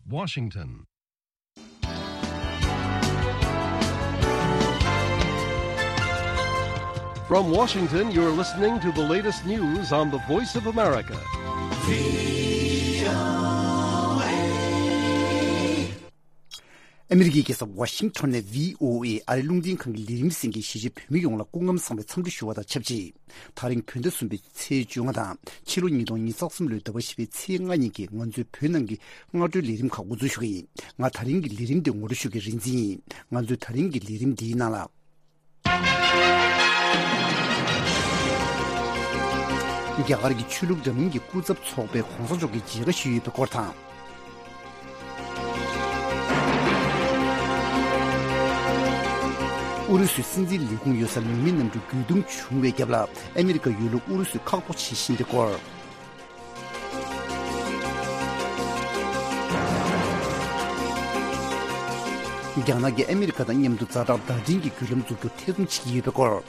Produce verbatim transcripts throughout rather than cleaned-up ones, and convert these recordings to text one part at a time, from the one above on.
Washington. From Washington, you're listening to the latest news on the Voice of America. ཨ་མི་རི་ཀའི་རྒྱལ་ས་ཝ་ཤིང་ཊོན་ནས་བྷི་ཨོ་ཨེ་ཨ་རི་རླུང་འཕྲིན་ཁང་གི་ལས་རིམ་གསན་མཁན་གཞིས་བྱེས་བོད་མི་ཡོངས་ལ་སྐུ་ཁམས་བཟང་བའི་འཚམས་འདྲི་ཞུ་བ་དང་ཆབས་ཅིག་ད་རིང་བོད་ཟླ་གསུམ་པའི་ཚེས་བཅོ་ལྔ་དང་ཕྱི་ལོ་ཉིས་སྟོང་ཉི་ཤུ་རྩ་གསུམ་ལོའི་ཟླ་བ་བཞི་པའི་ཚེས་ལྔ་ཉིན་གྱི་ང་ཚོའི་བོད་ནང་གི་སྔ་དྲོའི་ལས་རིམ་ཁག་འགོ་འཛུགས་ཞུ་གི་ཡིན། ང་ད་རིང་གི་ལས་རིམ་དེ་ངོ་སྤྲོད་ཞུ་མཁན་རིག་འཛིན་ཡིན། ང་ཚོའི་ད་རིང་གི་ལས་རིམ་འདིའི་ནང་ལ། རྒྱ་གར་གྱི་ཆོས་ལུགས་འདྲ་མིན་གྱི་སྐུ་ཚབ་ཚོགས་པས་གོང་ས་མཆོག་གི་མཇལ་ཁ་ཞུས་ཡོད་པའི་སྐོར་དང་། ཨུ་རུ་སུའི་སྲིད་འཛིན་ལས་ཁུངས་ཡོད་སར་ནུས་མེད་གནམ་གྲུ་རྒོལ་རྡུང་བྱུང་བའི་རྒྱབ་ལ་ཨ་མི་རི་ཀ་ཡོད་ལུགས་ཨུ་རུ་སུས་ཁག་པོ་བྱེད་བཞིན་པའི་སྐོར། རྒྱ་ནག་གིས་ཨ་མི་རི་ཀ་དང་མཉམ་དུ་ཛ་དྲག་བརྡ་འཕྲིན་གྱི་བརྒྱུད་ལམ་འཛུགས་རྒྱུར་ཐེ་ཚོམ་བྱེད་ཀྱི་ཡོད་པའི་སྐོར།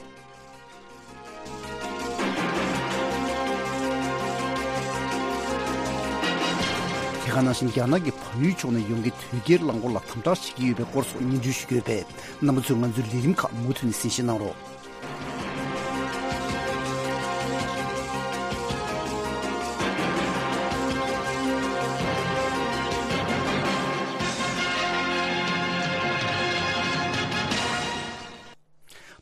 དེ་ག་ནང་བཞིན་རྒྱ་ནག་གི་བལ་ཡུལ་ཕྱོགས་ནས་ཡོང་མཁན་དོས་སྐྱེལ་རླངས་འཁོར་ལ་དམ་དྲག་བྱེད་ཀྱི་ཡོད་པའི་སྐོར་སོགས་སྙན་སྒྲོན་ཞུ་གི་ཡོད་པས། རྣམ་པ་ཚོས་ང་ཚོའི་ལས་རིམ་ཁག་མུ་མཐུད་ནས་གསན་བཞེས་གནང་རོགས།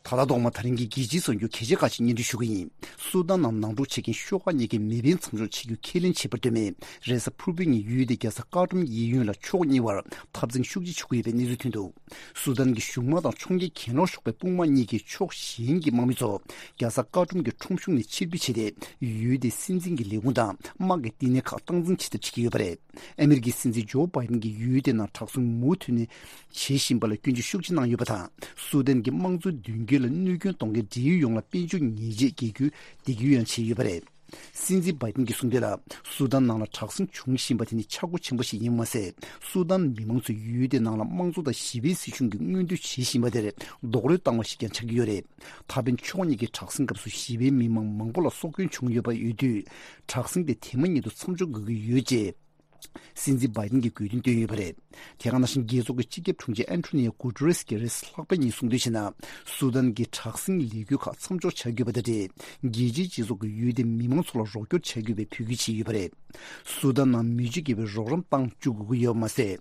ད་ལྟ་ཐོག་མ་ད་རིང་གི་རྒྱལ་སྤྱིའི་གསར་འགྱུར་གལ་ཆེ་ཁག་ཅིག་སྙན་སྒྲོན་ཞུ་གི་ཡིན། སུ་དཱན་ནང་ནང་འཁྲུག་བྱེད་མཁན་ཤོག་ཁག་གཉིས་ཀས་མེ་འཕེན་མཚམས་འཇོག་བྱེད་རྒྱུ་ཁས་ལེན་བྱས་པར་ལྟོས་མེད། རེས་གཟའ་ཕུར་བུའི་ཉིན་ཡུལ་དེའི་རྒྱལ་ས་ཀར་ཏུམ་གཡས་གཡོན་ལ་ཕྱོགས་གཉིས་བར་འཐབ་འཛིང་ཤུགས་ཆེ་བྱུང་གི་ཡོད་པའི་གནས་ཚུལ་ཐོན་འདུག་སུ་དཱན་གྱི་གཞུང་དམག་དང་ཕྱོགས་འགལ་གྱེན་ལོག་ཤོག་པའི་དཔུང་དམག་གཉིས་ཀྱིས་ཕྱོགས་གཞན་གྱི་དམག་མི་ཚོ་རྒྱལ་ས་ཀར་ཏུམ་གྱི་ཁྲོམ་གཞུང་ནས་ཕྱིར་འབུད་བྱས་ཏེ། ཡུལ་དེའི་སྲིད་འཛིན་གྱི་ལས་ཁུངས་དང་དམག་གི་བསྟི་གནས་ཁག་སྟངས་འཛིན་བྱེད་ཐབས་བྱེད་ཀྱི་ཡོད་པ་རེད། ཨ་མི་རི་ཀའི་སྲིད་འཛིན་ཇོ་བྷའི་ཏིན་གྱིས་ཡུལ་དེའི་ནང་དྲག་ཟིང་མུ་མཐུད་ནས་བྱེད་བཞིན་པ་ལ་སྐྱོན་བརྗོད་ཤུགས་ཆེ་གནང་ཡོད་པ་དང་། སུ་དཱན་གྱི་དམངས་གཙོའི་མདུན་སྐྱོད་ལ་གནོད་སྐྱོན་གཏོང་མཁན་འབྲེལ་ཡོད་ཡོངས་ལ་དཔལ་འབྱོར་ཉེས་ཆད་འགེལ་རྒྱུའི་འདེད་སྐྱོར་ཡང་བྱས་ཡོད་པ་རེད། སྲིད་འཛིན་བྷའི་ཏིན་གྱིས་གསུངས་དོན་ལ། སུ་དཱན་ནང་ལ་དྲག་ཟིང་འབྱུང་བཞིན་པ་དེ་ནི་ཆག་སྒོ་ཆེན་པོ་ཞིག་ཡིན་པ་མ་ཟད། སུ་དཱན་མི་མང་ཚོས་ཡུལ་དེའི་ནང་ལ་དམངས་གཙོ་དང་ཞི་བའི་སྲིད་གཞུང་གི་མངོན་འདོད་བྱེད་བཞིན་པ་དེར་རྡོག་རོལ་བཏང་བ་ཞིག་ཀྱང་ཆགས་ཀྱི་ཡོད་རེད། ད་ཕན་ཕྱོགས་གཉིས་ཀྱི་དྲག་ཟིང་སྐབས་སུ་ཞི་བའི་མི་མང་མང་པོ་ལ་སྲོག་སྐྱོན་བྱུང་ཡོད་པ་ཡོད་དུས། དྲག་ཟིང་དེ་དེ་མ་ཉིད་དུ་མཚམས་འཇོག་དགོས་ཀྱི་ཡོད་ཅེས། སྲིད་འཛིན་བྷའི་ཏིན་གྱིས་དགོས་འདུན་བཏོན་ཡོད་པ་རེད། དེ་ག་ནང་བཞིན་རྒྱལ་ཚོགས་ཀྱི་སྤྱི་ཁྱབ་དྲུང་ཆེ་ཨན་ཐོ་ནི་ཡོ་གུ་ཏེ་རེས་ཀྱིས་རེས་ལྷག་པའི་ཉིན་གསུངས་དོན་བྱས་ན། སུ་དཱན་གྱི་དྲག་ཟིང་ལས་འགུལ་ཁག་མཚམས་འཇོག་བྱ་དགོས་པ་དང་འབྲེལ། རྒྱལ་སྤྱིའི་སྤྱི་ཚོགས་ཀྱིས་ཡུལ་དེའི་མི་མང་ཚོ་ལ་རོགས་སྐྱོར་བྱ་དགོས་པའི་འབོད་སྐུལ་བྱས་ཡོད་པ་རེད། སུ་དཱན་ནང་མི་སྤྱོད་དགེ་བའི་རོགས་རམ་བཏང་བཅུག་དགོས་ཀྱི་ཡོད་པ་མ་ཟད།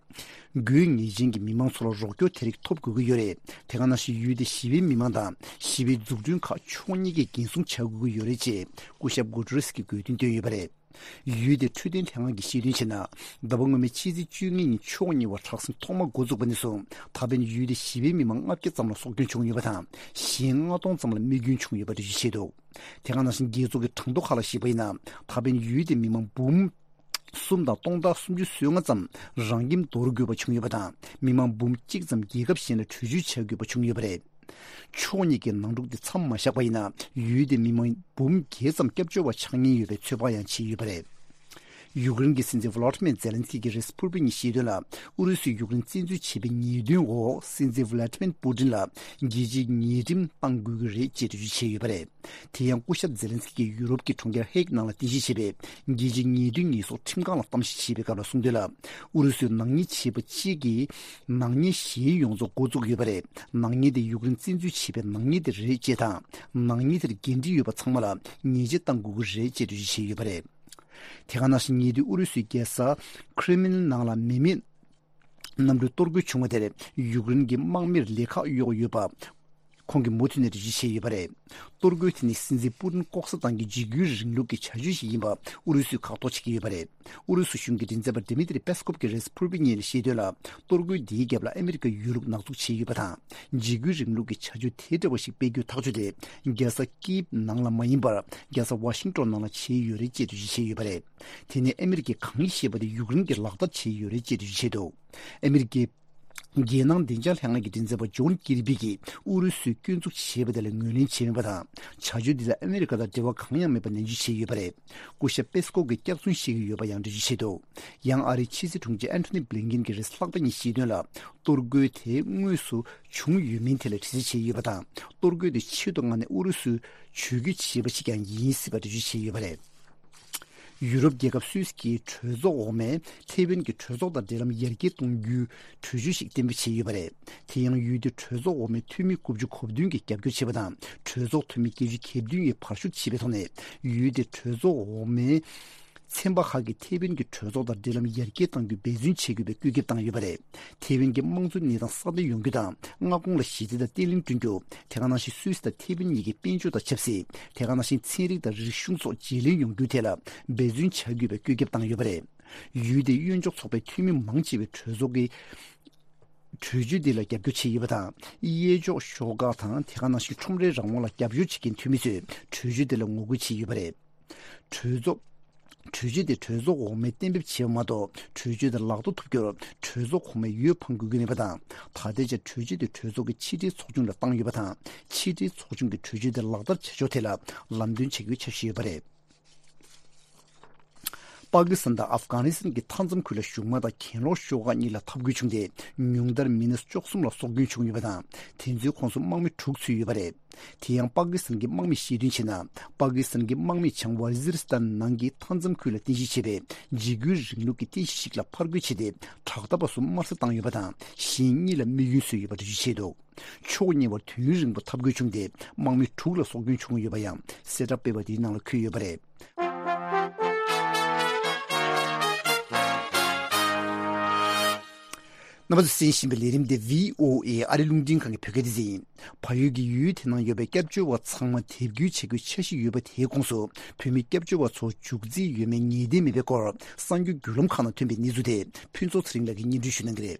དགོས་ངེས་ཅན་གྱི་མི་མང་ཚོ་ལ་རོགས་སྐྱོར་དེ་རིགས་ཐོབ་དགོས་ཀྱི་ཡོད་རེད། དེ་ག་ནང་བཞིན་ཡུལ་དེའི་ཞི་བའི་མི་མང་དང་ཞི་བའི་འཛུགས་སྐྲུན་ཁག་ཕྱོགས་གཉིས་ཀས་འགན་སྲུང་བྱ་དགོས་ཀྱི་ཡོད་རེད་ཅེས་སྐུ་ཞབས་གུ་ཏེ་རེས་ཀྱིས་དགོས་འདུན་བཏོན་ཡོད་པ་རེད། ཡུལ་དེའི་འཕྲོད་བསྟེན་ལྷན་ཁང་གིས་བཤད་དོན་བྱས་ན། ཟླ་བ་སྔོན་མའི་ཕྱི་ཚེས་བཅོ་ལྔ་ཉིན་ཕྱོགས་གཉིས་བར་དྲག་ཟིང་ཐོག་མ་འགོ་བཙུགས་པ་ནས་བཟུང་ད་ཕན་ཡུལ་དེའི་ཞི་བའི་མི་མང་ལྔ་བརྒྱ་ཙམ་ལ་སྲོག་སྐྱོན་བྱུང་ཡོད་པ་དང་། གཞན་ལྔ་སྟོང་ཙམ་ལ་རྨས་སྐྱོན་བྱུང་ཡོད་པ་འགྲེལ་བརྗོད་བྱས་འདུག་དེ་ག་ནང་བཞིན་རྒྱལ་ཚོགས་ཀྱི་གྲངས་ཐོ་ཁག་ལ་གཞིགས་པ་ཡིན་ན། ད་ཕན་ཡུལ་དེའི་མི་མང་འབུམ་གསུམ་དང་སྟོང་ཕྲག་སུམ་ཅུ་སོ་ལྔ་ཙམ་རང་ཁྱིམ་འདོར་དགོས་པ་བྱུང་ཡོད་པ་དང་། མི་མང་འབུམ་གཅིག་ཙམ་རྒྱལ་ཁབ་གཞན་ལ་བྲོས་བྱོལ་བྱ་དགོས་པ་བྱུང་ཡོད་པ་རེད། ཕྱོགས་གཉིས་ཀྱིས་ནང་འཁྲུག་དེ་མཚམས་མ་བཞག་པ་ཡིན་ན། ཡུལ་དེའི་མི་མང་འབུམ་བརྒྱད་ཙམ་སྐྱབས་བཅོལ་བ་ཆགས་ཉེན་ཡོད་པའི་ཚོད་དཔག་ཡང་བྱས་ཡོད་པ་རེད། ཡུཀ་རེན་གྱི་སྲིད་འཛིན་ཝོ་ལོ་ཏི་མེར་ཛེ་ལན་སི་ཀི་གིས་རེས་གཟའ་ཕུར་བུ་ཉིན་བཤད་དོན་ལ། ཨུ་རུ་སུས་ཡུཀ་རེན་བཙན་འཛུལ་བྱས་པའི་ཉེས་དོན་འོག་སྲིད་འཛིན་ཝ་ལ་ཏི་མེར་པུ་ཏིན་ལ་རྒྱལ་སྤྱིའི་ཉེས་ཁྲིམས་གཏང་དགོས་ཀྱི་རེད་ཅེས་འགྲེལ་བརྗོད་བྱས་ཡོད་པ་རེད། དེ་ཡང་སྐུ་ཞབས་ཛེ་ལན་སི་ཀིས་ཡུ་རོབ་ཀྱི་གྲོང་ཁྱེར་ཧེག་ནང་ལ་རྟེན་གཞི་བྱས་པའི་རྒྱལ་སྤྱིའི་ཉེས་དོན་ཉེས་གསོག་ཁྲིམས་ཁང་ལ་གཏམ་བཤད་བྱས་པའི་སྐབས་ལ་གསུངས་དོན་ལ། ཨུ་རུ་སུས་ནག་ཉེས་བྱས་པ་གཅིག་གིས་ནག་ཉེས་གཞན་ཡོངས་རྫོགས་འགོ་བཙུགས་ཡོད་པ་རེད། ནག་ཉེས་དེ་ཡུཀ་རེན་བཙན་འཛུལ་བྱས་པའི་ནག་ཉེས་དེ་རེད་ཅེས་དང་། ནག་ཉེས་དེར་འགན་འཁྲི་ཡོད་པ་ཚང་མ་ལ་ཉེས་ཆད་གཏང་དགོས་ཀྱི་རེད་ཅེས་འགྲེལ་བརྗོད་བྱས་ཡོད་པ་རེད། དེ་ག་ནང་བཞིན་ཉེ་དུས་ཨུ་རུ་སུའི་རྒྱལ་ས་ཁྲེ་མི་ལིན་ནང་ལ་མེ་མེད་གནམ་གྲུའི་གཏོར་རྒོལ་བྱུང་བ་དེར་ཡུཀ་རེན་གྱི་དམག་མིར་ལས་ཁག་གཡོགས་ཡོད་པ། ཁོང་གིས་མུ་མཐུད་ནས་འགྲེལ་བརྗོད་བྱས་ཡོད་པ་རེད། གཏོར་རྒོལ་དེ་ནི་སྲིད་འཛིན་པུ་ཏིན་ལྐོག་ཟ་བཏང་གི་འཇིགས་སྐུལ་རིང་ལུགས་ཀྱི་བྱ་སྤྱོད་ཞིག་ཡིན་པ་ཨུ་རུ་སུས་ཁག་ཐོག་བྱེད་ཀྱི་ཡོད་པ་རེད། ཨུ་རུ་སུ་གཞུང་གི་མགྲིན་ཚབ་པ་ཌི་མི་ཏྲི་པེ་སི་ཀོབ་ཀྱིས་རེས་གཟའ་ཕུར་བུའི་ཉིན་བཤད་དོན་ལ། གཏོར་རྒོལ་འདིའི་རྒྱབ་ལ་ཨ་མི་རི་ཀ་ཡོད་ལུགས་ནག་འཛུགས་བྱས་ཡོད་པ་དང་། འཇིགས་སྐུལ་རིང་ལུགས་ཀྱི་བྱ་སྤྱོད་དེ་འདྲ་བ་ཞིག་སྤེལ་རྒྱུའི་ཐག་གཅོད་དེ། རྒྱལ་ས་ཀིབ་ནང་ལ་མ་ཡིན་པར། རྒྱལ་ས་ཝ་ཤིང་ཏོན་ནང་ལ་བྱས་ཡོད་རེད་ཅེས་འགྲེལ་བརྗོད་བྱས་ཡོད་པ་རེད། དེ་ནི་ཨ་མི་རི་ཀས་གང་བཤད་པ་དེ་ཡུཀ་རེན་གྱི་ལག་བསྟར་བྱས་ཡོད་རེད་ཅེས་འགྲེལ་བརྗོད་བྱས་འདུག་ཨ་མི་རི་ཀའི་རྒྱལ་ནང་བདེ་འཇགས་ལྷན་ཁང་གི་མགྲིན་ཚབ་པ་ཇོན་ཀིར་བི་གིས་ཨུ་རུ་སུས་སྐྱོན་འཛུགས་བྱས་པ་དེ་ལ་ངོས་ལེན་བྱས་མེད་པ་དང་། བྱ་སྤྱོད་འདི་ལ་ཨ་མི་རི་ཀ་དང་འབྲེལ་བ་གང་ཡང་མེད་པ་ནན་བརྗོད་བྱས་ཡོད་པ་རེད། སྐུ་ཞབས་པེ་སི་ཀོབ་ཀྱིས་སྐྱག་རྫུན་བཤད་ཀྱི་ཡོད་པ་ཡང་འགྲེལ་བརྗོད་བྱས་འདུག་ཡང་ཨ་རིའི་ཕྱི་སྲིད་དྲུང་ཆེ་ཨན་ཐོ་ནི་བྷི་ལིན་ཀིན་གྱིས་རེས་ལྷག་པ་ཉིན་བཤད་དོན་ལ། གཏོར་རྒོལ་དེ་དངོས་སུ་བྱུང་ཡོད་མིན་ཐད་ལ་དྲི་རྩད་བྱས་ཡོད་པ་དང་། གཏོར་རྒོལ་དེ་ཆེད་དུ་མངགས་ནས་ཨུ་རུ་སུས་ཇུས་འགོད་བྱས་པ་ཞིག་ཀྱང་ཡིན་སྲིད་པ་འགྲེལ་བརྗོད་བྱས་ཡོད་པ་རེད། ཡུ་རོབ་རྒྱལ་ཁབ་སུད་སི་གི་གྲོས་ཚོགས་འོག་མས་ཐེ་ཝན་གྱི་གྲོས་ཚོགས་དང་འབྲེལ་ལམ་ཡར་རྒྱས་གཏོང་རྒྱུའི་གྲོས་ཆོད་ཞིག་གཏན་འབེབས་བྱས་ཡོད་པ་རེད། དེ་ཡང་ཡུལ་དེའི་གྲོས་ཚོགས་འོག་མའི་འཐུས་མི་དགུ་བཅུ་གོ་བདུན་གྱིས་རྒྱབ་སྐྱོར་བྱས་པ་དང་། གྲོས་ཚོགས་འཐུས་མི་བརྒྱད་ཅུ་གྱ་བདུན་ཡིས་བར་ཞུ་བྱས་པའི་ཐོག་ནས། ཡུལ་དེའི་གྲོས་ཚོགས་འོག་མའི་ཚན་པ་ཁག་གིས་ཐེ་ཝན་གྱི་གྲོས་ཚོགས་དང་འབྲེལ་ལམ་ཡར་རྒྱས་གཏང་རྒྱུར་འབད་བརྩོན་བྱེད་དགོས་པའི་བཀོད་ཁྱབ་བཏང་ཡོད་པ་རེད། ཐེ་ཝན་གྱི་དམངས་གཙོའི་གནས་སྟངས་སྲ་བརྟན་ཡོང་རྒྱུ་དང་། མངའ་ཁོངས་ལ་ཞི་བདེ་དང་བརྟན་ལྷིང་བསྐྲུན་རྒྱུ། དེ་ག་ནང་བཞིན་སུད་སི་དང་ཐེ་ཝན་གཉིས་ཀྱི་དཔལ་འབྱོར་དང་ཆབ་སྲིད། དེ་ག་ནང་བཞིན་ཚན་རིག་དང་རིག་གཞུང་སོགས་བརྗེ་ལེན་ཡོང་རྒྱུའི་ཐད་ལ་འབད་བརྩོན་བྱ་དགོས་པའི་བཀོད་ཁྱབ་བཏང་ཡོད་པ་རེད། ཡུལ་དེའི་གཡོན་ཕྱོགས་ཚོགས་པའི་འཐུས་མི་མང་ཆེ་བས་གྲོས་ཚོགས་ཀྱི་གྲོས་ཆོད་འདི་ལ་རྒྱབ་སྐྱོར་བྱས་ཡོད་པ་དང་། གཡས་ཕྱོགས་ཤོག་ཁག་དང་། དེ་ག་ནང་བཞིན་ཁྲོམ་རའི་རང་དབང་ལ་རྒྱབ་སྐྱོར་བྱེད་མཁན་འཐུས་མི་ཚོས་གྲོས་ཆོད་འདི་ལ་ངོ་རྒོལ་བྱས་ཡོད་པ་རེད། གྲོས་ཚོགས། གྲོས་ཆོད་དེ་གྲོས་ཚོགས་འོག་མས་གཏན་འབེབས་བྱས་པ་མ་གཏོགས། གྲོས་ཆོད་དེ་ལག་བསྟར་ཐུབ་རྒྱུར་གྲོས་ཚོགས་གོང་མའི་འོས་འཕང་དགོས་ཀྱི་མེད་པ་དང་། ད་ལྟའི་ཆར་གྲོས་ཆོད་དེ་གྲོས་ཚོགས་ཀྱི་ཕྱི་དྲིལ་ཚོགས་ཆུང་ལ་བཏང་ཡོད་པ་དང་། ཕྱི་དྲིལ་ཚོགས་ཆུང་གིས་གྲོས་ཆོད་དེ་ལག་བསྟར་བྱ་ཕྱོགས་ཐད་ལ་ལམ་སྟོན་བྱེད་དགོས་འཆར་གཞི་ཡོད་པ་རེད། པ་ཀི་སི་ཐན་དང་ཨབ་གྷ་ནི་སི་ཐན་གྱི་མཐའ་མཚམས་ཁུལ་ལ་གཞུང་དམག་དང་གྱེན་ལོག་ཤོག་ཁག་གཉིས་ལ་འཐབ་རྒོལ་བྱུང་སྟེ། ཉུང་མཐར་མི་སྣ་བཅུ་གསུམ་ལ་སྲོག་སྐྱོན་བྱུང་ཡོད་པ་དང་། དེ་ཚོའི་ཁོངས་སུ་དམག་མི་དྲུག་ཚུད་ཡོད་པ་རེད། དེ་ཡང་པ་ཀི་སི་ཐན་གྱི་དམག་མིས་བཤད་དོན་བྱས་ན། པ་ཀི་སི་ཐན་གྱི་དམག་མིས་བྱང་ཝ་ཛིར་སི་ཐན་ནང་གི་མཐའ་མཚམས་ཁུལ་ལ་རྟེན་གཞི་བྱས་པའི་འཇིགས་སྐུལ་རིང་ལུགས་ཀྱི་རྟེན་གཞི་ཞིག་ལ་ཕར་རྒོལ་བྱས་ཏེ། དྲག་འཐབ་པ་གསུམ་དམར་གསོད་བཏང་ཡོད་པ་དང་། གཞན་གཉིས་ལ་རྨས་སྐྱོན་བཟོས་ཡོད་པ་འགྲེལ་བརྗོད་བྱས་འདུག་ཕྱོགས་གཉིས་བར་དུས་ཡུན་རིང་པོ་འཐབ་རྒོལ་བྱུང་སྟེ། དམག་མི་དྲུག་ལ་སྲོག་སྐྱོན་བྱུང་ཡོད་པ་ཡང་གསལ་བསྒྲགས་སྤེལ་བ་དེའི་ནང་ལ་འཁོད་ཡོད་པ་རེད། རྣམ་པ་ཚོས་གསན་བཞིན་པའི་ལས་རིམ་འདི་བྷི་ཨོ་ཨེ་ཨ་རི་རླུང་འཕྲིན་ཁང་གི་བོད་སྐད་སྡེ་ཚན་ཡིན། བལ་ཡུལ་གྱི་ཡུལ་དེ་ནང་ཡོད་པའི་སྐྱབས་བཅོལ་བ་ཚང་མ་དེབ་སྐྱེལ་བྱེད་དགོས་འཆར་གཞི་ཡོད་པ་དེའི་ཁོངས་སུ། བོད་མི་སྐྱབས་བཅོལ་བ་ཚོ་འཇུག་རྩིས་ཡོད་མེད་ངེས་གཏན་མེད་པའི་སྐོར། གསར་འགྱུར་བརྒྱུད་ལམ་ཁག་ནང་ཐོན་པའི་གནས་ཚུལ་དེ་ཕུན་ཚོགས་ཚེ་རིང་ལགས་ཀྱིས་སྙན་སྒྲོན་ཞུ་གནང་གི་རེད།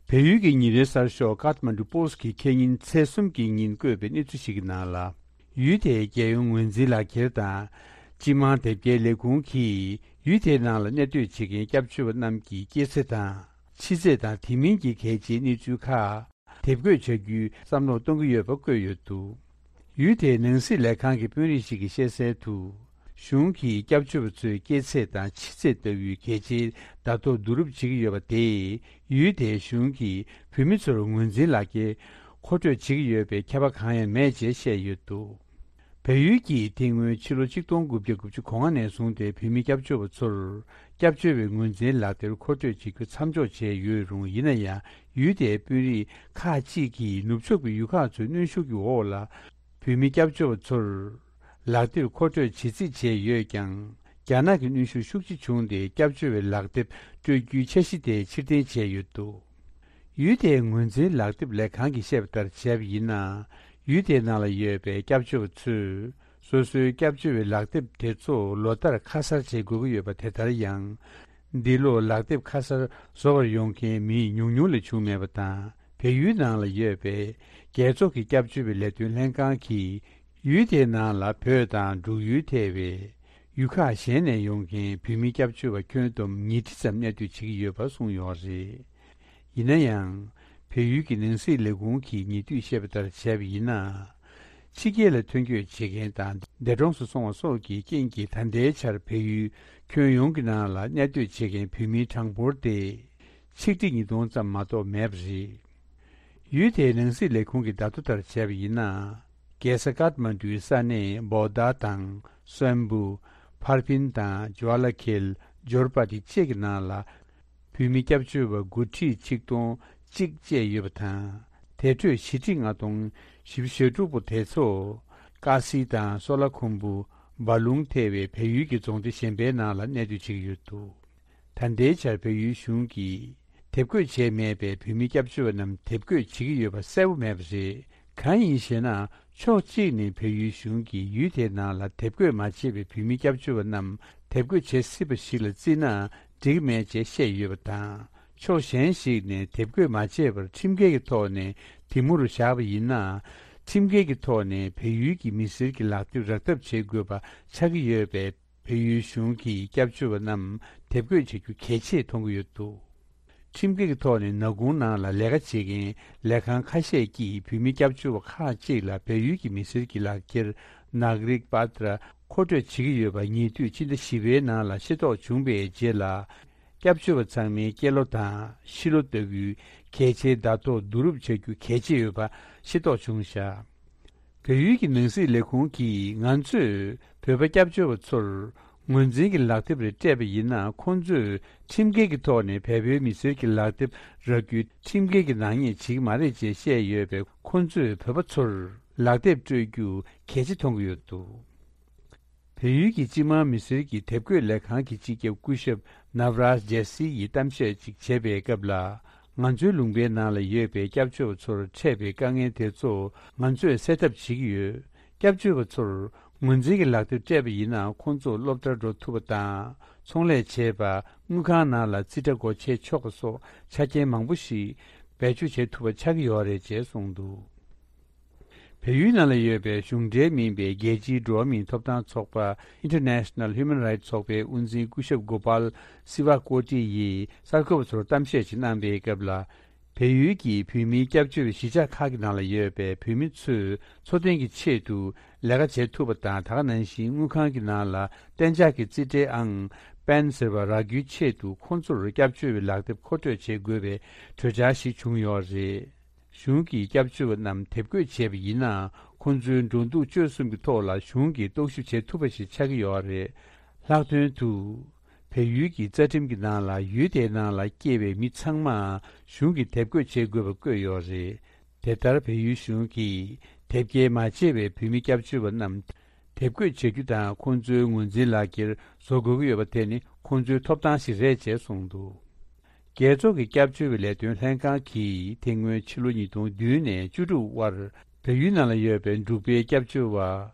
བལ་ཡུལ་གྱི་ཉིན་རེའི་གསར་ཤོག་Kathmandu Post གིས་ཁེ་ཉིན་ཚེས་གསུམ་གྱི་ཉིན་བཀོད་པའི་གནས་ཚུལ་ཞིག་གི་ནང་ལ། ཡུལ་དེའི་རྒྱལ་ཡོངས་ངོས་འཛིན་ལག་འཁྱེར་དང་། སྤྱི་དམངས་དེབ་སྐྱེལ་ལས་ཁུངས་ཀྱིས། ཡུལ་དེའི་ནང་ལ་གནས་སྡོད་བྱེད་མཁན་སྐྱབས་བཅོལ་བ་རྣམས་ཀྱི་སྐྱེས་ཚེས་དང་། ཕྱི་ཚེས་དང་དེ་མིན་གྱི་གལ་ཆེའི་གནས་ཚུལ་ཁག་དེབ་འགོད་བྱ་རྒྱུའི་བསམ་བློ་གཏོང་གི་ཡོད་པ་བཀོད་ཡོད་འདུག་ཡུལ་དེའི་ནང་སྲིད་ལས་ཁང་གི་དཔོན་རིགས་ཤིག་གིས་བཤད་གསལ་དུ། གཞུང་གིས་སྐྱབས་བཅོལ་བ་ཚོའི་སྐྱེས་ཚེས་དང་ཕྱི་ཚེས་ལྟ་བུའི་གལ་ཆེའི་བརྡ་ཐོ་བསྡུ་རུབ་བྱེད་ཀྱི་ཡོད་པ་དེས། ཡུལ་དེའི་གཞུང་གིས་བོད་མི་ཚོར་ངོས་འཛིན་ལག་འཁྱེར་མཁོ་སྤྲོད་བྱེད་ཀྱི་ཡོད་པའི་ཁྱབ་པ་གང་ཡང་མེད་ཅེས་བཤད་ཡོད་འདུག་བལ་ཡུལ་གྱིས་དེ་སྔོན་ཕྱི་ལོ་ཆིག་སྟོང་དགུ་བརྒྱ་དགུ་བཅུ་གོ་ལྔ་ནས་བཟུང་སྟེ་བོད་མི་སྐྱབས་བཅོལ་བ་ཚོར་སྐྱབས་བཅོལ་བའི་ངོས་འཛིན་ལག་འཁྱེར་མཁོ་སྤྲོད་བྱེད་རྒྱུ་མཚམས་འཇོག་བྱས་ཡོད་རུང་། ཡིན་ན་ཡང་། ཡུལ་དེའི་དཔོན་རིགས་ཁག་ཅིག་གིས་ནུབ་ཕྱོགས་པའི་ཡུལ་ཁག་ཚོའི་གནོན་ཤུགས་ཀྱི་འོག་ལ། བོད་མི་སྐྱབས་བཅོལ་བ་ཚོར་ལག་དེབ་མཁོ་སྤྲོད་བྱེད་རྩིས་བྱས་ཡོད་ཀྱང་། རྒྱ་ནག་གི་གནོན་ཤུགས་ཤུགས་ཆེ་བྱུང་སྟེ། སྐྱབས་བཅོལ་བའི་ལག་དེབ་སྤྲོད་རྒྱུའི་འཆར་གཞི་དེ་ཕྱིར་འཐེན་བྱས་ཡོད་འདུག་ཡུལ་དེའི་ངོས་འཛིན་ལག་དེབ་ལས་ཁང་གིས་བཤད་པ་ལྟར་བྱས་པ་ཡིན་ན། ཡུལ་དེའི་ནང་ལ་ཡོད་པའི་སྐྱབས་བཅོལ་བ་ཚོས། སོ་སོའི་སྐྱབས་བཅོལ་བའི་ལག་དེབ་དེ་ཚོ་ལོ་ལྟར་ཁ་གསར་བྱེད་དགོས་ཀྱི་ཡོད་པ་དེ་ལྟར་ཡང་། འདི་ལོ་ལག་དེབ་ཁ་གསར་བཟོ་བར་ཡོང་མཁན་མི་ཉུང་ཉུང་ལས་བྱུང་མེད་པ་དང་། བལ་ཡུལ་ནང་ལ་ཡོད་པའི་རྒྱལ་ཚོགས་ཀྱི་སྐྱབས་བཅོལ་བའི་ལས་དོན་ལྷན་ཁང་གིས། ཡུལ་དེའི་ནང་ལ་བོད་དང་འབྲུག་ཡུལ་ཐེ་བའི་ཡུལ་ཁག་གཞན་ནས་ཡོང་མཁན་བོད་མི་སྐྱབས་བཅོལ་བ་ཁྱོན་བསྡོམས་ཉིས་ཁྲི་ཙམ་གནས་སྡོད་བྱེད་ཀྱི་ཡོད་པ་གསུངས་ཡོད་རེད། ཡིན་ན་ཡང་། བལ་ཡུལ་གྱི་ནང་སྲིད་ལས་ཁུངས་ཀྱིས་ཉེ་དུས་བཤད་པ་ལྟར་བྱས་པ་ཡིན་ན། ཕྱི་རྒྱལ་ལ་ཐོན་སྐྱོད་བྱེད་མཁན་དང་འདས་གྲོངས་སུ་སོང་བ་སོགས་ཀྱི་རྐྱེན་གྱིས་ད་ལྟའི་ཆར་བལ་ཡུལ་ཁྱོན་ཡོངས་ཀྱི་ནང་ལ་གནས་སྡོད་བྱེད་མཁན་བོད་མིའི་གྲངས་འབོར་དེ་ཆིག་ཁྲི་ཉིས་སྟོང་ཙམ་མ་གཏོགས་མེད་པ་རེད། ཡུལ་དེའི་ནང་སྲིད་ལས་ཁུངས་ཀྱི་བརྡ་ཐོ་ལྟར་བྱས་པ་ཡིན་ན། རྒྱལ་ས་ཀཏ་མན་ཌུའི་ས་གནས་བོ་དྷ་དང་སོན་བུ། ཕར་ཕིན་དང་ཇོ་ལ་ཁེལ། ཇོར་པ་ཏི་བཅས་ཀྱི་ནང་ལ། བོད་མི་སྐྱབས་བཅོལ་བ་དགུ་ཁྲི་ཆིག་སྟོང་གཅིག་བཅས་ཡོད་པ་དང་། དེ་ཁྲོད་བཞི་ཁྲི་ལྔ་སྟོང་བཞི་བཅུ་ཞེ་དྲུག་པོ་དེ་ཚོ། ཀ་སི་དང་སོ་ལ་ཁུམ་བུ། སྦ་ལུང་ཐེ་བའི་བལ་ཡུལ་གྱི་རྫོང་སྡེ་གཞན་པའི་ནང་ལ་གནས་སྡོད་བྱེད་ཀྱི་ཡོད་འདུག་ད་ལྟའི་ཆར་བལ་ཡུལ་གཞུང་གིས་དེབ་འགོད་བྱས་མེད་པའི་བོད་མི་སྐྱབས་བཅོལ་བ་རྣམས་དེབ་འགོད་བྱེད་ཀྱི་ཡོད་པ་གསལ་པོ་མེད་པ་རེད། གང་ཡིན་ཞེ་ན། ཕྱོགས་གཅིག་ནས་བལ་ཡུལ་གཞུང་གིས་ཡུལ་དེའི་ནང་ལ་དེབ་འགོད་མ་བྱས་པའི་བོད་མི་སྐྱབས་བཅོལ་བ་རྣམས་དེབ་འགོད་བྱེད་སྲིད་པ་ཞིག་ལ་བརྩིས་ན་འགྲིག་མེད་ཅེས་བཤད་ཡོད་པ་དང་། ཕྱོགས་གཞན་ཞིག་ནས་དེབ་འགོད་མ་བྱས་པར་ཁྲིམས་འགལ་གྱི་ཐོག་ནས་དེ་མུར་བཞག་པ་ཡིན་ན། ཁྲིམས་འགལ་གྱི་ཐོག་ནས་བལ་ཡུལ་གྱི་མི་སེར་གྱི་ལག་དེབ་རག་ཐབས་བྱེད་དགོས་པ་ཆགས་ཀྱི་ཡོད་པས། བལ་ཡུལ་གཞུང་གིས་སྐྱབས་བཅོལ་བ་རྣམས་དེབ་འགོད་བྱེད་རྒྱུ་གལ་ཆེ་མཐོང་གི་ཡོད་འདུག་ཁྲིམས་འགལ་གྱི་ཐོག་ནས་ནག་ཁུང་ནང་ལ་ལས་ཀ་བྱེད་མཁན་ལས་ཁང་ཁ་ཤས་ཀྱིས་བོད་མི་སྐྱབས་བཅོལ་བ་ཁག་ཅིག་ལ་བལ་ཡུལ་གྱི་མི་སེར་གྱི་ལག་འཁྱེར་ནག་རིག་པ་ཏྲ་མཁོ་སྤྲོད་བྱེད་ཀྱི་ཡོད་པ་ཉེ་དུས་ཕྱི་ཟླ་བཞི་པའི་ནང་ལ་ཤེས་རྟོགས་བྱུང་བའི་རྗེས་ལ། སྐྱབས་བཅོལ་བ་ཚང་མའི་སྐྱེས་ལོ་དང་ཤི་ལོ་ལྟ་བུའི་གལ་ཆེའི་བརྡ་ཐོ་བསྡུ་རུབ་བྱ་རྒྱུ་གལ་ཆེ་ཡོད་པ་ཤེས་རྟོགས་བྱུང་བཞག་བལ་ཡུལ་གྱི་ནང་སྲིད་ལས་ཁུངས་ཀྱིས་ང་ཚོས་བོད་པ་སྐྱབས་བཅོལ་བ་ཚོར་ ངོས་འཛིན་གྱི་ལག་དེབ་རེ་སྤྲད་པ་ཡིན་ན། ཁོང་ཚོས་ཁྲིམས་འགལ་གྱི་ཐོག་ནས་བལ་པོའི་མི་སེར་གྱི་ལག་དེབ་རག་རྒྱུའི་ཁྲིམས་འགལ་གྱི་ནག་ཉེས་བྱེད་ཀྱི་མ་རེད་ཅེས་བཤད་ཡོད་པས། ཁོང་ཚོས་བོད་པ་ཚོར་ལག་དེབ་སྤྲོད་རྒྱུ་གལ་ཆེ་མཐོང་གི་ཡོད་འདུག་བལ་ཡུལ་གྱི་སྤྱི་དམངས་མི་སེར་གྱི་དེབ་འགོད་ལས་ཁང་གི་སྤྱི་ཁྱབ་སྐུ་ཞབས་ནབ་རཱཇ་ཇེ་སི་ཡིས་གཏམ་བཤད་ཅིག་བྱས་པའི་སྐབས་ལ། ང་ཚོའི་ལུང་པའི་ནང་ལ་ཡོད་པའི་སྐྱབས་བཅོལ་བ་ཚོར་འཕྲད་པའི་དཀའ་ངལ་དེ་ཚོ་ང་ཚོས་སེལ་ཐབས་བྱེད་ཀྱི་ཡོད། སྐྱབས་བཅོལ་བ་ཚོར་ངོས་འཛིན་གྱི་ལག་དེབ་སྤྲད་པ་ཡིན་ན། ཁོང་ཚོ་སློབ་གྲྭར་འགྲོ་ཐུབ་པ་དང་། ཚོང་ལས་བྱེད་པ། དངུལ་ཁང་ནང་ལ་རྩིས་ཁྲ་སྒོ་ཕྱེ་ཆོག་པ་སོགས་ཆ་རྐྱེན་མང་པོ་ཞིག་བེད་སྤྱོད་བྱེད་ཐུབ་པ་ཆགས་ཀྱི་ཡོད་རེད་ཅེས་གསུངས་འདུག་བལ་ཡུལ་ནང་ལ་ཡོད་པའི་གཞུང་འབྲེལ་མིན་པའི་རྒྱལ་སྤྱིའི་འགྲོ་བ་མིའི་ཐོབ་ཐང་ཚོགས་པ་International Human Rights ཚོགས་པའི་དབུ་འཛིན་སྐུ་ཞབས་གོ་པཱལ་སི་ཝ་ཀོ་ཏི་ཡིས་གསར་འགོད་པ་ཚོར་གཏམ་བཤད་ཅིག་གནང་པའི་སྐབས་ལ། བལ་ཡུལ་གྱི་བོད་མིའི་སྐྱབས་བཅོལ་བའི་གཞིས་ཆགས་ཁག་གི་ནང་ལ་ཡོད་པའི་བོད་མི་ཚོས་འཚོ་རྟེན་གྱི་ཆེད་དུ་ལས་ཀ་བྱེད་ཐུབ་པ་དང་། ད་ག་ནང་བཞིན་དངུལ་ཁང་གི་ནང་ལ་གཏན་འཇགས་ཀྱི་རྩིས་ཁྲའི་ཨང་པན་ཟེར་བ་རག་རྒྱུའི་ཆེད་དུ། ཁོང་ཚོར་སྐྱབས་བཅོལ་བའི་ལག་དེབ་མཁོ་སྤྲོད་བྱེད་དགོས་པའི་གྲོས་འཆར་ཞིག་བྱུང་ཡོད་རེད། གཞུང་གིས་སྐྱབས་བཅོལ་བ་རྣམས་དེབ་འགོད་བྱས་པ་ཡིན་ན། ཁོང་ཚོའི་འགྲོ་འདུག་སྤྱོད་གསུམ་གྱི་ཐོག་ལ་གཞུང་གིས་རྟོག་ཞིབ་བྱེད་ཐུབ་པ་ཞིག་ཆགས་ཀྱི་ཡོད་རེད། ལྷག་དོན་དུ། བལ་ཡུལ་གྱི་རྩ་ཁྲིམས་ཀྱི་ནང་ལ། ཡུལ་དེའི་ནང་ལ་སྐྱེས་པའི་མི་ཚང་མ་གཞུང་གིས་དེབ་འགོད་བྱེད་དགོས་པ་བཀོད་ཡོད་རེད། དེ་ལྟར་བལ་ཡུལ་གཞུང་གིས་དེབ་སྐྱེལ་མ་བྱས་པའི་བོད་མི་སྐྱབས་བཅོལ་བ་རྣམས་དེབ་འགོད་བྱ་རྒྱུ་དང་། ཁོང་ཚོའི་ངོས་འཛིན་ལག་འཁྱེར་བཟོ་དགོས་ཀྱི་ཡོད་པ་དེ་ནི་ཁོང་ཚོའི་ཐོབ་ཐང་ཞིག་རེད་ཅེས་གསུངས་འདུག་རྒྱལ་ཚོགས་ཀྱི་སྐྱབས་བཅོལ་བའི་ལས་དོན་ལྷན་ཁང་གིས་དེ་སྔོན་ཕྱི་ལོ་ཉིས་སྟོང་བདུན་ནས་བཅུ་དྲུག་བར་བལ་ཡུལ་ནང་ལ་ཡོད་པའི་འབྲུག་པའི་སྐྱབས་བཅོལ་བ་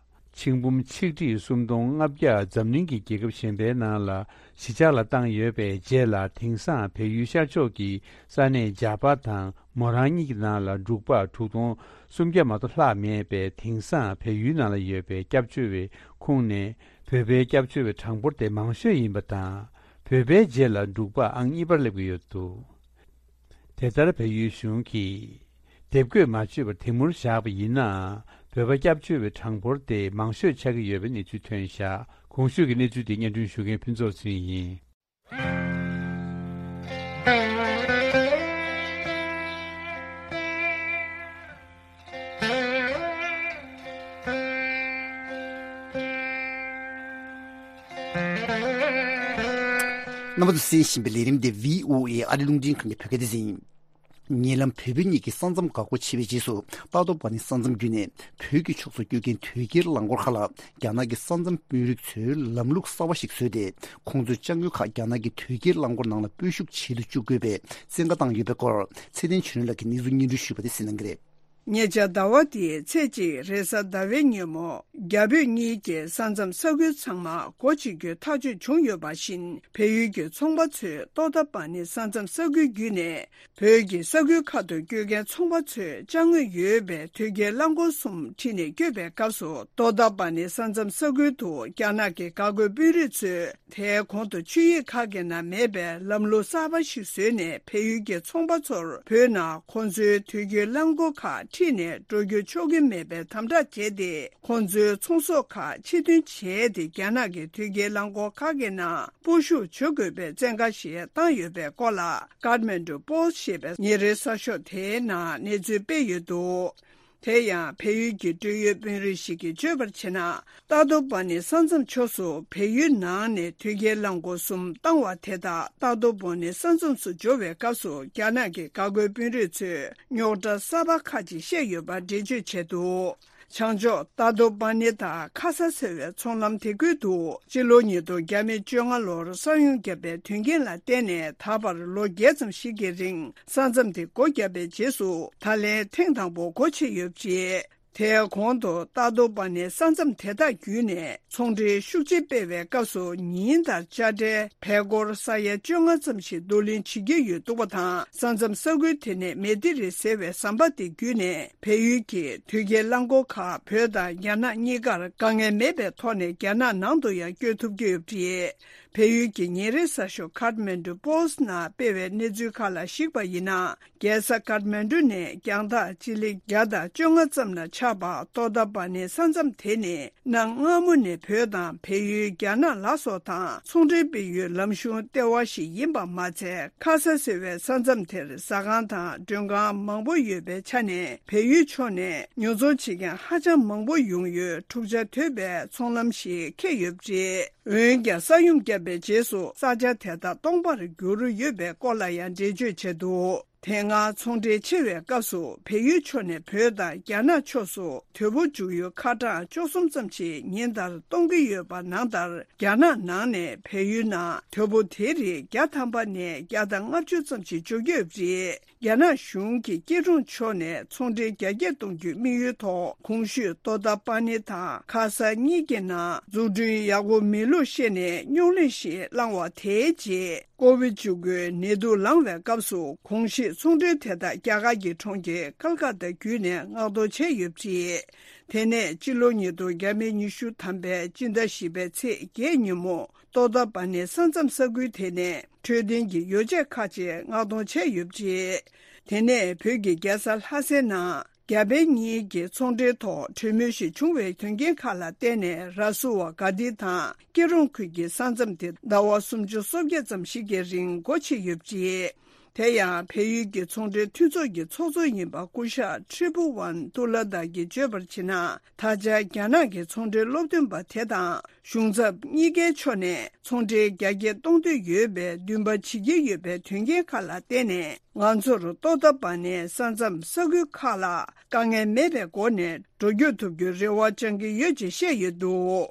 ཆིག་འབུམ་ཆིག་ཁྲི་སུམ་སྟོང་ལྔ་བརྒྱ་འཛམ་གླིང་གི་རྒྱལ་ཁབ་གཞན་པའི་ནང་ལ་གཞིས་ཆགས་ལ་བཏང་ཡོད་པའི་རྗེས་ལ། དེང་སང་བལ་ཡུལ་ཤར་ཕྱོགས་ཀྱི་ས་གནས་ཇག་པ་དང་མོ་རང་གཉིས་ཀྱི་ནང་ལ་འབྲུག་པ་དྲུག་སྟོང་སུམ་བརྒྱ་མ་གཏོགས་ལྷག་མེད་པས། དེང་སང་བལ་ཡུལ་ནང་ལ་ཡོད་པའི་སྐྱབས་བཅོལ་བའི་ཁོངས་ནས་བོད་པའི་སྐྱབས་བཅོལ་བའི་གྲངས་འབོར་དེ་མང་ཤོས་ཡིན་པ་དང་། བོད་པའི་རྗེས་ལ་འབྲུག་པ་ཨང་གཉིས་པར་སླེབས་ཀྱི་ཡོད་འདུག་དེ་ལྟར་བལ་ཡུལ་གཞུང་གིས་དེབ་འགོད་མ་བྱས་པར་དེ་མུར་བཞག་པ་ཡིན་ན། བོད་པ་སྐྱབས་བཅོལ་བའི་གྲངས་འབོར་དེ་མང་ཤོས་ཆགས་ཀྱི་ཡོད་པའི་གནས་ཚུལ་ཐོན་བཞག་གོང་ཞུས་ཀྱི་གནས་ཚུལ་དེ་སྙན་སྒྲོན་ཞུ་མཁན་ཕུན་ཚོགས་ཚེ་རིང་ཡིན། རྣམ་པ་ཚོས་གསན་བཞིན་པའི་ལས་རིམ་འདི་བྷི་ཨོ་ཨེ་ཨ་རི་རླུང་འཕྲིན་ཁང་གི་བོད་སྐད་སྡེ་ཚན་ཡིན། ཉེ་ལམ་བོད་བོད་གཉིས་ཀྱི་ས་མཚམས་འགག་སྒོ་ཕྱེ་བའི་རྗེས་སུ། རྟ་ཐོག་པ་ནི་ས་མཚམས་བརྒྱུད་ནས་བོད་ཀྱི་ཕྱོགས་སུ་སྐྱོད་མཁན་དོས་སྐྱེལ་རླངས་འཁོར་ཁག་ལ། རྒྱ་ནག་གི་ས་མཚམས་དཔོན་རིགས་ཚོས་ལམ་ལུགས་གསར་བ་ཞིག་བཟོས་ཏེ། ཁོང་ཚོའི་ཅ་དངོས་ཁག་རྒྱ་ནག་གི་དོས་སྐྱེལ་རླངས་འཁོར་ནང་ལ་སྤོས་ཤུགས་བྱེད་དུ་བཅུག་དགོས་པའི་བཙན་བཀའ་བཏང་ཡོད་པའི་སྐོར། ཚེ་བརྟན་ཆོས་སྒྲོན་ལགས་ཀྱིས་གནས་ཚུལ་སྙན་སྒྲོན་ཞུས་པ་དེ་གསན་གནང་གི་རེད། ཉེ་ཆར་ཟླ་བ་འདིའི་ཚེས་གཅིག་རེས་གཟའ་ཟླ་བའི་ཉིན་མོ། རྒྱ་བོད་གཉིས་ཀྱི་ས་མཚམས་ས་ཁུལ་ཚང་མ་སྒོ་ཕྱེ་རྒྱུའི་ཐག་གཅོད་བྱུང་ཡོད་པ་བཞིན། བལ་ཡུལ་གྱི་ཚོང་པ་ཚོས་ཏོག་ཏ་པ་ནི་ས་མཚམས་ས་ཁུལ་བརྒྱུད་ནས་བོད་ཀྱི་ས་ཁུལ་ཁག་ཏུ་སྐྱོད་མཁན་ཚོང་པ་ཚོས་ཅ་དངོས་ཡོད་པའི་དོས་སྐྱེལ་རླངས་འཁོར་གསུམ་ཁྲིད་ནས་སྐྱོད་པའི་སྐབས་སུ། ཏོག་ཏ་པ་ནི་ས་མཚམས་ས་ཁུལ་དུ་རྒྱ་ནག་གི་འགག་སྒོའི་དཔོན་རིགས་ཚོས། དེའི་གོང་དུ་ཆིངས་ཡིག་ཁག་གི་ནང་མེད་པའི་ལམ་ལུགས་གསར་པ་ཞིག་བཟོས་ནས། བལ་ཡུལ་གྱི་ཚོང་པ་ཚོར་བོད་ནང་ཁོང་ཚོའི་དོས་སྐྱེལ་རླངས་འཁོར་ཁག་ཁྲིད་ནས་འགྲོ་རྒྱུ་ཆོག་གི་མེད་པའི་དམ་དྲག་བྱས་ཏེ། ཁོང་ཚོའི་ཚོང་ཟོག་ཁག་ཕྱིར་འདོན་བྱས་ཏེ། རྒྱ་ནག་གི་དོས་སྐྱེལ་རླངས་འཁོར་ཁག་གི་ནང་སྤོ་ཤུགས་བྱ་དགོས་པའི་བཙན་བཀའ་ཞིག་བཏང་ཡོད་པའི་སྐོར་ལ། ཀཱཐ་མན་ཌུ་པོ་སི་ཊི་ཞེས་པའི་ཉིན་རེའི་གསར་ཤོག་དེའི་ནང་གནས་ཚུལ་སྤེལ་ཡོད་འདུག་དེ་ཡང་བལ་ཡུལ་གྱི་འབྲེལ་ཡོད་དཔོན་རིགས་ཤིག་གིས་བརྗོད་པར་བྱས་ན། རྟ་ཐོག་པ་ནི་ས་མཚམས་ཕྱོགས་སུ་བལ་ཡུལ་ནང་ནས་དོས་སྐྱེལ་རླངས་འཁོར་གསུམ་བཏང་བ་དེ་དག་རྟ་ཐོག་པ་ནི་ས་མཚམས་སུ་འབྱོར་བའི་སྐབས་སུ། རྒྱ་ནག་གི་འགག་སྒོའི་དཔོན་རིགས་ཚོས་རྙོག་དྲ་གསར་པ་ཁག་ཅིག་བཤད་ཡོད་པ་འགྲེལ་བརྗོད་བྱས་འདུག་བྱང་ཕྱོགས་རྟ་ཐོག་པ་ནི་དང་ཁ་ས་ཟེར་བའི་ཚོང་ལམ་དེ་ཁུལ་དུ། སྤྱི་ལོ་ཉིས་སྟོང་བརྒྱ་མེད་བཅོ་ལྔ་ལོར་ས་ཡོམ་བརྒྱབ་པའི་དོན་རྐྱེན་ལ་བརྟེན་ནས། ད་བར་ལོ་བརྒྱད་ཙམ་ཞིག་གི་རིང་ས་མཚམས་དེ་སྒོ་བརྒྱབ་པའི་རྗེས་སུ། ད་ལན་ཐེངས་དང་པོ་སྒོ་ཕྱེ་ཡོད་པ་རེད། དེའི་གོང་དུ་རྟ་ཐོག་པ་ནི་ས་མཚམས་དེ་དག་བརྒྱུད་ནས་ཚོང་འབྲེལ་ཤུགས་ཆེ་སྤེལ་བའི་སྐབས་སུ། ཉིན་ལྟར་དཔྱ་ཁྲལ་བལ་སྒོར་ས་ཡ་བཅོ་ལྔ་ཙམ་ཞིག་བསྡུ་ལེན་བྱེད་ཀྱི་ཡོད་འདུག་པ་དང་། ས་མཚམས་ས་ཁུལ་དེ་ནས་མེ་ཏི་རི་ཟེར་བའི་ཟམ་པ་དེ་བརྒྱུད་ནས། བལ་ཡུལ་གྱི་དོས་སྐྱེལ་རླངས་འཁོར་ཁག་བོད་དང་རྒྱ་ནག་གཉིས་ཀར་དཀའ་ངལ་མེད་པའི་ཐོག་ནས་རྒྱ་ནག་ནང་དུ་ཡང་སྐྱོད་ཐུབ་ཀྱི་ཡོད་པ་རེད། བལ་ཡུལ་གྱི་ཉིན་རེའི་གསར་ཤོག་ཁཱཐ་མན་ཌུ་པོ་སི་ཊི་ནང་སྤེལ་བའི་གནས་ཚུལ་ཁག་ལ་གཞིགས་པ་ཡིན་ན། རྒྱལ་ས་ཀཱཐ་མན་ཌུ་ནས་རྒྱང་ཐག་སྤྱི་ལེ་བརྒྱ་དང་བཅོ་ལྔ་ཙམ་ལ་ཆགས་པ་ཏོ་ཏ་པ་ནི་ས་མཚམས་དེ་ནི། གནའ་སྔ་མོ་ནས་བོད་དང་བལ་ཡུལ། རྒྱ་ནག་ལ་སོགས་དང་ཚོང་འབྲེལ་སྤེལ་ཡུལ་ལམ་གཞུང་ལྟེ་བ་ཞིག་ཡིན་པ་མ་ཚད། ཁ་ས་ཟེར་བའི་ས་མཚམས་དེར་ཟ་ཁང་དང་མགྲོན་ཁང་མང་པོ་ཡོད་པའི་ཆ་ནས། བལ་ཡུལ་ཕྱོགས་ནས་ཉོ་ཚོང་བྱེད་མཁན་ཧ་ཅང་མང་པོ་ཡོང་ཡུལ། འཁྲུག་ཆ་དོད་པའི་ཚོང་ལམ་ཞིག་འཁེལ་ཡོད་པ་རེད། འོན་ཀྱང་ས་ཡོམ་བརྒྱབ་པའི་རྗེས་སུ་ས་ཆ་དེ་དག་སྟོང་པར་འགྱུར་ཡོད་པའི་སྐོར་ལ་ཡང་འགྲེལ་བརྗོད་བྱས་འདུག་དེ་སྔ་ཚོང་འབྲེལ་ཆེ་བའི་སྐབས་སུ། བལ་ཡུལ་ཕྱོགས་ནས་བོད་དང་རྒྱ་ནག་ཕྱོགས་སུ་དོས་པོ་འཇུག་ཡུལ་ཁ་གྲངས་བཅུ་གསུམ་ཙམ་ཞིག་ཉིན་ལྟར་གཏོང་གི་ཡོད་པ་ནང་ལྟར། རྒྱ་ནག་ནང་ནས་བལ་ཡུལ་ནང་དོས་པོ་དེ་རིགས་བརྒྱ་ཐམ་པ་ནས་བརྒྱ་དང་ལྔ་བཅུ་ཙམ་ཞིག་འཇུག་གི་ཡོད་པ་རེད། རྒྱ་ནག་གཞུང་གིས་སྐྱིད་གྲོང་ཕྱོགས་ནས་ཚོང་འབྲེལ་རྒྱ་སྐྱེད་གཏོང་རྒྱུའི་དམིགས་ཡུལ་ཐོག་གོང་ཞུས་ཏོ་ཏ་པ་ནི་དང་ཁ་ས་གཉིས་ཀྱི་ནང་འཛུགས་སྐྲུན་ཡག་པོ་མེད་ལུགས་བཤད་ནས་རྙོག་གླེང་ཞིག་བསླངས་བ། དེའི་རྗེས། ཀོ་བིཌ་བཅུ་དགུའི་ནད་དུག་ལངས་པའི་སྐབས་སུ། གོང་ཞུས་ཚོང་འབྲེལ་དེ་དག་རྒྱ་གར་གྱི་གྲོང་ཁྱེར་ཀལ་ཀ་ཏ་བརྒྱུད་ནས་མངགས་གཏོང་བྱས་ཡོད་པ་རེད། དེ་ནས་སྤྱི་ལོ་ཉིས་སྟོང་ཉི་ཤུ་ཐམ་པའི་སྤྱི་ཟླ་བཞི་པའི་ཚེས་བརྒྱད་ཉིན་མོ། ཏོ་ཏ་པ་ནི་ས་མཚམས་ས་ཁུལ་དེ་ནས་འཕྲོད་བསྟེན་གྱི་ཡོ་བྱད་ཁག་ཅིག་མངགས་གཏོང་བྱས་ཡོད་པ་རེད། དེ་ནས་བོད་ཀྱི་རྒྱལ་ས་ལྷ་སའི་ནང་རྒྱ་བལ་གཉིས་ཀྱི་ཚོང་འབྲེལ་ཐོག་གྲོས་མོལ་ཞིག་བྱུང་བའི་དོན་རྐྱེན་ཁག་ལ་བརྟེན་ནས། ར་སུ་ཝ་གྷ་ཏི་དང་སྐྱིད་གྲོང་ཁུལ་གྱི་ས་མཚམས་དེ་ཟླ་བ་སུམ་ཅུ་སོ་བརྒྱད་ཙམ་ཞིག་གི་རིང་སྒོ་ཕྱེ་ཡོད་པ་རེད། དེ་ཡང་བལ་ཡུལ་གྱི་ཚོང་འབྲེལ་མཐུན་ཚོགས་ཀྱི་ཚོགས་གཙོ་ཡིན་པ་སྐུ་ཞབས་ཁྲི་པུ་ཝན་ཏུ་ལ་དྷ་གིས་བརྗོད་པར་བྱས་ན། ད་ཆ་རྒྱ་ནག་གི་ཚོང་འབྲེལ་སློབ་སྟོན་པ་དེ་དང་གཞུང་ཚབ་གཉིས་ཀའི་ཕྱོགས་ནས་ཚོང་འབྲེལ་རྒྱ་སྐྱེད་གཏོང་འདོད་ཡོད་པའི་འདུན་པ་བྱེད་ཀྱི་ཡོད་པའི་དོན་རྐྱེན་ཁག་ལ་བརྟེན་ནས། ང་ཚོར་ཏོ་ཏ་པ་ནི་ས་མཚམས་ས་ཁུལ་ཁག་ལ་དཀའ་ངལ་མེད་པའི་སྒོ་ནས་འགྲོ་སྐྱོད་ཐུབ་རྒྱུའི་རེ་བ་བཅང་གི་ཡོད་ཅེས་བཤད་ཡོད་འདུག་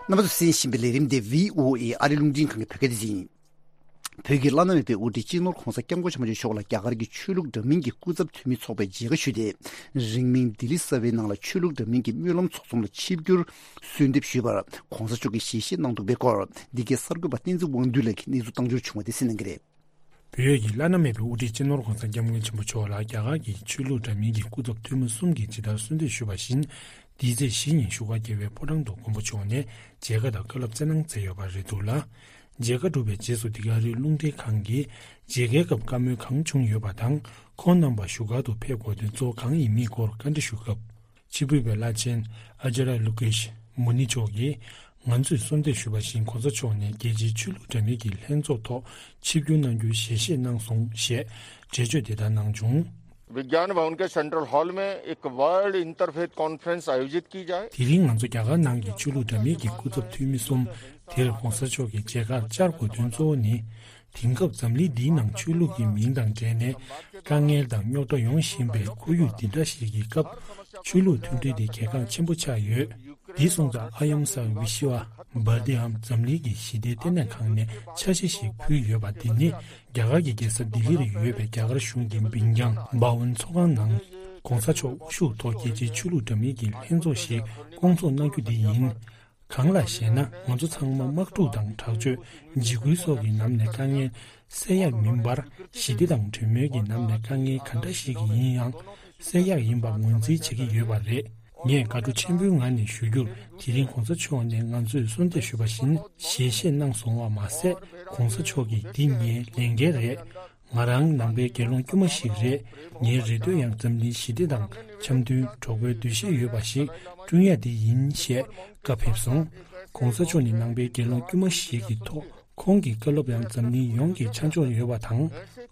རྣམ་པ་ཚོས་གསན་བཞིན་པའི་ལས་རིམ་དེ་བྷི་ཨོ་ཨེ་ཨ་རིའི་རླུང་འཕྲིན་ཁང་གི་བོད་སྐད་སྡེ་ཚན་ཡིན། བོད་ཀྱི་བླ་ན་མེད་པའི་དབུ་ཁྲིད་སྤྱི་ནོར་༧གོང་ས་༧སྐྱབས་མགོན་ཆེན་པོ་མཆོག་ལ་རྒྱ་གར་གྱི་ཆོས་ལུགས་འདྲ་མིན་གྱི་སྐུ་ཚབ་འཐུས་མི་ཚོགས་པས་མཇལ་ཁ་ཞུས་ཏེ། རིང་མིན་ལྡི་ལི་གསར་པའི་ནང་ལ་ཆོས་ལུགས་འདྲ་མིན་གྱི་སྨོན་ལམ་ཚོགས་ཚོམས་ལ་ཆིབས་བསྒྱུར་གསོལ་འདེབས་ཞུས་པར་༧གོང་ས་མཆོག་གིས་ཞལ་བཞེས་གནང་འདུག་པའི་སྐོར། འདི་གའི་གསར་འགོད་པ་བསྟན་འཛིན་དབང་འདུས་ལགས་ཀྱིས་གནས་ཚུལ་བཏང་འབྱོར་བྱུང་བ་དེ་གསན་གནང་གི་རེད། བོད་ཀྱི་བླ་ན་མེད་པའི་དབུ་ཁྲིད་སྤྱི་ནོར་༧གོང་ས་༧སྐྱབས་མགོན་ཆེན་པོ་མཆོག་ལ་རྒྱ་གར་གྱི་ཆོས་ལུགས་འདྲ་མིན་གྱི་སྐུ་ཚབ་འཐུས་མི་གསུམ་གྱིས་ཇི་ལྟར་གསོལ་འདེབས་ཞུས་པ་བཞིན། འདི་ཚེས་བཞི་ཉིན་བཞུགས་སྒར་རྒྱལ་བའི་ཕོ་བྲང་དུ་མགོན་པོ་མཆོག་ནས་མཇལ་ཁ་དང་བཀའ་སློབ་སྩལ་གནང་མཛད་ཡོད་པ་རེད་འདུག་ལ། མཇལ་ཁ་གྲུབ་པའི་རྗེས་སུ་འདི་ག་རེའི་རླུང་འཕྲིན་ཁང་གིས་མཇལ་ཁའི་སྐབས་བཀའ་མོལ་གང་བྱུང་ཡོད་པ་དང་། ཁོང་རྣམ་པ་བཞུགས་སྒར་དུ་ཕེབས་དགོས་དོན་གཙོ་བོ་གང་ཡིན་མིན་སྐོར་བཀའ་འདྲི་ཞུ་སྐབས། ཕྱི་དྲིལ་བའི་བླ་ཆེན་ཨ་ཅཱརྱ་ལོ་ཀེཤ་མུ་ནི་མཆོག་གིས། ང་ཚོས་གསོལ་འདེབས་ཞུས་པ་བཞིན་༧གོང་ས་མཆོག་ནས་རྒྱལ་སྤྱིའི་ཆོས་ལུགས་འདྲ་མིན་གྱི་ལྷན་ཚོགས་ཐོག་ཆིབས་བསྒྱུར་གནང་རྒྱུའི་ཞལ་བཞེས་གནང་སོང་ཞེས་འགྲེལ་བརྗོད་དེ་ལྟར་གནང་བྱུང་། विज्ञान भवन के central hall में एक world interfaith conference आयोजित की जाए। དེ་རིང་ང་ཚོ་རྒྱ་གར་ནང་གི་ཆོས་ལུགས་འདྲ་མིན་གྱི་སྐུ་ཚབ་འཐུས་མི་གསུམ་དེར་༧གོང་ས་མཆོག་གི་མཇལ་ཁར་བཅར་དགོས་དོན་གཙོ་བོ་ནི། དེང་སྐབས་འཛམ་གླིང་འདིའི་ནང་ཆོས་ལུགས་ཀྱི་མིང་དང་འབྲེལ་ནས་དཀའ་ངལ་དང་རྙོག་དྲ་ཡོང་བཞིན་པའི་ཁོར་ཡུག་འདི་འདྲ་ཞིག་གི་སྐབས། ཆོས་ལུགས་མཐུན་སྒྲིལ་དེ་གལ་འགངས་ཆེན་པོ་ཆགས་ཡོད། འདི་སོང་ཙང་ཨ་ཡམ་ས་བི་ཤི་ཝ་བར་དྷེ་འམ་འཛམ་གླིང་གི་ཞི་བདེའི་ལྟེ་གནས་ཁང་ནས་འཆར་གཞི་ཞིག་ཕུལ་ཡོད་པ་འདི་ནི་རྒྱ་གར་གྱི་རྒྱལ་ས་ལྡི་ལི་རུ་ཡོད་པའི་རྒྱ་གར་གཞུང་གི་བིན་ཀྱང་བྷ་ཝན་ཚོགས་ཁང་ནང་༧གོང་ས་མཆོག་དབུ་བཞུགས་ཐོག་རྒྱལ་སྤྱིའི་ཆོས་ལུགས་འདྲ་མིན་གྱི་ལྷན་ཚོགས་ཤིག་བསྐོང་ཚོགས་གནང་རྒྱུ་དེ་ཡིན། གང་ལགས་ཤེ་ན། ང་ཚོ་ཚང་མ་དམག་འཁྲུག་དང་དྲག་སྤྱོད། འཇིགས་སྐུལ་སོགས་ཀྱི་ནང་ནས་དཀའ་ངལ་སེལ་ཡག་མིན་པར། ཞི་བདེ་དང་གྲོས་མོལ་གྱི་ནང་ནས་དཀའ་ངལ་ག་འདྲ་ཞིག་ཡིན་ཡང་སེལ་ཡག་ཡིན་པ་ངོས་འཛིན་བྱེད་ཀྱི་ཡོད་པ་རེད། ངས་དགའ་སྤྲོ་ཆེན་པོའི་ངང་ནས་ཞུ་རྒྱུར། དེ་རིང་གོང་ས་མཆོག་ནས་ང་ཚོས་གསོལ་འདེབས་ཞུས་པ་བཞིན་ཞལ་བཞེས་གནང་སོང་བ་མ་ཟད། གོང་ས་མཆོག་གིས་འདི་ངའི་ལས་འགན་རེད། ང་རང་ནང་པའི་དགེ་སློང་དཀྱུས་མ་ཞིག་རེད། ངའི་རེ་འདོད་ཡང་འཛམ་གླིང་ཞི་བདེ་དང་འཆམ་མཐུན། གྲོགས་པོའི་འདུ་ཤེས་ཡོད་པ་ཞིག་བསྐྲུན་ཡ་དེ་ཡིན་ཞེས་བཀའ་ཕེབས་སོང་། གོང་ས་མཆོག་ནི་ནང་པའི་དགེ་སློང་དཀྱུས་མ་ཞིག་གི་ཐོག་ཁོང་གི་བཀའ་སློབ་ཡང་འཛམ་གླིང་ཡོངས་ཀྱི་ཆ་འཇོག་ཡོད་པ་དང་།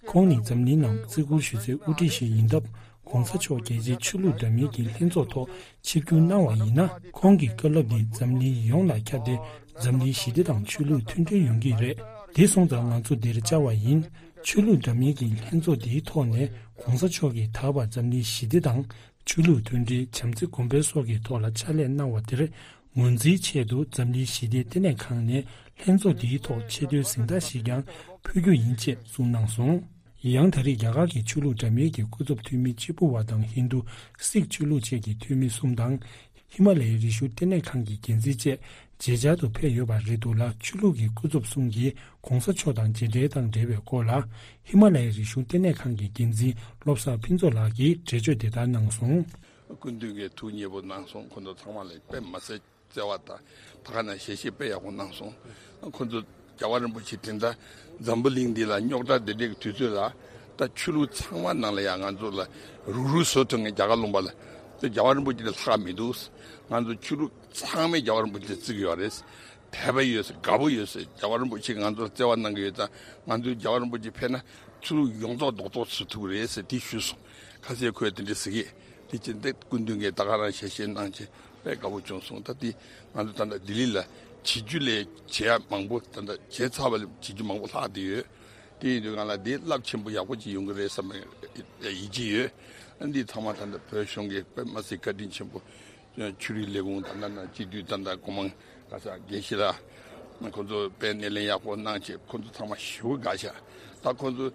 ཁོང་ནི་འཛམ་གླིང་ནང་བརྩི་བཀུར་ཞུ་སའི་དབུ་ཁྲིད་ཞིག་ཡིན་སྟབས། གོང་ས་མཆོག་རྒྱལ་སྤྱིའི་ཆོས་ལུགས་འདྲ་མིན་གྱི་ལྷན་ཚོགས་ཐོག་ཆིབས་བསྒྱུར་གནང་བ་ཡིན་ན། ཁོང་གི་བཀའ་སློབ་འདི་འཛམ་གླིང་ཡོངས་ལ་ཁྱབ་སྟེ། འཛམ་གླིང་ཞི་བདེ་དང་ཆོས་ལུགས་མཐུན་སྒྲིལ་ཡོང་གི་རེད། དེ་སོང་ཙང་ང་ཚོ་འདིར་བཅར་བ་ཡིན། ཆོས་ལུགས་འདྲ་མིན་གྱི་ལྷན་ཚོགས་འདིའི་ཐོག་ནས་གོང་ས་མཆོག་གིས་ད་བར་འཛམ་གླིང་ཞི་བདེ་དང་། ཆོས་ལུགས་མཐུན་སྒྲིལ། བྱམས་བརྩེ་གོང་འཕེལ་སོགས་ཀྱི་ཐོག་ལ་ཕྱག་ལས་གནང་བ་དེར་ངོས་འཛིན་ཆེད་དུ་འཛམ་གླིང་ཞི་བདེའི་ལྟེ་གནས་ཁང་ནས་ལྷན་ཚོགས་འདིའི་ཐོག་ཆེ་མཐོའི་གཟེངས་རྟགས་ཤིག་ཀྱང་ཕུལ་རྒྱུ་ཡིན་ཅེས་གསུངས་གནང་སོང་། ཡང་ད་རེས་རྒྱ་གར་གྱི་ཆོས་ལུགས་འདྲ་མིན་གྱི་སྐུ་ཚབ་འཐུས་མི་གཅིག་པུ་བ་དང་ཧིན་རྡུ་སིག་ཆོས་ལུགས་བཅས་ཀྱི་འཐུས་མི་གསུམ་དང་། ཧི་མ་ལ་ཡའི་རི་ཤུལ་ལྟེ་གནས་ཁང་གི་འགན་འཛིན་བཅས་ མཇལ་བཅར་དུ་ཕེབས་ཡོད་པ་རེད་འདུག་ལ། ཆོས་ལུགས་ཀྱི་སྐུ་ཚབ་གསུམ་གྱིས་གོང་ས་མཆོག་དང་མཇལ་འཕྲད་དང་འབྲེལ་བའི་སྐོར་ལ། ཧི་མ་ལ་ཡའི་རིག་གཞུང་ལྟེ་གནས་ཁང་གི་འགན་འཛིན་བློ་བཟང་ཕུན་ཚོགས་ལགས་ཀྱིས་འགྲེལ་བརྗོད་དེ་ལྟར་གནང་སོང་། སྐུ་མདུན་གྱིས་ཐུགས་མཉེས་པོ་གནང་སོང་། ཁོང་ཚོ་ཚང་མ་ལ་དཔེ་མ་ཟད་བརྩེ་བ་དང་ད་ག་ནང་བཞིན་ཞལ་བཞེས་དཔེ་ཡག་པོ་གནང་སོང་། ཁོང་ཚོ་རྒྱལ་བ་རིན་པོ་ཆེ་དེ་འདྲ་འཛམ་བུ་གླིང་འདི་ལ་རྙོག་དྲ་འདི་འདྲའི་དུས་ཚོད་ལ། ད་ཆོས་ལུགས་ཚང་མ་ནང་ལ་ཡང་ང་ཚོ་ལ་རུག་རུག་བཟོ་ཐུབ་མཁན་རྒྱ་གར་ལུང་པ་ལ། ད་རྒྱལ་བ་རིན་པོ་ཆེ་དེ་ལྷག་མི་འདུག་ང་ཚོ་ཆོས་ལུགས་ཚང་མས་རྒྱལ་བ་རིན་པོ་ཆེ་བརྩི་གི་ཡོད་རེད། དད་པ་ཡོད་ཟེར། དགའ་པོ་ཡོད་ཟེར། རྒྱལ་བ་རིན་པོ་ཆེ་ང་ཚོར་བརྩེ་བ་གནང་གི་ཡོད་ཙང་ང་ཚོས་རྒྱལ་བ་རིན་པོ་ཆེ་ཕེབས་ན་ཆོས་ལུགས་ཡོངས་རྫོགས་རྡོག་རྡོག་བཟོ་ཐུབ་ཀྱི་རེད་ཟེར་དེ་ཞུས་སོང་། ཁ་སང་ཁོས་དེ་འདྲ་ཟེར་གི། དེ་ཕྱིན་ཏེ་སྐུ་མདུན་གྱིས་ད་ག་རང་ཞལ་བཞེས་གནང་བྱས་དཔེ་དགའ་པོ་བྱུང་སོང་། ད་དེ་ང་ཚོ་ད་ལྟ་ལྡི་ལི་ལ་བྱེད་རྒྱུ་ལས་བྱེད་ཡ་མང་པོ། ད་ལྟ་བྱས་ཚར་བ་ལས་བྱེད་རྒྱུ་མང་པོ་ལྷག་བསྡད་ཡོད། དེ་ཡིན་དུས་ང་ལ་དེ་རླབས་ཆེན་པོ་ཡག་པོ་ཅིག་ཡོང་གི་རེད་བསམ་པའི་ཡིད་ཆེས་ཡོད། འདི་ཚང་མ་ད་ལྟ་བོད་གཞུང་གིས་དཔེ་མ་སྲིད་བཀའ་དྲིན་ཆེན་པོ། ཆོས་རིག་ལས་ཁུངས་ད་ལྟ་ན་སྤྱི་འཐུས་ད་ལྟ་སྒོ་མང་ག་ས་དགེ་བཤེས་ལགས་ཁོང་ཚོ་དཔེ་སྣེ་ལེན་ཡག་པོ་གནང་བྱས་ཁོང་ཚོ་ཚང་མ་ཞེ་པོ་དགའ་ཤག་ད་ཁོང་ཚོ་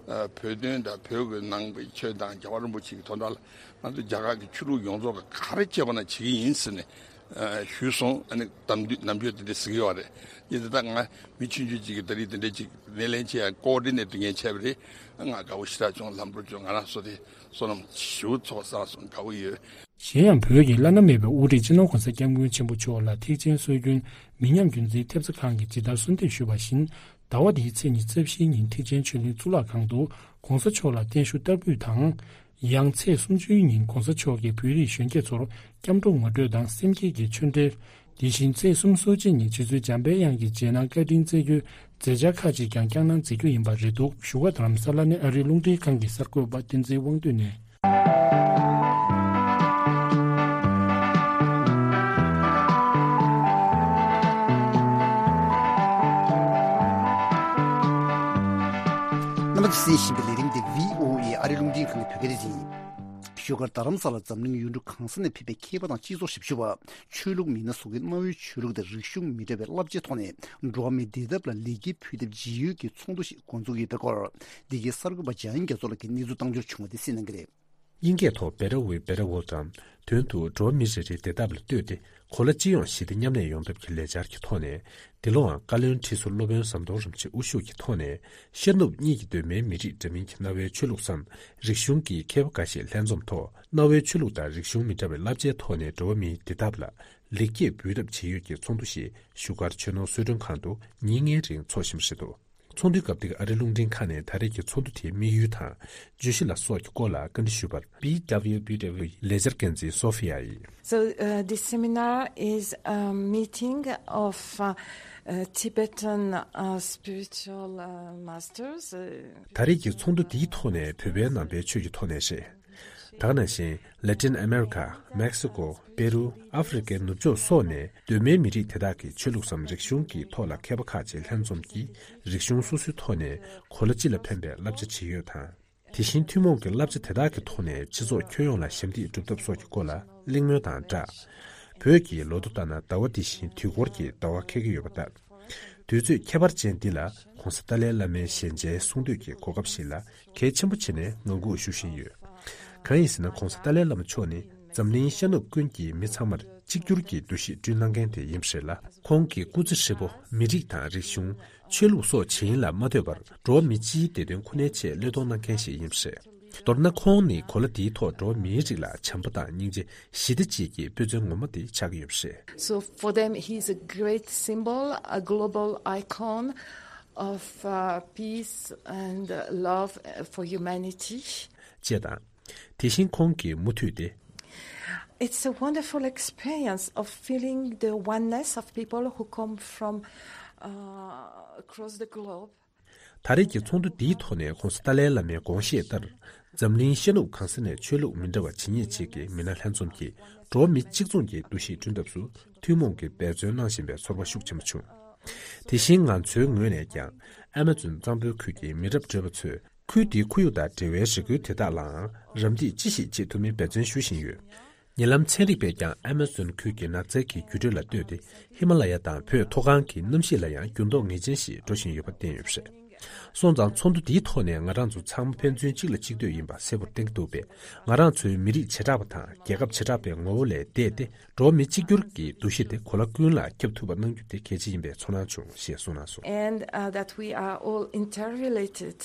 ཨ་བོད་དོན་དང་བོད་ཀྱི་ནང་པའི་ཆོས་དང་རྒྱལ་བ་རིན་པོ་ཆེ་གི་དོན་དག་ལ་ང་ཚོ་རྒྱ་གར་གྱི་ཆོས་ལུགས་ཡོངས་རྫོགས་ཀྱི་ག་རེ་བྱེད་དགོས་ན་བྱེད་ཀྱི་ཡིན་ཟེར་ནས་ཨ་ཞུས་སོང་། ཨ་ནི་གཏམ་རྒྱུད་ནམ་རྒྱུན་དེ་འདྲ་ཟེར་གྱི་ཡོད་རེད། ཡིན་ཙང་ད་ང་མི་ཆུང་ཆུང་ཅིག་གིས་ད་རེས་དེ་འདྲ་ཅིག་སྣེ་ལེན་བྱེད་ཡ་ཀོ་ཨོ་ཌི་ནེ་ཊར་དེ་ངས་བྱས་པ་རེད། ང་དགའ་པོ་ཞེ་དྲག་བྱུང་། ལམ་འགྲོ་བྱུང་། ང་རང་བསོད་བདེ་བསོད་ནམས་ཞེ་པོ་ཚོགས་བསགས་སོང་། དགའ་པོ་ཡོད། གཞན་ཡང་བོད་ཀྱི་བླ་ན་མེད་པའི་དབུ་ཁྲིད་སྤྱི་ནོར་༸གོང་ས་༸སྐྱབས་མགོན་ཆེན་པོ་མཆོག་ལ་ཐེག་ཆེན་སྲོལ་རྒྱུན་མི་ཉམས་རྒྱུན་འཛིན་ཐེབས་རྩ་ཁང་གིས་ཇི་ལྟར་གསོལ་འདེབས་ཞུས་པ་བཞིན། ཟླ་བ་འདིའི་ཚེས་ཉི་ཤུ་རྩ་བཞིའི་ཉིན་ཐེག་ཆེན་ཆོས་གླིང་གཙུག་ལག་ཁང་དུ་༸གོང་ས་མཆོག་ལ་བརྟན་བཞུགས་བསྟར་འབུལ་དང་། ཡང་ཚེས་སུམ་ཅུའི་ཉིན་༸གོང་ས་མཆོག་གིས་བོད་རིགས་གཞོན་སྐྱེས་ཚོར་སྐྱབས་འགྲོ་ངོ་སྤྲོད་དང་སེམས་བསྐྱེད་ཀྱི་ཆོས་འབྲེལ། དེ་བཞིན་ཚེས་སུམ་ཅུ་སོ་གཅིག་ཉིན་རྗེ་བཙུན་འཇམ་དཔལ་དབྱངས་ཀྱི་རྗེས་གནང་བཀའ་དྲིན་སྩལ་རྒྱུའི་མཛད་འཆར་ཁག་ཅིག་ཀྱང་བསྐྱངས་གནང་མཛད་རྒྱུ་ཡིན་པ་རེད་འདུག་བཞུགས་སྒར་རྡ་རམ་ས་ལ་ནས་ཨ་རིའི་རླུང་འཕྲིན་ཁང་གི་གསར་འགོད་པ་བསྟན་འཛིན་དབང་འདུས་ནས། རྣམ་པ་ཚོས་གསན་བཞིན་པའི་ལས་རིམ་འདི་བྷི་ཨོ་ཨེ་ཨ་རིའི་རླུང་འཕྲིན་ཁང་གི་བོད་སྐད་སྡེ་ཚན་ཡིན། བཞུགས་སྒར་རྡ་རམ་ས་ལ་འཛམ་གླིང་ཡུལ་གྲུ་གང་ས་ནས་ཕེབས་པའི་མཁས་པ་དང་སྤྱི་ཚོགས་ཞབས་ཞུ་བ། ཆོས་ལུགས་མི་སྣ་སོགས་ཀྱིས་གནའ་བོའི་ཆོས་ལུགས་དང་རིག་གཞུང་མི་འདྲ་བའི་བསླབ་བྱའི་ཐོག་ནས་འགྲོ་བ་མིའི་བདེ་ཐབས་ལ་ལེགས་སྐྱེས་ཕུལ་ཐབས་ཇི་ཡོད་ཀྱི་ཚོགས་འདུ་ཞིག་འགོ་འཛུགས་ཡོད་པའི་སྐོར། འདི་གའི་གསར་འགོད་པ་འཇམ་དབྱངས་རྒྱ་མཚོ་ལགས་ཀྱིས་གནས་ཚུལ་བཏང་འབྱོར་བྱུང་བ་དེ་གསན་གནང་གི་རེད། དབྱིན་སྐད་ཐོག་Better Way, Better World དང་དོན་དུ་འགྲོ་བ་མི་རེ་རེའི་བདེ་ཐབས་ལ་ལྟོས་ཏེ་གོ་ལ་སྤྱི་ཡོངས་ཞི་བདེ་མཉམ་གནས་ཡོང་ཐབས་ཀྱི་ལས་འཆར་གྱི་ཐོག་ནས། འདི་ལོའང་བཀའ་བློན་ཁྲི་ཟུར་སློབ་དཔོན་ཟམ་གདོང་རིན་པོ་ཆེ་དབུ་བཞུགས་ཀྱི་ཐོག་ནས་ཤར་ནུབ་གཉིས་ཀྱི་གདོད་མའི་མི་རིགས་འདྲ་མིན་གྱི་གནའ་བོའི་ཆོས་ལུགས་སམ་རིག་གཞུང་གི་མཁས་པ་འགའ་ཤས་ལྷན་འཛོམས་ཐོག་གནའ་བོའི་ཆོས་ལུགས་དང་རིག་གཞུང་མི་འདྲ་བའི་བསླབ་བྱའི་ཐོག་ནས་འགྲོ་བ་མིའི་བདེ་ཐབས་ལ་ལེགས་སྐྱེས་འབུལ་ཐབས་བྱེད་ཡུལ་གྱི་ཚོགས་འདུ་ཞིག་བཞུགས་སྒར་ཆོས་ནོར་གསོལ་མགྲོན་ཁང་དུ་ཉིན་ལྔའི་རིང་འཚོགས་བཞིན་པ་རེད་འདུག་ཚོགས་འདུའི་སྐབས་དེར་ཨ་རིའི་རླུང་འཕྲིན་ཁང་ནས་ད་རེས་ཀྱི་ཚོགས་འདུ་དེའི་དམིགས་ཡུལ་དང་བརྗོད་གཞི་ལ་སོགས་ཀྱི་སྐོར་ལ་བཀའ་འདྲི་ཞུས་པར། B W B W ལས་འཆར་འགན་འཛིན་སོ་ཧྥི་ཡ་ཡིས། So, uh, this seminar is a meeting of uh, uh, Tibetan uh, spiritual uh, masters. Uh, ད་རེས་ཀྱི་ཚོགས་འདུ་འདིའི་ཐོག་ནས་བོད་པའི་ནང་པའི་ཆོས་ཀྱི་ཐོག་ནས་རེད། ད་ག་ནང་བཞིན་ལེ་ཏིན་ཨ་མེ་རི་ཁ། མེག་སི་ཀོ། པེ་རུ། ཨ་ཧྥེ་རི་ཁའི་ནུབ་ཕྱོགས་སོགས་ནས་གདོད་མའི་མི་རིགས་དེ་དག་གི་ཆོས་ལུགས་སམ་རིག་གཞུང་གི་ཐོག་ལ་མཁས་པ་ཁག་ཅིག་ལྷན་འཛོམས་ཀྱིས་རིག་གཞུང་སོ་སོའི་ཐོག་ནས་གོ་ལ་སྤྱི་ལ་ཕན་པའི་བསླབ་བྱ་བྱེད་ཡུལ་དང་། དེ་བཞིན་ཐུན་མོང་གི་བསླབ་བྱ་དེ་དག་གི་ཐོག་ནས་སྤྱི་ཚོགས་ཁྱོན་ཡོངས་ལ་ཞབས་འདེགས་སྒྲུབ་ཐབས་སོགས་ཀྱི་སྐོར་ལ་གླེང་མོལ་དང་སྦྲགས། བོད་ཀྱི་ལོ་ཐོ་ལྟར་ན་ཟླ་བ་འདི་བཞིན་དུས་འཁོར་གྱི་ཟླ་བ་འཁེལ་གྱི་ཡོད་པ་ལྟར། དུས་ཚོད་ཁྱད་པར་ཅན་འདི་ལ་༸གོང་ས་ཏཱ་ལའི་བླ་མའི་ཞལ་མཇལ་གསུང་འདོན་གྱི་གོ་སྐབས་ཤིག་ལ་གལ་ཆེན་པོ་བྱས་ནས་ངང་སྒུག་ཞུ་བཞིན་ཡོད། གང་ཡིན་ཟེར་ན་༸གོང་ས་ཏཱ་ལའི་བླ་མ་མཆོག་ནི་འཛམ་གླིང་ཤར་ནུབ་ཀུན་གྱི་མི་ཚང་མར་གཅིག་གྱུར་གྱི་འདུ་ཤེས་བསྐྲུན་གནང་མཁན་དེ་ཡིན་པ་རེད་ལ། ཁོང་གི་སྐུ་ཚེ་ཧྲིལ་པོ་མི་རིགས་དང་རིག་གཞུང་། ཆོས་ལུགས་སོགས་ཇི་ཡིན་ལ་མ་ལྟོས་པར་འགྲོ་བ་མི་སྤྱིའི་བདེ་དོན་ཁོ་ནའི་ཆེད་བློས་གཏོང་གནང་མཁན་ཞིག་ཡིན་པ་རེད། མདོར་ན་ཁོང་ནི་གོ་ལ་འདིའི་ཐོག་འགྲོ་བ་མིའི་རིགས་ལ་བྱམས་པ་དང་སྙིང་རྗེ། ཞི་བདེ་བཅས་ཀྱི་དཔེ་མཚོན་ངོ་མ་དེ་ཆགས་ཀྱི་ཡོད་པ་རེད། So for them, he is a great symbol, a global icon of uh, peace and uh, love uh, for humanity. ཅེས་དང་། དེ་བཞིན་ཁོང་གིས་མུ་མཐུད་དེ། It's a wonderful experience of feeling the oneness of people who come from uh, across the globe. ད་རེས་ཀྱི་ཚོགས་འདུ་འདིའི་ཐོག་ནས་༸གོང་ས་ཏཱ་ལའི་བླ་མའི་དགོངས་བཞེད་ལྟར། འཛམ་གླིང་ཤར་ནུབ་གང་ས་ནས་ཆོས་ལུགས་མི་འདྲ་བ་ཇི་སྙེད་ཅིག་གི་མི་སྣ་ལྷན་འཛོམས་ཀྱིས་འགྲོ་བ་མི་གཅིག་མཚུངས་ཀྱི་འདུ་ཤེས་བསྐྲུན་ཐབས་སུ་ཐུན་མོང་གི་འབད་བརྩོན་གནང་བཞིན་པའི་ཚོར་བ་ཤུགས་ཆེན་པོ་བྱུང་། དེ་བཞིན་ང་ཚོའི་ངོས་ནས་ཀྱང་ཨ་མ་ཛོན་གཙང་པོའི་ཁུལ་གྱི་མི་རབས་བགྲེས་པ་ཚོས་ཁུལ་དེའི་ཁོར་ཡུག་དང་འབྲེལ་བའི་རེ་སྐུལ་དེ་དག་ལའང་རམ་འདེགས་ཅི་ཞིག་བྱེད་ཐུབ་མིན་འབད་བརྩོན་ཞུ་བཞིན་ཡོད། ཉེ་ལམ་ཚན་རིག་པས་ཀྱང་ཨ་མ་ཛོན་ཁུལ་གྱི་ནགས་ཚལ་གྱི་འགྱུར་འགྲོས་ལ་ལྟོས་ཏེ་ཧི་མ་ལ་ཡ་དང་བོད་མཐོ་སྒང་གི་གནམ་གཤིས་ལ་ཡང་འགྱུར་ལྡོག་ངེས་ཅན་ཞིག་འགྲོ་བཞིན་ཡོད་པ་བསྟན་ཡོད་པ་རེད། སོང་ཙང་ཚོགས་འདུ་འདིའི་ཐོག་ནས་ང་རང་ཚོ་ཚང་མ་ཕན་ཚུན་གཅིག་ལ་གཅིག་ལྟོས་ཡིན་པ་གསལ་པོར་བསྟན་གྱི་འདུག་པས། ང་རང་ཚོའི་མི་རིགས་བྱེ་བྲག་པ་དང་རྒྱལ་ཁབ་བྱེ་བྲག་པའི་ངོ་བོ་ལས་འདས་ཏེ། འགྲོ་བ་མི་གཅིག་གྱུར་གྱི་འདུ་ཤེས་དེ་གོ་ལ་ཀུན་ལ་ཁྱབ་ཐུབ་པ་གནང་རྒྱུ་དེ་གལ་ཆེ་ཡིན་པའི་ཚོར་སྣང་བྱུང་ཞེས་གསུངས་གནང་སོང་། And uh, that we are all interrelated,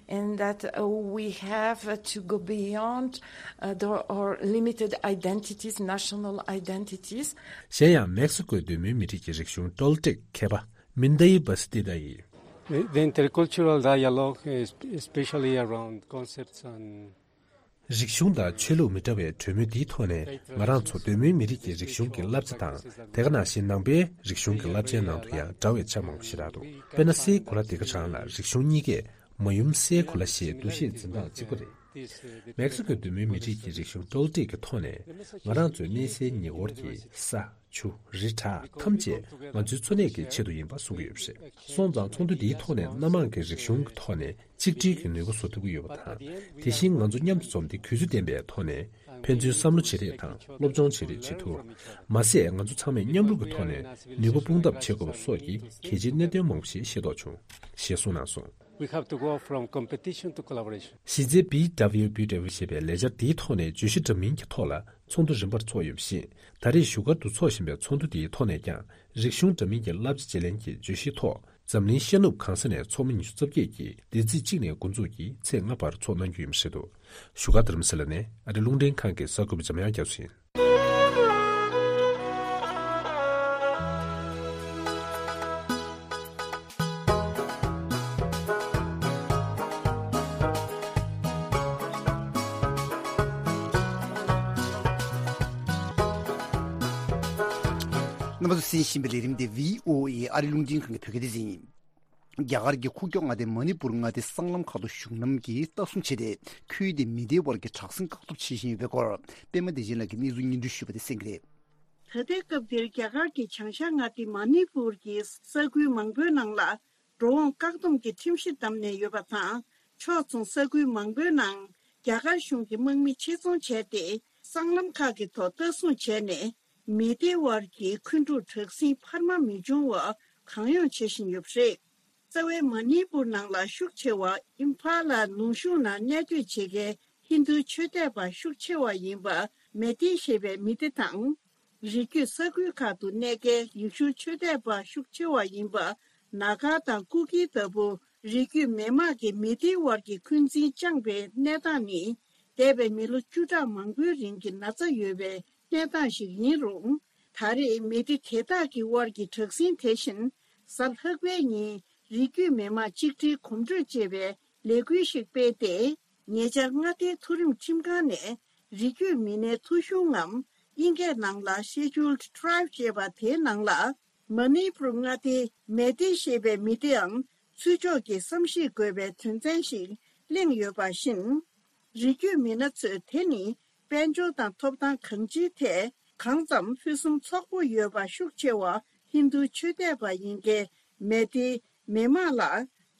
and that uh, we have to go beyond uh, the, our limited identities, national identities. གཞན་ཡང་མེག་སི་ཀོའི་གདོད་མའི་མི་རིགས་ཀྱི་རིག་གཞུང་ཏོལ་ཏེག་མཁས་པ་མིན་དའི་བ་སི་ཏི་ཏཱ་ཡིས། The, the intercultural dialogue, es- especially around concepts and རིག་གཞུང་དང་ཆོས་ལུགས་མི་འདྲ་བའི་གྲོས་མོལ་འདིའི་ཐོག་ནས་ང་རང་ཚོ་གདོད་མའི་མི་རིགས་ཀྱི་རིག་གཞུང་གི་བསླབ་བྱ་དང་། དེ་ག་ནང་བཞིན་ནང་པའི་རིག་གཞུང་གི་བསླབ་བྱའི་ནང་དུ་ཡང་འདྲ་བའི་ཆ་མང་པོ་ཞིག་རག་འདུག་དཔེར་ན་སའི་གོ་ལ་དེ་ག་རང་ལ་རིག་གཞུང་གཉིས་ཀས་མ་ཡུམ་སའི་གོ་ལ་ཞེས་འདུ་ཤེས་འཛིན་སྟངས་གཅིག་པ་རེད། མེག་སི་ཀོའི་གདོད་མའི་མི་རིགས་ཀྱི་རིག་གཞུང་ཏོལ་ཏེག་གི་ཐོག་ནས་ང་རང་ཚོའི་གནས་སའི་ཉེ་འཁོར་གྱི་ས། ཆུ། རི་བྲག་ཐམས་ཅད་ང་ཚོའི་འཚོ་གནས་ཀྱི་ཆེད་དུ་ཡིན་པ་གསུང་གི་ཡོད་པ་རེད། སོང་ཙང་ཚོགས་འདུ་འདིའི་ཐོག་ནས་སྣ་མང་གི་རིག་གཞུང་གི་ཐོག་ནས་གཅིག་སྒྲིལ་གྱི་ནུས་པ་བཟོ་ཐུབ་ཀྱི་ཡོད་པ་དང་། དེ་བཞིན་ང་ཚོ་མཉམ་དུ་འཛོམས་ཏེ་གུས་བརྩི་ལྡན་པའི་ཐོག་ནས་ཕན་ཚུན་བསམ་བློ་བརྗེ་རེས་དང་སློབ་སྦྱོང་བྱེད་རེས་བྱེད་ཐུབ། མ་ཟད་ང་ཚོ་ཚང་མས་མཉམ་རུབ་ཀྱི་ཐོག་ནས་ནུས་པ་སྤུངས་ཐབས་བྱེད་དགོས་པ་སོགས་ཀྱི་གལ་ཆེའི་གནད་དོན་མང་པོ་ཞིག་ཤེས་རྟོགས་བྱུང་ཞེས་གསུངས་གནང་སོང་། We have to go from competition to collaboration. གཞི་རྩའི་B W B W ཞེས་པའི་ལས་འཆར་འདིའི་ཐོག་ནས་བརྗོད་གཞི་འདྲ་མིན་གྱི་ཐོག་ལ་ཚོགས་འདུ་རིམ་པར་འཚོགས་ཡོད་པ་བཞིན། ད་རེས་བཞུགས་སྒར་དུ་འཚོགས་བཞིན་པའི་ཚོགས་འདུ་འདིའི་ཐོག་ནས་ཀྱང་རིག་གཞུང་འདྲ་མིན་གྱི་བསླབ་བྱ་བརྗེ་ལེན་གྱི་བརྗོད་གཞིའི་ཐོག་འཛམ་གླིང་ཤར་ནུབ་གང་ས་ནས་ཚོགས་མི་ཉི་ཤུ་རྩ་བརྒྱད་ཀྱིས་འདི་ཚེས་གཅིག་ནས་འགོ་འཛུགས་ཀྱིས་ཚེས་ལྔ་བར་འཚོགས་གནང་རྒྱུ་ཡིན་པ་རེད་འདུག་བཞུགས་སྒར་རྡ་རམ་ས་ལ་ནས་ཨ་རི་རླུང་འཕྲིན་ཁང་གི་གསར་འགོད་པ་འཇམ་དབྱངས་རྒྱ་མཚོ་ཡིན། རྣམ་པ་ཚོ་གསན་བཞིན་པའི་ལས་རིམ་དེ་V O A ཨ་རི་རླུང་འཕྲིན་ཁང་གི་བོད་སྐད་སྡེ་ཚན་ཡིན། རྒྱ་གར་གྱི་ཁུག་ཀྱོག་མངའ་སྡེ་མ་ཎི་པུར་མངའ་སྡེའི་སྲང་ལམ་ཁག་ཏུ་གཞུང་ལམ་གྱིས་ལྟ་སྲུང་བྱས་ཏེ། ཁུལ་དེའི་མི་སྡེའི་དབར་གྱི་དྲག་ཟིང་བཀག་སྡོམ་བྱེད་བཞིན་ཡོད་པའི་སྐོར། པད་མ་བདེ་ཆེན་ལགས་ཀྱིས་གནས་ཚུལ་སྙན་སྒྲོན་ཞུས་པ་དེ་གསན་གྱི་རེད། ད་ལྟའི་སྐབས་འདིར་རྒྱ་གར་གྱི་བྱང་ཤར་མངའ་སྡེ་མ་ཎི་པུར་གྱི་ས་ཁུལ་མང་པོའི་ནང་ལ་འགྲོ་འོང་བཀག་སྡོམ་གྱི་ཁྲིམས་གཞི་བསྡམས་ནས་ཡོད་པ་དང་། ཕྱོགས་མཚུངས་ས་ཁུལ་མང་པོའི་ནང་རྒྱ་གར་གཞུང་གི་དམག་མི་ཆེད་རྫོང་བྱས་ཏེ། སྲང་ལམ་ཁག་གི་ཐོག་ལྟ་སྲུང་བྱས་ནས། མི་སྡེ་དབར་གྱི་འཁོན་འཁྲུག་དྲག་ཟིང་འཕར་མ་མི་འབྱུང་བར་གང་ཡོང་བྱེད་བཞིན་ཡོད་པ་རེད། རྩ་བའི་མ་ཎི་པུར་ནང་ལ་ཤུགས་ཆེ་བ་ཨིམ་ཕ་ལ་ལུང་གཤོང་ནང་གནས་སྡོད་བྱེད་མཁན་ཧིན་རྡུ་ཆོས་དད་པ་ཤུགས་ཆེ་བ་ཡིན་པ་མེ་ཏི་ཞེས་པའི་མི་སྡེ་དང་། རི་རྒྱུད་ས་ཁུལ་ཁག་ཏུ་གནས་མཁན་ཡེ་ཤུ་ཆོས་དད་པ་ཤུགས་ཆེ་བ་ཡིན་པ་ན་ག་དང་ཀུ་ཀི་ལྟ་བུ་རི་རྒྱུད་མི་དམངས་ཀྱི་མི་སྡེའི་དབར་གྱི་འཁོན་འཛིན་བཅངས་པའི་གནས་སྟངས་ནི། འདས་པའི་མི་ལོ་བཅུ་ཕྲག་མང་པོའི་རིང་གི་ན་ཚ་ཡོད་པའི་གནས་སྟངས་ཤིག་ཡིན་རུང་། ད་རེས་མི་སྡེ་དེ་དག་གི་དབར་གྱི་དྲག་ཟིང་དེ་བཞིན་གཟའ་ལྷག་པའི་ཉིན་རི་རྒྱུད་མི་དམངས་གཅིག་སྒྲིལ་གོམ་བགྲོད་ཅེས་པའི་ལས་འགུལ་ཞིག་སྤེལ་ཏེ། ཉེ་ཆར་མངའ་སྡེའི་མཐོ་རིམ་ཁྲིམས་ཁང་ནས་རི་རྒྱུད་མི་སྣའི་ཐོ་གཞུང་ངམ་དབྱིན་སྐད་ནང་ལ་Scheduled Tribe ཅེས་པ་དེའི་ནང་ལ། མ་ཎི་པུར་མངའ་སྡེའི་མེ་ཏི་ཞེས་པའི་མི་སྡེའང་ཚུར་ཕྱོགས་ཀྱི་བསམ་གཞིག་དགོས་པའི་དོན་ཚན་ཞིག་གླེང་ཡོད་པ་བཞིན། རི་རྒྱུད་མི་སྣ་ཚོས་དེ་ནི་དཔལ་འབྱོར་དང་ཐོབ་ཐང་གང་ཅིའི་ཐད་གང་ཙམ་ཕུན་སུམ་ཚོགས་པོ་ཡོད་པ་ཤུགས་ཆེ་བ་ཧིན་རྡུ་ཆོས་དད་པ་ཡིན་མཁན་མེ་ཏི་མི་དམངས་ལ་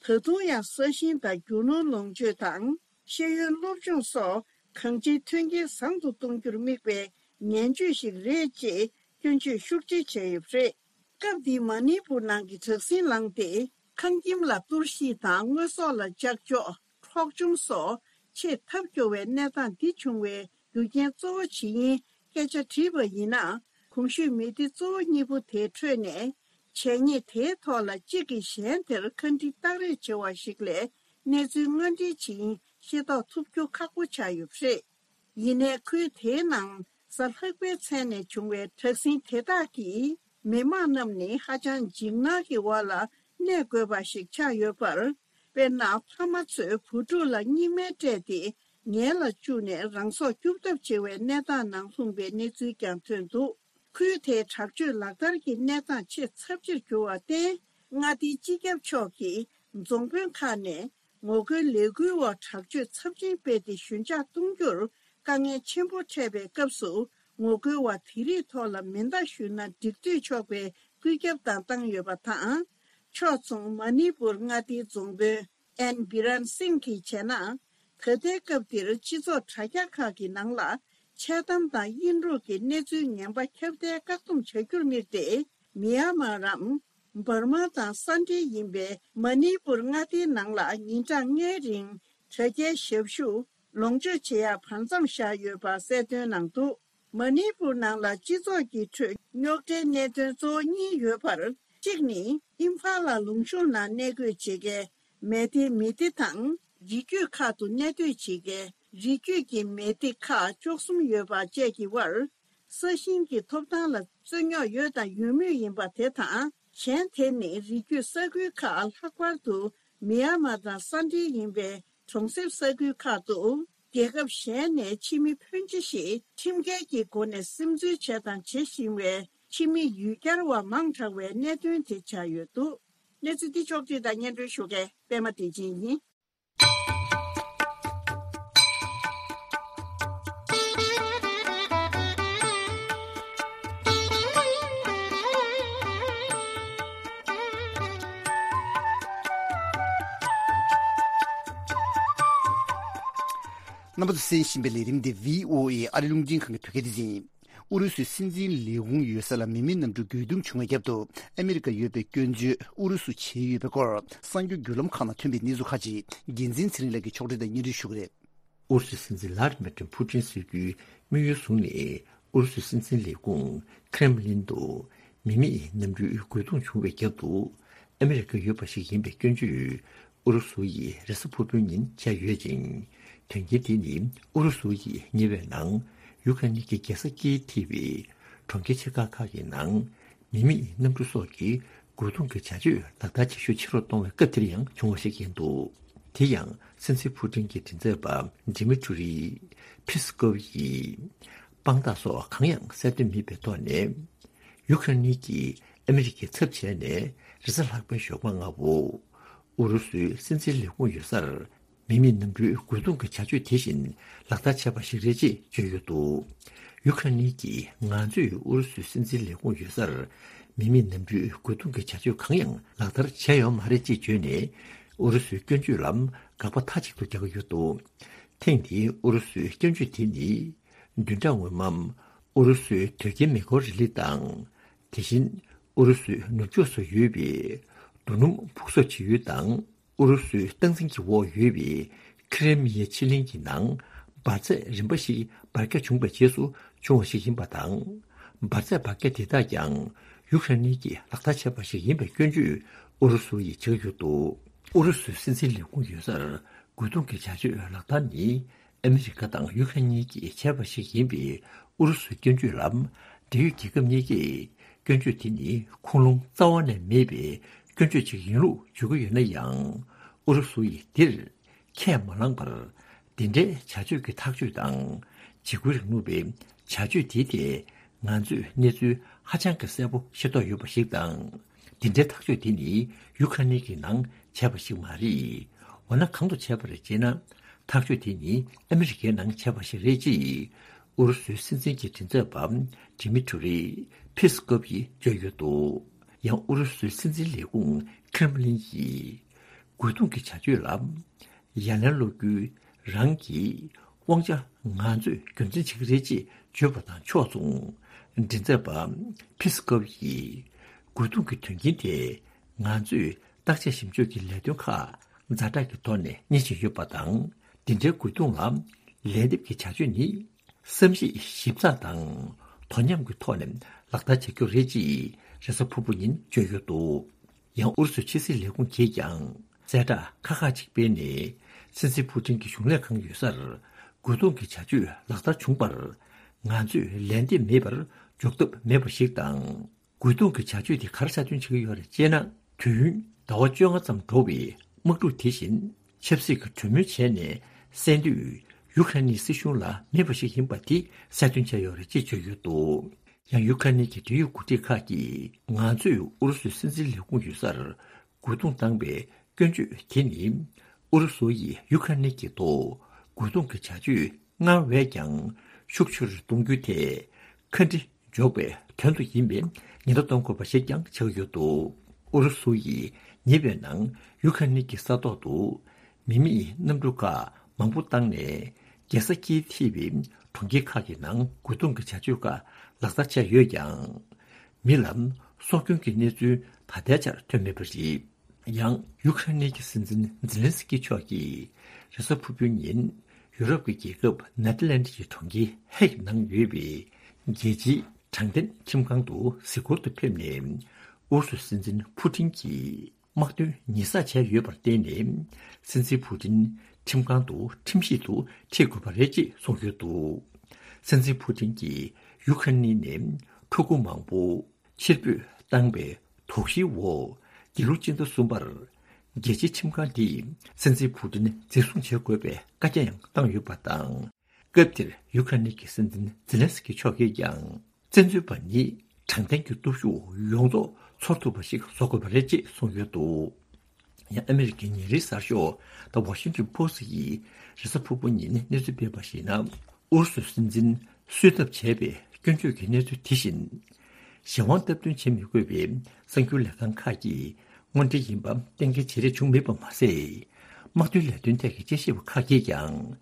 ད་དུང་ཡང་ས་ཞིང་དང་རྒྱུ་ནོར་ལོངས་སྤྱོད་དང་ཤེས་ཡོན་སློབ་སྦྱོང་སོགས་གང་ཅིའི་མཐུན་རྐྱེན་བཟང་དུ་གཏོང་རྒྱུར་དམིགས་པའི་ངན་ཇུས་ཤིག་རེད་ཅེས་སྐྱོན་བརྗོད་ཤུགས་ཆེ་བྱས་ཡོད་པ་རེད། སྐབས་འདིའི་མ་ཎི་པུར་ནང་གི་དྲག་ཟིང་ལངས་ཏེ། ཁང་ཁྱིམ་ལ་གཏོར་བཤིག་དང་དངོས་ཟོག་ལ་ལྕགས་འཇོག་འཕྲོག་བཅོམ་སོགས་ཆེས་ཐབས་སྐྱོ་བའི་གནས་སྟངས་འདི་བྱུང་བའི་རྒྱུ་རྐྱེན་གཙོ་བོ་ཇི་ཡིན་སྐད་ཆ་དྲིས་པ་ཡིན་ན། གོང་ཞུས་མི་སྡེ་གཙོ་བོ་གཉིས་པོ་དེའི་ཁྲོད་ནས་བྱས་ཉེས་དེའི་ཐོག་ལ་གཅིག་གིས་གཞན་དེར་ཁ་འདྲི་བརྟག་རེས་བྱེད་པ་ཞིག་ལས་གནས་ཚུལ་དངོས་འབྲེལ་ཇི་ཡིན་ཤེས་རྟོགས་ཐུབ་རྒྱུ་ཁག་པོ་ཆགས་ཡོད་པ་རེད། ཡིན་ནའི་ཁུལ་དེའི་ནང་གཟའ་ལྷག་པའི་མཚན་ནས་བྱུང་བའི་དྲག་ཟིང་དེ་དག་གིས་མི་དམངས་རྣམས་ནི་ཧ་ཅང་འཇིགས་སྣང་གི་འོག་ལ་གནས་དགོས་པ་ཞིག་ཆགས་ཡོད་པར། དཔེར་ན་ཕ་མ་ཚོས་བུ་ཕྲུག་ལ་སྙིགས་མའི་སྤྲད་དེ་ངལ་ལ་བཅུག་ནས་རང་སྲོག་སྐྱོབ་ཐབས་བྱེད་པའི་གནས་སྟངས་ནང་ལྷུང་པའི་གནས་ཚུལ་ཀྱང་ཐོན་འདུག་ཁུལ་དེའི་དྲག་སྤྱོད་ལག་བསྟར་གྱི་གནས་སྟངས་ཆེས་ཚབས་ཆེར་གྱུར་བར་བརྟེན། མངའ་སྡེའི་སྤྱི་ཁྱབ་མཆོག་གིས་རྫོང་དཔོན་ཁག་ནས་ངོ་རྒོལ་ལས་འགུལ་འོག་དྲག་སྤྱོད་ཚབས་ཆེན་སྤེལ་ཏེ་ཞོད་འཇགས་གཏོང་རྒྱུར་དཀའ་ངལ་ཆེན་པོ་འཕྲད་པའི་སྐབས་སུ། ངོ་རྒོལ་བ་དེ་རིགས་ཐོག་ལ་མེ་མདའ་གཞུས་ན་འགྲིག་འདོད་ཆོག་པའི་བཀོད་ཁྱབ་བཏང་བཏང་ཡོད་པ་དང་། ཕྱོགས་མཚུངས་མ་ནི་པུར་མངའ་སྡེའི་རྫོང་དཔོན་ཨེན་བི་རན་སིང་གིས་བྱས་ན། ད་ལྟའི་སྐབས་འདིར་སྤྱི་ཚོགས་དྲ་རྒྱ་ཁག་གི་ནང་ལ་འཆལ་གཏམ་དང་དབྱིན་དཀྲུག་གི་གནས་ཚུལ་ངན་པ་ཁྱབ་གདལ་བཀག་སྡོམ་བྱ་རྒྱུར་དམིགས་ཏེ། མི་ཡ་མ་རམ། འབར་མ་དང་ས་འབྲེལ་ཡིན་པའི་མ་ནི་པུར་མངའ་སྡེའི་ནང་ལ་ཉིན་གྲངས་ལྔའི་རིང་དྲ་རྒྱའི་ཞབས་ཞུ་ལོངས་སྤྱོད་བྱེད་ཡག་བར་མཚམས་བཞག་ཡོད་པ་གསལ་སྟོན་གནང་འདུག། མ་ནི་པུར་ནང་ལ་སྤྱི་ཚོགས་ཀྱི་ཁྲོད་རྙོག་དྲའི་གནད་དོན་གཙོ་བོ་གཉིས་ཡོད་པར། གཅིག་ནི་ཨིམ་ཕ་ལ་ལུང་གཤོང་ནང་གནས་སྡོད་བྱེད་མཁན་མེ་ཏི་མི་ཏི་དང་རི་རྒྱུད་ཁག་ཏུ་གནས་སྡོད་བྱེད་མཁན་རི་རྒྱུད་ཀྱི་མེ་ཏི་ཁག་བཅུ་གསུམ་ཡོད་པ་བཅས་ཀྱི་དབར། ས་ཞིང་གི་ཐོབ་ཐང་ལ་རྩོད་རྙོག་ཡོད་དང་ཡོད་མུས་ཡིན་པ་དེ་དང་། གཞན་དེ་ནི་རི་རྒྱུད་ས་ཁུལ་ཁག་ལྷག་པར་དུ་མི་ཡ་མ་དང་ས་འབྲེལ་ཡིན་པའི་གྲོང་གསེབ་ས་ཁུལ་ཁག་ཏུ། རྒྱལ་ཁབ་གཞན་ནས་ཕྱི་མི་ཕོན་ཆེ་ཞིག་ཁྲིམས་འགལ་གྱི་སྒོ་ནས་སིམ་འཛུལ་བྱས་དང་བྱེད་བཞིན་པའི་ཕྱི་མི་ཡུལ་གྱར་བ་མང་དྲགས་པའི་གནད་དོན་དེ་ཆགས་ཡོད་འདུག། གནས་ཚུལ་འདི་ཕྱོགས་བསྒྲིགས་དང་སྙན་སྒྲོན་ཞུ་མཁན་པད་མ་བདེ་ཆེན་ཡིན། རྣམ་པ་ཚོ་གསན་བཞིན་པའི་ལས་རིམ་འདི་བྷི་ཨོ་ཨེ་ཨ་རི་རླུང་འཕྲིན་ཁང་གི་བོད་སྐད་སྡེ་ཚན་ཡིན། ཨུ་རུ་སུའི་སྲིད་འཛིན་ལས་ཁུངས་ཡོད་ས་ལ་མི་མེད་གནམ་གྲུ་རྒོལ་རྡུང་བྱུང་བའི་རྒྱབ་ཏུ་ཨ་མི་རི་ཀ་ཡོད་པའི་སྐྱོན་བརྗོད་ཨུ་རུ་སུ་བྱས་ཡོད་པའི་སྐོར་གསར་འགྱུར་བརྒྱུད་ལམ་ཁག་ནང་ཐོན་པའི་གནས་ཚུལ་ཁག་ཅིག་རྒྱལ་མཚན་ཚེ་རིང་ལགས་ཀྱིས་ཕྱོགས་སྒྲིག་དང་སྙན་སྒྲོན་ཞུ་གི་རེད། ཨུ་རུ་སུའི་སྲིད་འཛིན་ལྷ་དྲི་མེད་ཀྲུང་ཕུའུ་ཅིན་གསོལ་རྒྱུའི་དམིགས་ཡུལ་བཟུང་ནས་ཨུ་རུ་སུའི་སྲིད་འཛིན་ལས་ཁུངས་ཁྲེམ་ལིན་དུ་མི་མེད་གནམ་གྲུའི་རྒོལ་རྡུང་བྱུང་བའི་རྒྱབ་ཏུ་ཨ་མི་རི་ཀ་ཡོད་པ་ཞིག་ཡིན་པའི་སྐྱོན་བརྗོད་ཨུ་རུ་སུ་ཡིས་རེས་གཟའ་ཕུར་བུའི་ཉིན་བྱས་ཡོད་ཅིང་། དོན་རྐྱེན་དེ་ནི་ཨུ་རུ་སུ་ཡིས་ཉེ་བའི་ནང་ཡུ་ཁ་ནི་གི་རྒྱལ་ས་ཀིའི་ཐེ་བའི་གྲོང་ཁྱེར་ཆེ་ཁག་ཁག་གི་ནང་མི་མེད་གནམ་གྲུ་སོགས་ཀྱི་རྒོལ་རྡུང་གི་བྱ་སྤྱོད་ལག་བསྟར་བྱེད་ཤུགས་ཆེ་རུ་གཏོང་བའི་སྐབས་དེར་ཡང་བྱུང་བ་ཞིག་ཡིན་འདུག། དེ་ཡང་སྲིད་འཛིན་ཕུ་ཏིན་གྱི་མགྲིན་ཚབ་པ་ཌི་མི་ཊུ་རི་ཕི་སི་ཀོབ་ཡིས་དཔང་རྟགས་སོགས་གང་ཡང་གསལ་སྟོན་མེད་པའི་ཐོག་ནས། ཡུ་ཁ་ནི་གིས་ཨ་མི་རི་ཀའི་ཚབ་བྱས་ནས་རེས་གཟའ་ལྷག་པའི་ཞོགས་པ་སྔ་པོ། ཨུ་རུ་སུའི་སྲིད་འཛིན་ལས་ཁུངས་ཡོད་སར་མི་མེད་གནམ་གྲུའི་རྒོལ་རྡུང་གི་བྱ་སྤྱོད་དེ་བཞིན་ལག་བསྟར་བྱས་པ་ཞིག་རེད་ཅེས་བརྗོད་ཡོད་འདུག། ཡུ་ཁ་ནི་གིས་ང་ཚོས་ཨུ་རུ་སུའི་སྲིད་འཛིན་ལས་ཁུངས་ཡོད་སར་མི་མེད་གནམ་གྲུའི་རྒོལ་རྡུང་གི་བྱ་སྤྱོད་གང་ཡང་ལག་བསྟར་བྱས་ཡོད་མ་རེད་ཅེས་བརྗོད་ནས། ཨུ་རུ་སུའི་སྐྱོན་བརྗོད་ལ་དགག་པ་མཐའ་གཅིག་ཏུ་རྒྱག་གི་ཡོད་འདུག། ཐེངས་འདིའི་ཨུ་རུ་སུའི་སྐྱོན་བརྗོད་དེ་ནི། བདུན་ཕྲག་སྔོན་མ། ཨུ་རུ་སུའི་དོལ་རྒྱལ་མེ་འཁོར་རི་ལི་དང་། དེ་བཞིན། ཨུ་རུ་སུའི་ནུབ་ཕྱོགས་སུ་ཡོད་པའི། རྡོ་སྣུམ་ཕུག་གསོག་བྱེད་ཡུལ་དང་། ཨུ་རུ་སུའི་སྟངས་འཛིན་གྱི་འོག་ཡོད་པའི། ཁི་རེ་མི་ཡའི་ཕྱེད་གླིང་གི་ནང་། འབར་རྫས་རིམ་པ་ཞིག་འབར་འགྱངས་བྱུང་བའི་རྗེས་སུ་བྱུང་བ་ཞིག་ཡིན་པ་དང་། འབར་རྫས་འབར་འགྱངས་དེ་དག་ཀྱང་། ཡུ་ཁ་རེན་གྱིས་ལག་བསྟར་བྱས་པ་ཞིག་ཡིན་པའི་སྐྱོན་བརྗོད་ཨུ་རུ་སུ་ཡིས་བྱེད་ཀྱི་ཡོད་འདུག། ཨུ་རུ་སུའི་སྲིད་འཛིན་ལས་ཁུངས་ཡོད་སར། རྒོལ་རྡུང་གི་བྱ་སྤྱོད་ལག་བསྟར་ནི། ཨ་མི་རི་ཀ་དང་ཡུ་ཁ་རེན་གཉིས་ཀྱིས་བྱས་པ་ཞིག་ཡིན་པའི་ཨུ་རུ་སུའི་སྐྱོན་བརྗོད་ལ། འབྲེལ་ཡོད་རྒྱལ་ཁབ་གཉིས་ཀས་སྐྱོན་བརྗོད་དེ་ནི་ཁུངས་ལུང་རྩ་བ་ནས་མེད་པའི་སྐྱོན་བརྗོད་ཅིག་ཡིན་ལུགས་བརྗོད་ཀྱི་ཡོད་ན་ཡང་། ཨུ་རུ་སུ་ཡིས་འདིར་ཁས་མ་བླངས་པར། འདི་འདྲའི་བྱ་སྤྱོད་ཀྱི་ཐག་གཅོད་དང་། འཇིགས་སྐུལ་རིང་ལུགས་པའི་བྱ་སྤྱོད་དེའི་ཐད་ང་ཚོས་གནས་ཚུལ་ཧ་ཅང་གི་གསལ་པོ་ཤེས་རྟོགས་ཡོད་པ་ཞིག་དང་། འདི་འདྲའི་ཐག་གཅོད་དེ་ནི་ཡུ་ཁ་ནི་གི་ནང་བྱས་པ་ཞིག་མ་རེད། འོ་ན་གང་དུ་བྱས་པ་རེད་ཅེ་ན། ཐག་གཅོད་དེ་ནི་ཨ་མི་རི་ཀའི་ནང་བྱས་པ་ཞིག་རེད་ཅེས་ཨུ་རུ་སུའི་སྲིད་འཛིན་གྱི་མགྲིན་ཚབ་པ་ཌི་མི་ཊུ་རི་ཕི་སི་ཀོབ་ཡིས་བརྗོད་ཡོད་འདུག། ཡང་ཨུ་རུ་སུའི་སྲིད་འཛིན་ལས་ཁུངས་ཁྲེམ་ལིན་ཡིས་རྒོལ་རྡུང་གི་བྱ་སྤྱོད་ལ་ཡ་ལན་སློག་རྒྱུའི་རང་གི་དབང་ཆ་ང་ཚོས་རྒྱུ་མཚན་བྱེད་ཀྱི་རེད་ཅེས་བརྗོད་པ་དང་ཕྱོགས་མཚུངས། མགྲིན་ཚབ་པ་ཕི་སི་ཀོབ་ཡིས་རྒོལ་རྡུང་གི་དོན་རྐྱེན་དེ་ང་ཚོས་བརྟག་དཔྱད་ཞིབ་འཇུག་གི་ལས་དོན་ཁག་ཛ་དྲག་གི་ཐོག་ནས་གཉེར་བཞིན་ཡོད་པ་དང་། འདི་འདྲའི་རྒོལ་རྡུང་ལ་ལན་འདེབས་ཀྱི་བྱ་སྤྱོད་ནི། བསམ་གཞིག་ཞིབ་ཚགས་དང་དོ་མཉམ་གྱི་ཐོག་ནས་ལག་བསྟར་བྱ་རྒྱུ་རེད་ཅེས་རེས་གཟའ་ཕུར་བུ་ཉིན་བརྗོད་ཡོད་འདུག། ཡང་ཨུ་རུ་སུའི་ཕྱི་སྲིད་ལས་ཁུངས་ཀྱིས་ཀྱང་གསལ་བསྒྲགས་ཁག་ཁག་ཅིག་སྤེལ་ནས། སྲིད་འཛིན་ཕུ་ཏིན་གྱི་གཞུང་ལས་ཁང་ཡོད་སར་རྒོལ་རྡུང་གི་བྱ་སྤྱོད་ལག་བསྟར་བྱུང་བར་ང་ཚོས་ལན་འདེབས་མེད་པར་འཇོག་ཐབས་མེད་པ་ཞིག་དང་། རྒོལ་རྡུང་གི་བྱ་སྤྱོད་དེ་ག་རེ་གསལ་སྟོན་བྱེད་ཀྱི་ཡོད་རེད་ཅེ་ན། དུས་ཡུན་ཟླ་བ་བཅོ་ལྔ་ཙམ་འགྲོ་བའི་དམག་འཁྲུག་དེ་བཞིན་ཆབ་སྲིད་ཀྱི་གྲོས་མོལ་བྱས་ནས་གསན་དུས། ཡུ་ཁ་རེན་སྲིད་གཞུང་ལ་མེད་པ་ཞིག་ཡིན་པ་དེ་གསལ་སྟོན་བྱས་ཡོད་རེད་ཅེས་བརྗོད་ཡོད་འདུག། ཡང་ཡུ་ཁ་རེན་གྱི་འབྲེལ་ཡོད་འགོ་ཁྲིད་ཁག་གིས་ང་ཚོས་ཨུ་རུ་སུའི་སྲིད་འཛིན་ལས་ཁུངས་ཡོད་སར་རྒོལ་རྡུང་བཏང་བའི་སྐྱོན་བརྗོད་དེ་ནི། ཨུ་རུ་སུ་ཡིས་ཡུ་ཁ་རེན་གྱི་ཐོག་རྒོལ་རྡུང་གི་བྱ་སྤྱོད་སྔར་བས་ཀྱང་ཤུགས་ཆེ་རུ་གཏོང་རྒྱུའི་ཐད་ཁ་འདྲི་འཇོག་པའི་དོན་དུ་ཡིན་པའི་ཉེན་བརྡ་གཏོང་དགོས་པ་ཞིག་ཀྱང་ཆགས་ཡོད་འདུག། ཨུ་རུ་སུ་ཡིས་ཉེ་བའི་ནང་ཡུ་ཁ་རེན་གྱི་ས་ཐོག་ཏུ་མི་མེད་གནམ་གྲུ་ཁག་མང་པོ་བཏང་ནས། རྒྱལ་ས་ཀིའི་ཐེ་བའི་གྲོང་ཁྱེར་ཁག་གི་ནང་རྒོལ་རྡུང་གི་བྱ་སྤྱོད་ཁག་ལག་བསྟར་བྱས་ཡོད་ཀྱང་། མི་ལ་སྲོག་སྐྱོན་གྱི་གནས་ཚུལ་ ད་ལྟའི་ཆར་ཐོན་མེད་པ་རེད། ཡང་ཡུ་ཁ་རེན་གྱི་སྲིད་འཛིན་ཛེ་ལན་སི་ཀི་མཆོག་གིས་རེས་གཟའ་ཕུར་བུའི་ཉིན་ཡུ་རོབ་ཀྱི་རྒྱལ་ཁབ་ནེ་ཐར་ལན་ཌི་ཡི་གྲོང་ཁྱེར་ཧེག་ནང་ཡོད་པའི་རྒྱལ་སྤྱིའི་དྲང་བདེན་ཁྲིམས་ཁང་དུ་གཟིགས་སྐོར་དུ་ཕེབས་ནས། ཨུ་རུ་སུའི་སྲིད་འཛིན་ཕུ་ཊིན་གྱིས་དམག་དོན་ཉེས་བསགས་བྱས་ཡོད་པར་བརྟེན་ནས། སྲིད་འཛིན་ཕུ་ཊིན་ཁྲིམས་ཁང་དུ་ཁྲིམས་ཞིབ་ཏུ་ཁྲིད་དགོས་པ་རེད་ཅེས་གསུངས་ཡོད་འདུག་སྲིད་འཛིན་ཕུ་ཊིན་གྱིས་ཡུ་ཁ་རེན་ནས་ཕྲུ་གུ་མང་པོ་ཕྱིར་འབུད་བཏང་བའི་དོགས་གཞིའི་འོག་འདི་ལོ་སྤྱི་ཟླ་གསུམ་པར་རྒྱལ་སྤྱིའི་ཁྲིམས་ཁང་དེས་སྲིད་འཛིན་ཕུ་ཊིན་འཛིན་བཟུང་བྱེད་དགོས་པའི་བཀའ་རྒྱ་ཡང་བཏང་ཡོད་པ་དང་། སྐབས་དེར་ཡུ་ཁ་རེན་གྱི་སྲིད་འཛིན་ཛེ་ལན་སི་ཀི་མཆོག་གིས་ཀྱང་། བཙན་འཛུལ་པ་ནི་དྲང་བདེན་གྱི་སྟོབས་ཤུགས་ཡོངས་རྫོགས་ཚོར་ཐུབ་པ་ཞིག་བཟོ་དགོས་པ་རེད་ཅེས་གསུངས་ཡོད་འདུག་ཡང་ཨ་མི་རི་ཀའི་ཉིན་རེའི་གསར་ཤོག་The Washington Post་ཡིས་རེས་གཟའ་ཕུར་བུ་ཉིན་གནས་ཚུལ་སྤེལ་བར་གཞིགས་ན། ཨུ་རུ་སུའི་སྲིད་འཛིན་གསོད་ཐབས་བྱས་པའི་སྐྱོན་བརྗོད་ཀྱི་གནས་ཚུལ་དེ་བཞིན། གཞན་དབང་སྟབས་བསྟུན་བྱེད་མི་དགོས་པའི་གསར་འགྱུར་ལས་ཁང་ཁག་གིས་དངོས་འབྲེལ་ཡིན་པ་གཏན་འཁེལ་བྱེད་རེས་བྱུང་མེད་པ་མ་ཟད། དམག་དོན་ལས་དོན་ཐད་ཀྱི་དཔྱད་ཞིབ་པ་ཁག་གིས་ཀྱང་།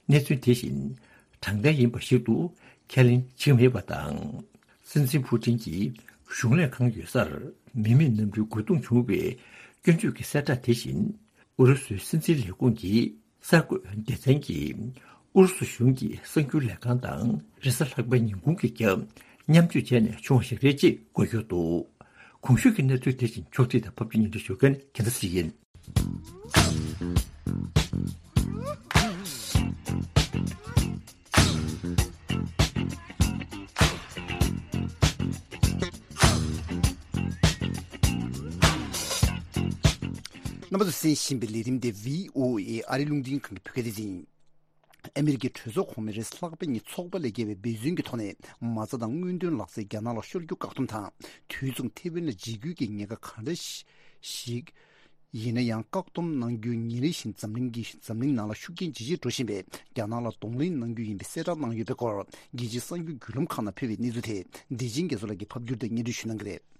གནས་ཚུལ་དེ་བཞིན་དྲང་བདེན་ཡིན་པ་ཞིག་ཏུ་ཁས་ལེན་བྱེད་མེད་པ་དང་། སྲིད་འཛིན་ཕུ་ཊིན་གྱིས་གཞུང་ལས་ཁང་ཡོད་སར་མི་མེད་གནམ་གྲུའི་རྒོལ་རྡུང་བྱུང་བའི་སྐྱོན་བརྗོད་ཀྱི་གསལ་བསྒྲགས་དེ་བཞིན། ཨུ་རུ་སུའི་སྲིད་འཛིན་ལས་ཁུངས་ཀྱི་གསར་འགོད་སྡེ་ཚན་གྱིས་ཨུ་རུ་སུ་གཞུང་གི་གསར་འགྱུར་ལས་ཁང་དང་རེས་གཟའ་ལྷག་པའི་ཉིན་གུང་གི་རྒྱབ་མཉམ་སྤྱོད་བྱས་ནས་བྱུང་བ་ཞིག་རེད་ཅེས་འགོད་ཡོད་འདུག་གོང་ཞུས་ཀྱི་གནས་ཚུལ་དེ་བཞིན་ཕྱོགས་སྒྲིག་དང་ཕབ་སྒྱུར་སྙན་སྒྲོན་ཞུ་མཁན་རྒྱལ་མཚན་ཞིག་ཡིན། རྣམ་པ་ཚོས་གསན་བཞིན་པའི་ལས་རིམ་དེ་བྷི་ཨོ་ཨེ་ཨ་རིའི་རླུང་འཕྲིན་ཁང་གི་བོད་སྐད་སྡེ་ཚན་ཡིན། ཨ་མི་རི་ཀའི་གྲོས་ཚོགས་གོང་མའི་རེས་གཟའ་ལྷག་པའི་ཉིན་ཚོགས་པ་ལས་བརྒལ་བའི་འབད་བརྩོན་གྱི་ཐོག་ནས་མ་རྩ་དང་དངུལ་འདོན་ལག་རྩལ་རྒྱ་ནག་ལ་ཤོར་རྒྱུ་བཀག་སྡོམ་དང་། དུས་མཚུངས་ཐེ་ཝན་ལ་འཇིགས་སྐུལ་གྱི་ཉེན་ཁ་ག་འདྲ་ཞིག་ཡིན་ན་ཡང་བཀག་སྡོམ་གནང་རྒྱུའི་ཉིན་རེ་བཞིན་འཛམ་གླིང་གི་འཛམ་གླིང་ནང་ལ་ཤུགས་རྐྱེན་ཇེ་ཆེར་འགྲོ་བཞིན་པས། རྒྱ་ནག་ལ་གདོང་ལེན་གནང་རྒྱུ་ཡིན་པའི་གསལ་བསྒྲགས་གནང་ཡོད་པའི་སྐོར། རྒྱལ་སྤྱིའི་གསར་འགྱུར་བརྒྱུད་ལམ་ཁག་ནང་ཕུལ་བའི་གནས་ཚུལ་དེ་བདེ་ཆེན་རྒྱ་མཚོ་ལགས་ཀྱིས་ཕབ་བསྒྱུར་དང་སྙན་སྒྲོན་ཞུ་གནང་གི་རེད།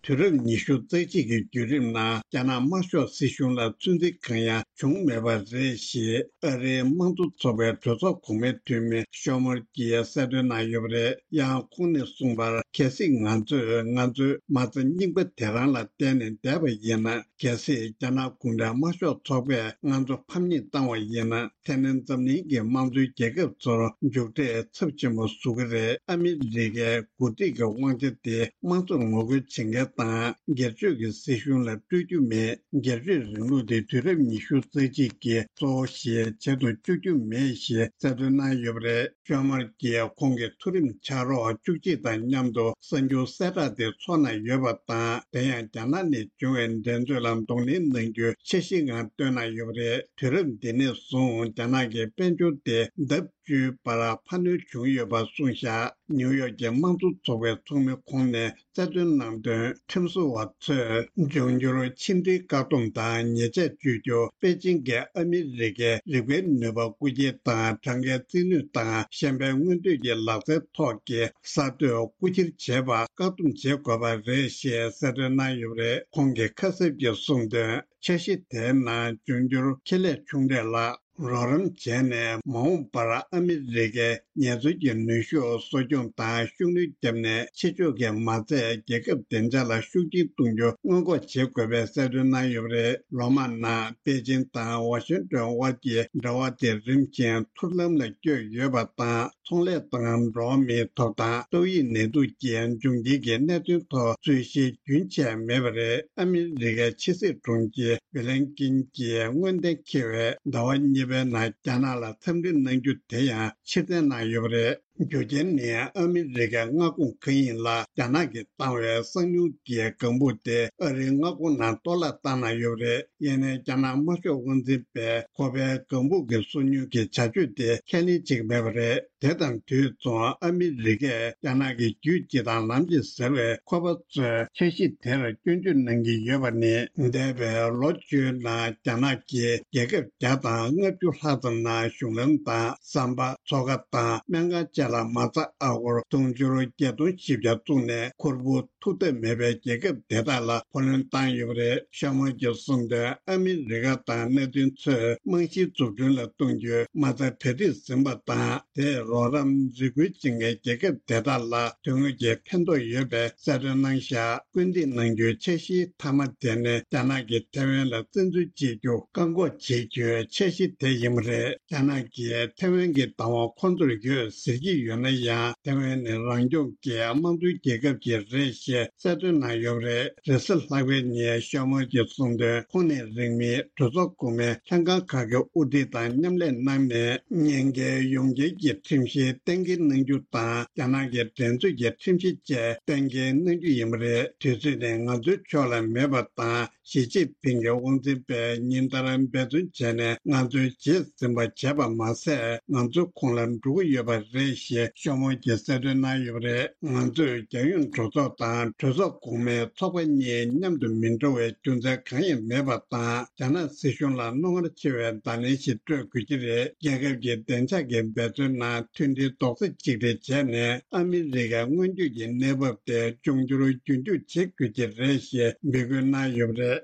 དུས་རབས་ཉི་ཤུ་རྩ་གཅིག་གི་བརྒྱུད་རིམ་ནང་རྒྱ་ནག་དམར་ཤོག་སྲིད་གཞུང་ལ་ཚོད་འཛིན་གང་ཡང་བྱུང་མེད་པ་རེད་ཞེས་ཨ་རིའི་དམངས་གཙོ་ཚོགས་པའི་གྲོས་ཚོགས་གོང་མའི་འཐུས་མི་ཤོ་མོར་གྱིས་གསལ་སྟོན་གནང་ཡོད་པ་རེད། ཡང་ཁོང་ནས་གསུངས་པར། གལ་སྲིད་ང་ཚོས་ང་ཚོའི་མ་རྩ་རྙིང་པ་དེ་རང་ལ་བརྟེན་ནས་བསྡད་པ་ཡིན་ན། གལ་སྲིད་རྒྱ་ནག་གུང་ཁྲན་དམར་ཤོག་ཚོགས་པས་ང་ཚོ་ཕམ་ཉེས་བཏང་བ་ཡིན་ན། དེ་ནི་འཛམ་གླིང་གི་དམངས་གཙོའི་རྒྱལ་ཁབ་ཚོར་མཇུག་འབྲས་ཚབས་ཆེན་པོ་བཟོ་གི་རེད། ཨ་མི་རི་ཀའི་འགོ་ཁྲིད་ཀྱི་དབང་ཆ་དེ་དམངས་གཙོར་ངོ་རྒོལ་བྱེད་མཁན་དང་སྒེར་གཅོད་ཀྱི་སྲིད་གཞུང་ལ་སྤྲོད་རྒྱུ་མེད། སྒེར་གཅོད་རིང་ལུགས་དེ་དུས་རབས་ཉི་ཤུ་རྩ་གཅིག་གི་གཙོ་བོ་ཞིག་བྱེད་དུ་བཅུག་རྒྱུ་མེད་ཞེས་གསལ་སྟོན་གནང་ཡོད་པ་རེད། ཤོ་མར་གྱིས་ཁོང་གི་མཐོ་རིམ་ཕྱག་རོགས་བཅུ་གཅིག་དང་མཉམ་དུ་གསར་འགྱུར་གསལ་བསྒྲགས་དེ་ཚོགས་གནང་ཡོད་པ་དང་། དེ་ཡང་རྒྱ་ནག་ནས་བྱུང་བའི་འགྲན་རྩོད་ལ་གདོང་ལེན་གནང་རྒྱུ་འཆར་གཞིའི་ངང་བཏོན་གནང་ཡོད་པ་རེད། དུས་རབས་འདི་ནས་བཟུང་རྒྱ་ནག་གི་དཔལ་འབྱོར་དེ་ལྡབ་བཅུའི་བར་འཕར་སྣོན་བྱུང་ཡོད་པ་གསུངས་བཞག་ནིའུ་ཡོག་གི་དམངས་གཙོ་ཚོགས་པའི་ཚོགས་མི་ཁོང་ནས་གསལ་སྟོན་གནང་དོན། ཁྲིམས་བཟོ་བ་ཚོས་འབྱུང་འགྱུར་ཕྱི་འབྲེལ་བཀག་སྡོམ་དང་ཉེས་ཆད་གཅོད་རྒྱུ། པེ་ཅིང་གིས་ཨ་མི་རི་ཀའི་རིག་པའི་ནུས་པ་རྐུ་འཁྱེར་དང་། གྲངས་ཀའི་རྩིས་ནུས་དང་ཤན་པའི་མངོན་འདོད་ཀྱི་ལག་རྩལ་ཐོག་གི་གསར་གཏོད་རྐུ་འཁྱེར་བྱེད་པ་བཀག་སྡོམ་བྱེད་དགོས་པ་རེད་ཞེས་གསལ་སྟོན་གནང་ཡོད་པ་རེད། ཁོང་གིས་ཁ་གསབ་ཀྱིས་གསུངས་དོན། འཆར་གཞི་དེའི་ནང་འབྱུང་འགྱུར་ཁེ་ལས་ཆུང་གྲས་ལ་རོགས་རམ་བྱས་ནས། མ་འོངས་པར་ཨ་མི་རི་ཀའི་ངལ་རྩོལ་གྱི་ནུས་ཤུགས་གསོ་སྐྱོང་དང་ཤུགས་སྣོན་བརྒྱབ་ནས། ཕྱི་ཕྱོགས་ཀྱི་མ་རྩས་རྒྱལ་ཁབ་བདེ་འཇགས་ལ་ཤུགས་རྐྱེན་གཏོང་རྒྱུ་སྔོན་འགོག་བྱེད་དགོས་པའི་གསལ་སྟོན་གནང་ཡོད་པ་རེད། ལོ་མང་ནང་པེ་ཅིང་དང་ཝ་ཤིང་ཏོན་དབར་གྱི་འབྲེལ་བ་དེ་རིམ་བཞིན་ཐུར་ལམ་ལ་བསྐྱོད་ཡོད་པ་དང་། ཚོང་ལས་དང་འགྲོ་བ་མིའི་ཐོབ་ཐང་། ཏོག་དབྱིབས་ནད་དུག་གི་འབྱུང་རྐྱེན་གྱི་གནད་དོན་ཐོག་རྩོད་གཞི་རྒྱུན་ཆད་མེད་པ་རེད། ཨ་མི་རི་ཀའི་ཕྱི་སྲིད་དྲུང་ཆེ་བྷི་ལན་ཀིན་གྱིས་སྔོན་གཏན་འཁེལ་བའི་ཟླ་བ་གཉིས་པའི་ནང་རྒྱ་ནག་ལ་འཚམས་འདྲི་གནང་རྒྱུ་དེ་ཡང་ཕྱིར་འཐེན་གནང་ཡོད་པ་རེད། རྒྱུ་རྐྱེན་ནི་ཨ་མི་རི་ཀའི་མངའ་ཁོངས་གང་ཡིན་ལ་རྒྱ་ནག་གིས་བཏང་བའི་གསང་མྱུལ་གྱི་ལྒང་བུ་དེ་ཨ་རིའི་མངའ་ཁོངས་ནང་གཏོར་བརླག་བཏང་གནང་ཡོད་པ་རེད། ཡིན་ནའི་རྒྱ་ནག་དམར་ཤོག་དབང་འཛིན་པས་ཁོ་པའི་ལྒང་བུ་གི་སོ་ཉུལ་གྱི་བྱ་སྤྱོད་དེ་ཁས་ལེན་བྱེད་ཀྱི་མེད་པ་རེད། དེ་དང་དུས་མཚུངས་ཨ་མི་རི་ཀས་རྒྱ་ནག་གི་རྒྱུད་སྤྱི་དང་ལམ་གྱི་ཟེར་བའི་ཁོ་པ་ཚོས་འཆར་གཞི་དེར་སྐྱོན་བརྗོད་གནང་གི་ཡོད་པ་ནི། འདས་པའི་ལོ་བཅུའི་ནང་རྒྱ་ནག་གིས་རྒྱལ་ཁབ་བརྒྱ་དང་ལྔ་བཅུ་ལྷག་ཙམ་ནང་གཞུང་ལམ་དང་ཟམ་པ། མཚོ་ཁ་དང་ སྨན་ཁང་བཅས་ལ་མ་རྩ་ཨ་སྒོར་དུང་ཕྱུར་བརྒྱད་སྟོང་བཞི་བརྒྱ་བཙུགས་ནས་ཁུར་པོ་ཐུག་ཐབས་མེད་པའི་རྒྱལ་ཁབ་དེ་དག་ལ་བུ་ལོན་བཏང་ཡོད་པ་རེད། ཤོ་མོར་གྱིས་གསུངས་དོན། ཨ་མི་རི་ཀ་དང་མནའ་མཐུན་ཚོས་རྨང་གཞིའི་འཛུགས་སྐྲུན་ལ་གཏོང་རྒྱུའི་མ་རྩ་གྲ་སྒྲིག་ཟིན་པ་དང་། དེས་རོགས་རམ་རེ་སྐུལ་བྱེད་མཁན་རྒྱལ་ཁབ་དེ་དག་ལ་དོན་དངོས་ཀྱི་ཕན་ཐོགས་ཡོད་པའི་གསལ་སྟོན་གནང་བཞག་སྐུལ་འདེད་གནང་རྒྱུའི་འཆར་གཞིའི་མཐའ་མ་དེ་ནི་རྒྱ་ནག་གིས་ཐེ་ཝན་ལ་བཙན་འཛུལ་བྱེད་རྒྱུ་བཀག་འགོག་བྱེད་རྒྱུའི་འཆར་གཞི་དེ་ཡིན་པ་རེད། རྒྱ་ནག་གིས་ཐེ་ཝན་གྱི་བདག་དབང་ཁོང་ཚོར་ཡོད་ཟེར་གྱི་ཡོད་ན་ཡང་། ཐེ་ཝན་ནི་རང་སྐྱོང་གི་དམངས་གཙོའི་རྒྱལ་ཁབ་ཅིག་རེད་ཞེས་གསལ་སྟོན་གནང་ཡོད་པ་རེད། རེས་གཟའ་ལྷག་པའི་ཉིན་ཤོ་མོར་གྱིས་གསུངས་དོན། ཁོང་ནི་རིང་མིན་གྲོས་ཚོགས་གོང་མའི་ལྷན་ཁང་ཁག་གི་དབུ་ཁྲིད་དང་མཉམ་ལས་གནང་ནས། ཉེན་ཁའི་ཡོངས་ཁྱབ་ཀྱི་ཁྲིམས་གཞི་གཏན་འཁེལ་གནང་རྒྱུ་དང་། རྒྱ་ནག་གི་འགྲན་རྩོད་ཀྱི་ཁྲིམས་གཞི་བཅས་གཏན་འཁེལ་གནང་རྒྱུ་ཡིན་པ་རེད། དུས་ཚོད་ནི་ང་ཚོའི་ཕྱོགས་ལ་མེད་པ་དང་། ཞི་ཅིན་ཕིང་གི་དབང་འཛིན་པས་ཉིན་ལྟར་འབད་བརྩོན་བྱས་ནས་ང་ཚོའི་རྗེས་ཟིན་པ་བྱས་པ་མ་ཟད། ང་ཚོ་ཁོང་ལ་འགྲོ་གི་ཡོད་པ་རེད་ཞེས་ཤོ་མོར་གྱིས་གསལ་སྟོན་གནང་ཡོད་པ་རེད། ང་ཚོས་རྒྱལ་ཡོངས་གྲོས་ཚོགས་དང་གྲོས་ཚོགས་གོང་མའི་ཚོགས་པ་གཉིས་མཉམ་དུ་མི་འགྲོ་བའི་རྒྱུ་མཚན་གང་ཡང་མེད་པ་དང་། རྒྱ་ནག་སྲིད་གཞུང་ལ་རྣོ་ངར་ཆེ་བའི་བརྡ་ལན་ཞིག་སྤྲོད་དགོས་ཀྱི་རེད། རྒྱལ་ཁབ་ཀྱི་བདེ་འཇགས་ཀྱི་འབད་བརྩོན་ནང་མཐུན་སྒྲིལ་རྡོག་རྩ་གཅིག་སྒྲིལ་བྱས་ནས། ཨ་མི་རི་ཀའི་སྔོན་སྐྱོད་ཀྱི་གནས་བབ་དེ་འབྱུང་འགྱུར་རྒྱུན་འཁྱོངས་བྱེད་དགོས་ཀྱི་རེད་ཞེས་འབོད་སྐུལ་གནང་ཡོད་པ་རེད།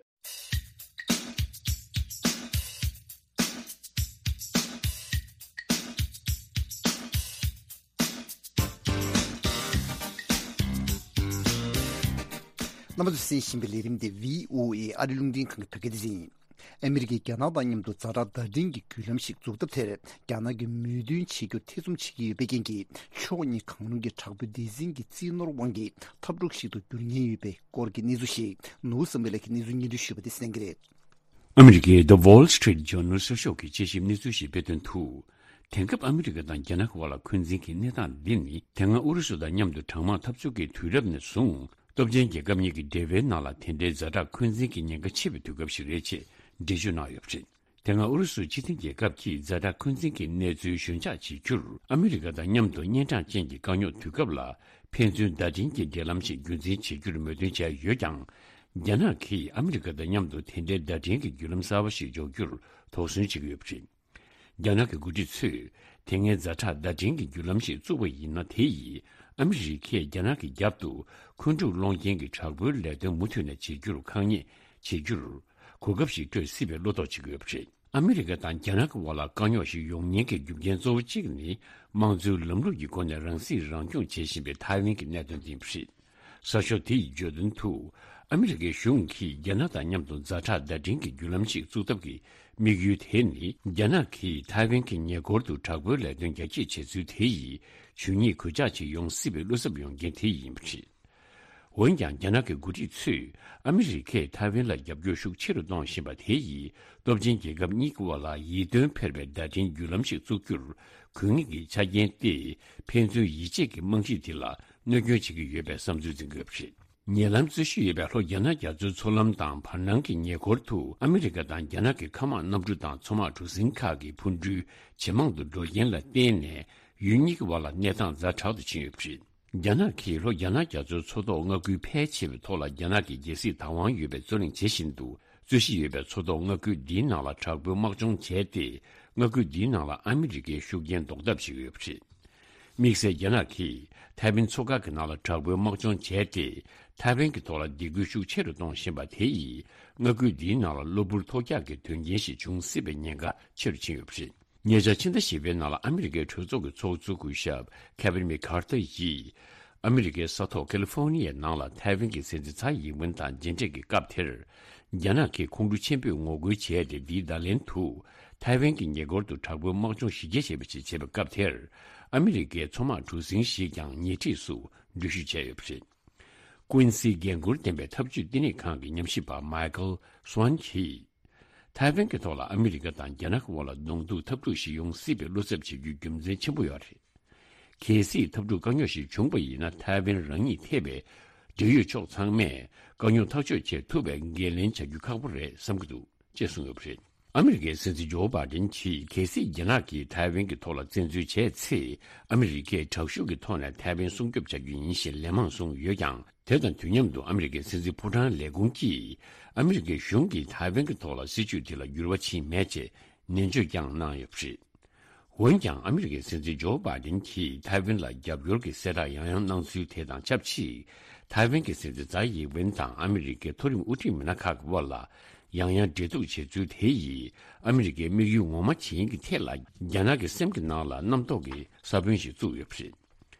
རྣམ་པ་ཚོས་གསན་བཞིན་པའི་ལས་རིམ་དེ་བྷི་ཨོ་ཨེ་ཨ་རི་རླུང་འཕྲིན་ཁང་གི་བོད་སྐད་སྡེ་ཚན་ཡིན། ཨ་མི་རི་ཀས་རྒྱ་ནག་དང་མཉམ་དུ་ཛ་དྲག་བརྡ་འཕྲིན་གྱི་བརྒྱུད་ལམ་ཞིག་འཛུགས་ཐབས་དེར་རྒྱ་ནག་གིས་མོས་མཐུན་བྱེད་རྒྱུར་ཐེ་ཚོམ་བྱེད་ཀྱི་ཡོད་པའི་རྐྱེན་གྱིས། ཕྱོགས་གཉིས་གང་རུང་གི་དྲག་པོའི་སྡེ་ཚན་གྱི་རྩིས་ནོར་དབང་གིས་འཐབ་འཁྲུག་ཞིག་ཏུ་འགྱུར་ཉེན་ཡོད་པའི་སྐོར་གྱི་གནས་ཚུལ་ཞིག་ནོར་བུ་བསམ་འཕེལ་ལགས་ཀྱིས་གནས་ཚུལ་སྙན་སྒྲོན་ཞུས་པ་དེ་གསན་གྱི་རེད། ཨ་མི་རི་ཀའི་The Wall Street Journal་གསར་ཤོག་གིས་དཔྱད་ཞིབ་གནས་ཚུལ་ཞིག་སྤེལ་དོན་དུ། དེང་སྐབས་ཨ་མི་རི་ཀ་དང་རྒྱ་ནག་གི་དབར་ལ་འཁོན་འཛིན་གྱི་གནས་སྟངས་འདི་ནི། དེ་སྔ་ཨུ་རུ་སུ་དང་མཉམ་དུ་གྲང་དམག་འཐབ་རྩོད་ཀྱི་དུས་རབས་ནས་བཟུང་། སྟོབས་ཆེན་རྒྱལ་ཁབ་གཉིས་ཀྱི་འབྲེལ་བའི་ནང་ལ་དེ་འདྲའི་ཛ་དྲག་འཁོན་འཛིན་གྱི་ཉེན་ཁ་ཆེ་བའི་དུས་སྐབས་ཤིག་རེད་ཅེས་འགྲེལ་བརྗོད་གནང་ཡོད་པ་རེད། དེ་སྔ་ཨུ་རུ་སུ་སྤྱི་མཐུན་རྒྱལ་ཁབ་ཀྱིས་ཛ་དྲག་འཁོན་འཛིན་གྱི་གནས་ཚུལ་ཞུན་ཆག་བྱེད་རྒྱུར། ཨ་མི་རི་ཀ་དང་མཉམ་དུ་གཉན་འཕྲང་ཅན་གྱི་དཀའ་རྙོག་དུས་སྐབས་ལ། ཕན་ཚུན་བརྡ་འཕྲིན་གྱི་འབྲེལ་ལམ་ཞིག་རྒྱུན་འཛིན་བྱེད་རྒྱུར་མོས་མཐུན་བྱས་ཡོད་ཀྱང་། རྒྱ་ནག་གིས་ཨ་མི་རི་ཀ་དང་མཉམ་དུ་དེ་འདྲའི་བརྡ་འཕྲིན་གྱི་བརྒྱུད་ལམ་གསར་བ་ཞིག་འཇོག་རྒྱུར་དོགས་ཟོན་བྱེད་ཀྱི་ཡོད་པ་རེད། རྒྱ་ནག་གི་འགོ་ཁྲིད་ཚོས་དེ་སྔའི་ཛ་དྲག་བརྡ་འཕྲིན་གྱི་བརྒྱུད་ལམ་ཞིག་བཙུགས་པ་ཡིན་ན། དེ་ཡིས་ཨ་མི་རི་ཀས་རྒྱ་ནག་གི་རྒྱབ་ཏུ་འཁོན་འཁྲུག་སློང་རྐྱེན་གྱི་དྲག་པོའི་ལས་དོན་མུ་མཐུད་ནས་བྱེད་རྒྱུར་ཁག་ཉེས་བྱེད་རྒྱུར་གོ་སྐབས་ཤིག་སྤྲོད་སྲིད་པའི་བློ་དོགས་བྱེད་ཀྱི་ཡོད་པ་རེད། ཨ་མི་རི་ཀ་དང་རྒྱ་ནག་གི་དབར་ལ་དཀའ་རྙོག་ཞིག་ཡོང་ཉེན་གྱི་རྒྱུ་རྐྱེན་གཙོ་བོ་གཅིག་ནི། དམངས་གཙོའི་ལམ་ལུགས་ཀྱི་སྒོ་ནས་རང་སྲིད་རང་སྐྱོང་བྱེད་བཞིན་པའི་ཐའེ་ཝན་གྱི་གནད་དོན་དེ་ཡིན་པ་རེད། གསར་ཤོག་དེ་ཡིས་བརྗོད་དོན་དུ། ཨ་མི་རི་ཀའི་གཞུང་གིས་རྒྱ་ནག་དང་མཉམ་དུ་ཛ་དྲག་བརྡ་འཕྲིན་གྱི་བརྒྱུད་ལམ་ཞིག་བཙུགས་ཐབས་ཀྱི་དམིགས་ཡུལ་དེ་ནི། རྒྱ་ནག་གིས་ཐའེ་ཝན་གྱི་ཉེ་འཁོར་དུ་དྲག་པོའི་ལས་དོན་རྒྱ་སྐྱེད་བྱེད་ཚུལ་དེ་ཡིས་ཇུས་ཉེས་གོད་ཆག་ཅིག་ཡོང་སྲིད་པའི་བློ་འཚབ་ཡོང་རྐྱེན་དེ་ཡིན་པ་རེད། འོན་ཀྱང་། རྒྱ་ནག་གི་འགོ་ཁྲིད་ཚོས་ཨ་མི་རི་ཀས་ཐའེ་ཝན་ལ་རྒྱབ་སྐྱོར་ཤུགས་ཆེ་རུ་གཏོང་བཞིན་པ་དེ་ཡིས། སྟོབས་ཆེན་རྒྱལ་ཁབ་གཉིས་ཀྱི་དབར་ལ་ཡིད་རྟོན་འཕེར་བའི་བརྡ་འཕྲིན་བརྒྱུད་ལམ་ཞིག་བཙུགས་རྒྱུར་དགོས་ངེས་ཀྱི་ཆ་རྐྱེན་ཏེ། ཕན་ཚུན་ཡིད་ཆེས་ཀྱི་རྨང་གཞི་དེ་ལ་གནོད་སྐྱོན་བྱེད་ཀྱི་ཡོད་པའི་བསམ་ཚུལ་འཛིན་དགོས་པ་རེད། ཉེ་ལམ་རྩོད་གཞི་ཡོད་པའི་ལྷོ་རྒྱ་ནག་རྒྱ་མཚོའི་མཚོ་ལམ་དང་བར་སྣང་གི་ཉེ་འཁོར་དུ། ཨ་མི་རི་ཀ་དང་རྒྱ་ནག་གི་མཁའ་དམག་གནམ་གྲུ་དང་མཚོ་དམག་གྲུ་གཟིངས་ཁག་གི་འཕུར་འགྲུལ་ཇེ་མང་དུ་འགྲོ་རྐྱེན་ལ་བརྟེན་ནས། ཡུལ་གཉིས་ཀྱི་དབར་ལ་གནས་སྟངས་ཛ་དྲག་ཏུ་ཕྱིན་ཡོད་པ་རེད། རྒྱ་ནག་གིས་ལྷོ་རྒྱ་ནག་རྒྱ་མཚོའི་མཚོ་ཐོག་མངའ་ཁུལ་ཕལ་ཆེ་བའི་ཐོག་ལ་རྒྱ་ནག་གི་རྒྱལ་སྲིད་བདག་དབང་ཡོད་པའི་རྩོད་གླེང་བྱེད་བཞིན་འདུག་རྩོད་གཞི་ཡོད་པའི་མཚོ་ཐོག་མངའ་ཁུལ་འདིའི་ནང་ལ་དྲག་པོའི་དམག་སྦྱོང་བྱས་ཏེ། མངའ་ཁུལ་འདིའི་ནང་ལ་ཨ་མི་རི་ཀའི་ཤུགས་རྐྱེན་ཟློག་ཐབས་བྱེད་ཀྱི་ཡོད་པ་རེད། དམིགས་བསལ་རྒྱ་ནག་གིས་ཐའེ་ཝན་མཚོ་ཁ་གི་ནང་ལ་དྲག་པོའི་དམག་སྦྱོང་བྱས་ཏེ། ཐའེ་ཝན་གྱི་ཐོག་ལ་སྡིགས་སྐུལ་ཤུགས་ཆེ་རུ་གཏོང་བཞིན་པ་དེ་ཡིས། མངའ་ཁུལ་འདིའི་ནང་ལ་གློ་བུར་ཐོལ་རྒྱག་གི་དོན་རྐྱེན་ཞིག་འབྱུང་སྲིད་པའི་ཉེན་ཁ་ཆེ་རུ་ཕྱིན་ཡོད་པ་རེད། ཉེ་ཆར་ཕྱི་ཟླ་བཞི་པའི་ནང་ལ་ཨ་མི་རི་ཀའི་གྲོས་ཚོགས་ཀྱི་ཚོགས་གཙོ་སྐུ་ཞབས་ཁེ་ཝིན་མེག་ཁར་ཐར་ཡིས། ཨ་མི་རི་ཀའི་ས་ཐོག་ཁ་ལི་ཧྥོ་ནི་ཡའི་ནང་ལ་ཐའེ་ཝན་གྱི་སྲིད་འཛིན་ཚའེ་ཡིན་ཝེན་དང་མཇལ་འཕྲད་ཀྱི་སྐབས་དེར། རྒྱ་ནག་གིས་ཁོང་ཁྲོ་ཆེན་པོས་ངོ་རྒོལ་བྱས་ཏེ། འདིའི་བརྡ་ལན་དུ། ཐའེ་ཝན་གྱི་ཉེ་འཁོར་དུ་དྲག་པོའི་དམག་སྦྱོང་གཞི་རྒྱ་ཆེ་བ་ཞིག་བྱས་པའི་སྐབས་དེར། ཨ་མི་རི་ཀའི་མཚོ་དམག་གྲུ་གཟིངས་ཤིག་ཀྱང་ཉེ་འཁྲིས་སུ་འགྲུལ་བཞུད་བྱས་ཡོད་པ་རེད། ཀུན་སིའི་འགན་འཁུར་ལྡན་པའི་འཐབ་ཇུས་བསྟི་གནས་ཁང་གི་ཉམས་ཞིབ་པ་མའི་ཀལ་སུའན་གྱིས། ཐའེ་ཝན་གྱི་ཐོག་ལ་ཨ་མི་རི་ཀ་དང་རྒྱ་ནག་གི་དབར་ལ་གདོང་ཐུག་འཐབ་འཁྲུག་ཞིག་ཡོང་སྲིད་པའི་བློ་འཚབ་བྱེད་རྒྱུའི་རྒྱུ་མཚན་ཆེན་པོ་ཡོད་རེད། གལ་སྲིད་འཐབ་འཁྲུག་དཀའ་རྙོག་ཞིག་བྱུང་བ་ཡིན་ན། ཐའེ་ཝན་རང་ཉིད་ཐེ་བའི་འབྲེལ་ཡོད་ཕྱོགས་ཚང་མས་དཀའ་རྙོག་ཐག་གཅོད་བྱེད་ཐུབ་པའི་འགན་ལེན་བྱ་རྒྱུ་ཁག་པོ་རེད་བསམ་གྱི་འདུག་ཅེས་གསུངས་ཡོད་པ་རེད། ཨ་མི་རི་ཀའི་སྲིད་འཛིན་ཇོ་བྷའི་ཌེན་གྱིས། གལ་སྲིད་རྒྱ་ནག་གིས་ཐའེ་ཝན་གྱི་ཐོག་ལ་བཙན་འཛུལ་བྱས་ཚེ། ཨ་མི་རི་ཀས་དྲག་ཤུགས་ཀྱི་ཐོག་ནས་ཐའེ་ཝན་སྲུང་སྐྱོབ་བྱ་རྒྱུ་ཡིན་ཞེས་ལན་མང་གསུངས་ཡོད་ཀྱང་། དེ་དང་དུས་མཉམ་དུ་ཨ་མི་རི་ཀའི་སྲིད་འཛིན་ཕོ་བྲང་ལས་ཁུངས་ཀྱིས། ཨ་མི་རི་ཀའི་གཞུང་གིས་ཐའེ་ཝན་གྱི་ཐོག་ལ་སྲིད་བྱུས་དེ་ལ་འགྱུར་བ་ཕྱིན་མེད་ཅེས་ནན་བརྗོད་ཀྱང་གནང་ཡོད་པ་རེད། འོན་ཀྱང་ཨ་མི་རི་ཀའི་སྲིད་འཛིན་ཇོ་བྷའི་ཌེན་གྱིས་ཐའེ་ཝན་ལ་རྒྱབ་སྐྱོར་གྱི་གསལ་བསྒྲགས་ཡང་ཡང་གནང་ཚུལ་དེ་དང་ཆབས་ཅིག་ཐའེ་ཝན་གྱི་སྲིད་འཛིན་ཙའི་ཡིན་ཝེན་དང་ཨ་མི་རི་ཀའི་མཐོ་རིམ་དབུ་ཁྲིད་མི་སྣ་ཁག་གི་དབར་ལ་ཡང་ཡང་འབྲེལ་གཏུག་བྱེད་ཚུལ་དེ་ཡིས་ཨ་མི་རི་ཀའི་དམིགས་ཡུལ་ངོ་མ་ཇི་ཡིན་གྱི་ཐད་ལ་རྒྱ་ནག་གི་སེམས་ཀྱི་ནང་ལ་རྣམ་རྟོག་གི་ས་བོན་ཞིག་བཙུགས་ཡོད་པ་རེད།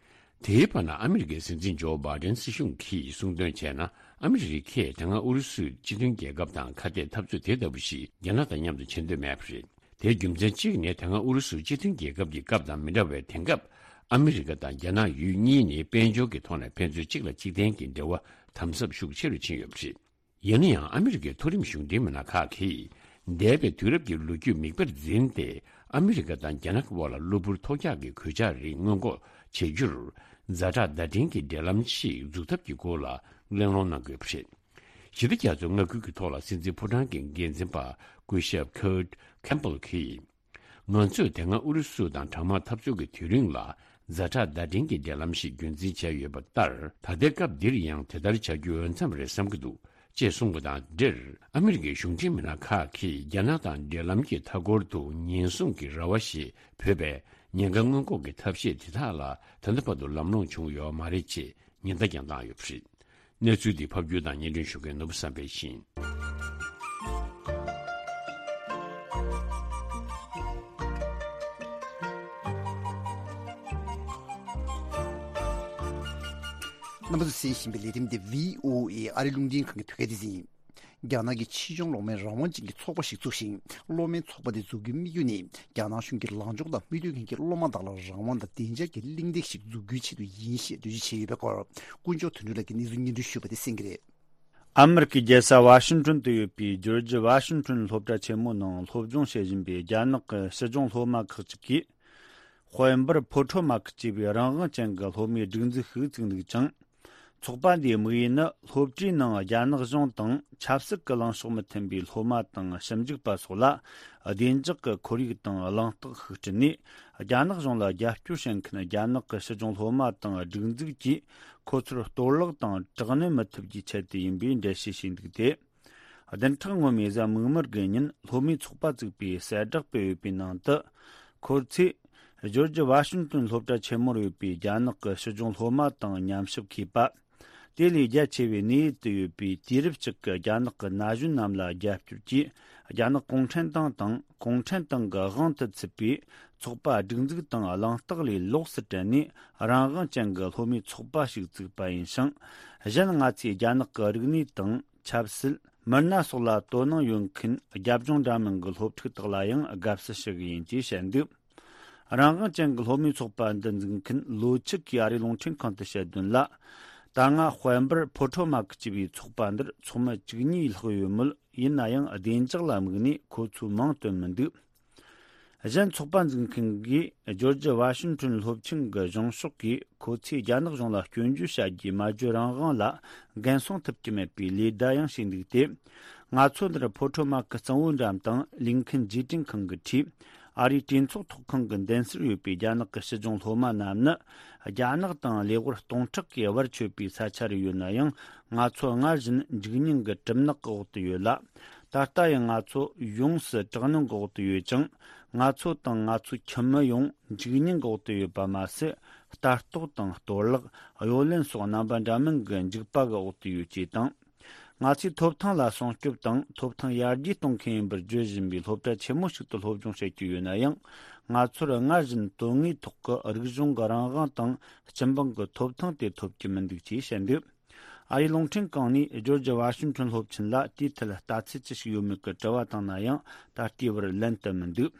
དེའི་བར་ན་ཨ་མི་རི་ཀའི་སྲིད་འཛིན་ཇོ་བྷའི་ཌེན་སྲིད་གཞུང་གིས་གསུངས་དོན་བྱས་ན། ཨ་མི་རི་ཀས་དེ་སྔ་ཨུ་རུ་སུས་སྤྱི་མཐུན་རྒྱལ་ཁབ་དང་ཁ་གཏད་འཐབ་རྩོད་དེ་ལྟ་བུ་ཞིག་རྒྱ་ནག་དང་མཉམ་དུ་བྱེད་འདོད་མེད་པ་རེད། དེའི་རྒྱུ་མཚན་གཅིག་ནི་དེ་སྔ་ཨུ་རུ་སུ་སྤྱི་མཐུན་རྒྱལ་ཁབ་ཀྱི་སྐབས་དང་མི་འདྲ་བའི་དེང་སྐབས་ཨ་མི་རི་ཀ་དང་རྒྱ་ནག་ཡུལ་གཉིས་ནི་དཔལ་འབྱོར་གྱི་ཐོག་ནས་ཕན་ཚུན་གཅིག་ལ་གཅིག་བརྟེན་གྱི་འབྲེལ་བ་དམ་ཟབ་ཤུགས་ཆེ་རུ་ཕྱིན་ཡོད་པ་རེད། ཡིན་ན་ཡང་ཨ་མི་རི་ཀའི་མཐོ་རིམ་གཞུང་འབྲེལ་མི་སྣ་ཁག་གིས་འདས་པའི་དུས་རབས་ཀྱི་ལོ་རྒྱུས་མིག་དཔེར་འཛིན་ཏེ་ཨ་མི་རི་ཀ་དང་རྒྱ་ནག་གི་དབར་ལ་གློ་བུར་ཐོལ་རྒྱག་གི་གོད་ཆག་རིགས་སྔོན་འགོག་བྱེད་རྒྱུར་ཛ་དྲག་བརྡ་འཕྲིན་གྱི་འབྲེལ་ལམ་ཞིག་འཛུགས་ཐབས་ཀྱི་སྐོར་ལ་གླེང་སློང་གནང་དགོས་པ་རེད། ཞི་བདེ་རྒྱ་མཚོའི་མངའ་ཁུལ་གྱི་ཐོག་ལ་སྲིད་འཛིན་ཕོ་བྲང་གི་འགན་འཛིན་པ་སྐུ་ཞབས་Kurt Campbell་གིས། ང་ཚོས་དེ་སྔ་ཨུ་རུ་སུ་དང་གྲང་དམག་འཐབ་རྩོད་ཀྱི་དུས་རིང་ལ་ཛ་དྲག་བརྡ་འཕྲིན་གྱི་འབྲེལ་ལམ་ཞིག་རྒྱུན་འཛིན་བྱས་ཡོད་པ་ལྟར། ད་ལྟའི་སྐབས་འདིར་ཡང་དེ་ལྟར་བྱ་རྒྱུ་འོས་འཚམ་རེད་བསམ་གྱི་འདུག་ཅེས་གསུངས་པ་དང་འབྲེལ། ཨ་མི་རི་ཀའི་གཞུང་འབྲེལ་མི་སྣ་ཁག་གིས་རྒྱ་ནག་དང་འབྲེལ་ལམ་གྱི་མཐའ་འཁོར་དུ་ཉེན་སྲུང་གི་ར་བ་ཞེས་འབོད་པའི་ཉེན་ཁ་སྔོན་འགོག་གི་ཐབས་ཤེས་དེ་དག་ལ་ད་ལྟ་བར་དུ་ལམ་ལྷོང་བྱུང་ཡོད་མ་རེད་ཅེས་ཉེན་བརྡ་ཀྱང་བཏང་ཡོད་པ་རེད། གནས་ཚུལ་འདི་ཕབ་སྒྱུར་དང་སྙན་སྒྲོན་ཞུ་མཁན་ནོར་བུ་བསམ་འཕེལ་ཡིན། རྣམ་པ་ཚོས་གསན་བཞིན་པའི་ལས་རིམ་འདི་བྷི་ཨོ་ཨེ་ཨ་རི་རླུང་འཕྲིན་ཁང་གི་བོད་སྐད་སྡེ་ཚན་ཡིན། རྒྱ་ནག་གི་ཆེད་སྦྱོང་སློབ་མའི་རང་དབང་ཅན་གྱི་ཚོགས་པ་ཞིག་བཙུགས་ཤིང་། སློབ་མའི་ཚོགས་པ་དེ་འཛུགས་རྒྱུའི་དམིགས་ཡུལ་ནི། རྒྱ་ནག་གཞུང་གིས་ལངས་ཕྱོགས་དང་མི་མཐུན་མཁན་གྱི་སློབ་མ་དག་ལ་རང་དབང་དང་བདེ་འཇགས་ཀྱི་གླེང་སྟེགས་ཤིག་འཛུགས་རྒྱུའི་ཆེད་དུ་ཡིན་ཞེས་འགྲེལ་བརྗོད་བྱས་ཡོད་པའི་སྐོར། དཀོན་མཆོག་དོན་གྲུབ་ལགས་ཀྱིས་གནས་ཚུལ་སྙན་སྒྲོན་ཞུས་པ་དེ་གསན་གྱི་རེད། ཨ་མི་རི་ཀའི་རྒྱལ་ས་ཝ་ཤིང་ཊོན་དུ་ཡོད་པའི་ཇོར་ཇི་ཝ་ཤིང་ཊོན་སློབ་གྲྭ་ཆེན་མོའི་ནང་སློབ་སྦྱོང་བྱེད་བཞིན་པའི་རྒྱ་ནག་གི་སྲིད་སྦྱོང་སློབ་མ་ཁག་ཅིག་གིས། དཔལ་འབར་ཕོ་ཁྲོ་མ་ཁི་ཅེས་པའི་རང་དབང་ཅན་གྱི་སློབ་མའི་སྒྲིག་འཛུགས་ཤིག་བཙུགས་འདུག་ཅིང་། ཚོགས་པ་འདིའི་དམིགས་ཡུལ་ནི་སློབ་གྲྭའི་ནང་རྒྱ་ནག་གཞུང་དང་ཆབ་སྲིད་ཀྱི་ལངས་ཕྱོགས་མི་མཐུན་པའི་སློབ་མ་དང་ཞིབ་འཇུག་པ་སོགས་ལ་བདེ་འཇགས་ཀྱི་ཁོར་ཡུག་དང་གླེང་སྟེགས་ཤིག་བསྐྲུན་ནས། རྒྱ་ནག་གཞུང་ལ་རྒྱབ་སྐྱོར་བྱེད་མཁན་རྒྱ་ནག་གི་སྲིད་སྦྱོང་སློབ་མ་དང་སྒྲིག་འཛུགས་ཀྱིས་ཁོ་ཚོར་གཏོར་བརླག་དང་དྲག་གནོན་མི་ཐུབ་རྒྱུའི་ཆེད་དུ་ཡིན་པའི་འགྲེལ་བཤད་བྱས་འདུག་སྟེ། བདུན་ཕྲག་སྔོན་མའི་གཟའ་མིག་དམར་གྱི་ཉིན་སློབ་མའི་ཚོགས་པ་བཙུགས་པའི་གསལ་བསྒྲགས་སྤེལ་ཡོད་པའི་ནང་དུ། ཁོ་ཚོས་ཇོར་ཇི་ཝ་ཤིང་ཊོན་སློབ་གྲྭ་ཆེན་མོར་ཡོད་པའི་རྒྱ་ནག་གི་སྲིད་སྦྱོང་སློབ་མ་དང་མཉམ་ཞུགས་མཁས་པ། དེ་ལས་རྒྱ་ཆེ་བའི་གནས་ཡུལ་དུ་ཡོད་པའི་དུས་རབས་གཅིག་གི་རྒྱ་ནག་གི་ན་གཞོན་རྣམས་ལ་རྒྱབ་སྐྱོར་གྱིས། རྒྱ་ནག་གུང་ཁྲན་ཏང་དང་གུང་ཁྲན་ཏང་གི་དབང་དུ་ཚུད་པའི་ཚོགས་པ་སྒྲིག་འཛུགས་དང་གླེང་སྟེགས་ལས་ལོགས་སུ་བྲལ་ནས། རང་དབང་ཅན་གྱི་སློབ་མའི་ཚོགས་པ་ཞིག་བཙུགས་པ་ཡིན་ཞིང་། གཞན་ང་ཚོས་རྒྱ་ནག་གི་རིག་གནས་དང་། ཆབ་སྲིད། མི་སྣ་སོགས་ལ་དོ་སྣང་ཡོད་མཁན་རྒྱབ་ལྗོངས་འདྲ་མིན་གྱི་སློབ་ཕྲུག་དག་ལ་ཡང་དགའ་བསུ་ཞུ་གི་ཡིན་ཅེས་བཤད་འདུག་རང་དབང་ཅན་གྱི་སློབ་མའི་ཚོགས་པ་འདི་འཛུགས་མཁན་ལོ་ཆིག་གིས་ཨ་རིའི་རླུང་འཕྲིན་ཁང་དུ་བཤད་དོན་ལ། ད་སྔ་དཔལ་འབར་ཕོ་ཁྲོ་མ་ཁི་ཅེས་པའི་ཚོགས་པ་འདིར་ཚོགས་མི་བཅུ་གཉིས་ལྷག་ཡོད་མོད། ཡིན་ན་ཡང་བདེ་འཇགས་ལ་དམིགས་ནས་ཁོ་ཚོས་མིང་བཏོན་མི་འདུག་གཞན་ཚོགས་པ་འཛུགས་མཁན་གྱིས་ཇོར་ཇི་ཝ་ཤིང་ཊོན་སློབ་ཆེན་གྱི་གཞུང་ཕྱོགས་ཀྱིས་ཁོ་ཚོས་རྒྱ་ནག་གཞུང་ལ་སྐྱོན་བརྗོད་བྱ་རྒྱུའི་སྨྲ་བརྗོད་རང་དབང་ལ་འགན་སྲུང་ཐུབ་ཀྱི་མེད་པའི་ལེ་བདའ་ཡང་བྱས་འདུག་སྟེ། ང་ཚོ་འདིར་ཕོ་ཁྲོ་མ་ཁི་གཙང་བོའི་འགྲམ་དང་ལིང་ཁིན་རྗེས་དྲན་ཁང་གི་འཁྲིས། ཨ་རིའི་གྲོས་ཚོགས་ཚོགས་ཁང་གི་མདུན་སར་ཡོད་པའི་རྒྱ་ནག་གི་སྲིད་སྦྱོང་སློབ་མ་རྣམས་ནི། རྒྱ་ནག་དང་ལེ་དབར་སྟོང་ཕྲག་གིས་བར་ཆོད་པའི་ས་ཆ་རུ་ཡོད་ན་ཡང་། ང་ཚོ་སྔར་བཞིན་འཇིགས་སྙིང་གི་གྲིབ་ནག་གི་འོག་ཏུ་ཡོད་ལ། ད་ལྟ་ཡང་ང་ཚོ་ཡོངས་སུ་དྲག་གནོན་གྱི་འོག་ཏུ་ཡོད་ཅིང་། ང་ཚོ་དང་ང་ཚོའི་ཁྱིམ་མི་ཡང་འཇིགས་སྙིང་གི་འོག་ཏུ་ཡོད་པ་མ་ཟད། ལྟ་རྟོག་དང་གཏོར་བརླག་གཡོ་ལེན་སོགས་རྣམ་པ་འདྲ་མིན་གྱི་འཇིགས་པ་གི་འོག་ཏུ་ཡོད་ཅེས་དང་། ང་ཚོས་ཐོབ་ཐང་ལ་སྲུང་སྐྱོབ་དང་ཐོབ་ཐང་ཡར་རྒྱས་གཏོང་མཁན་ཡིན་པར་བརྗོད་བཞིན་པའི་སློབ་གྲྭ་ཆེན་མོ་ཞིག་ཏུ་སློབ་སྦྱོང་བྱེད་ཀྱི་ཡོད་ན་ཡང་། ང་ཚོར་སྔར་བཞིན་དོན་དངོས་ཐོག་གི་རིག་གཞུང་གི་རང་དབང་དང་སྤྱི་འབངས་ཀྱི་ཐོབ་ཐང་དེ་ཐོབ་ཀྱི་མི་འདུག་ཅེས་བཤད་འདུག་ཨ་རིའི་རླུང་འཕྲིན་ཁང་ནས་ཇོར་ཇི་ཝ་ཤིང་ཊོན་སློབ་ཆེན་ལ་དེའི་ཐད་ལྟ་ཚུལ་ཅི་ཞིག་ཡོད་མེད་ཀྱི་དྲི་བ་བཏང་ན་ཡང་ད་ལྟའི་བར་ལན་དུ་མི་འདུག་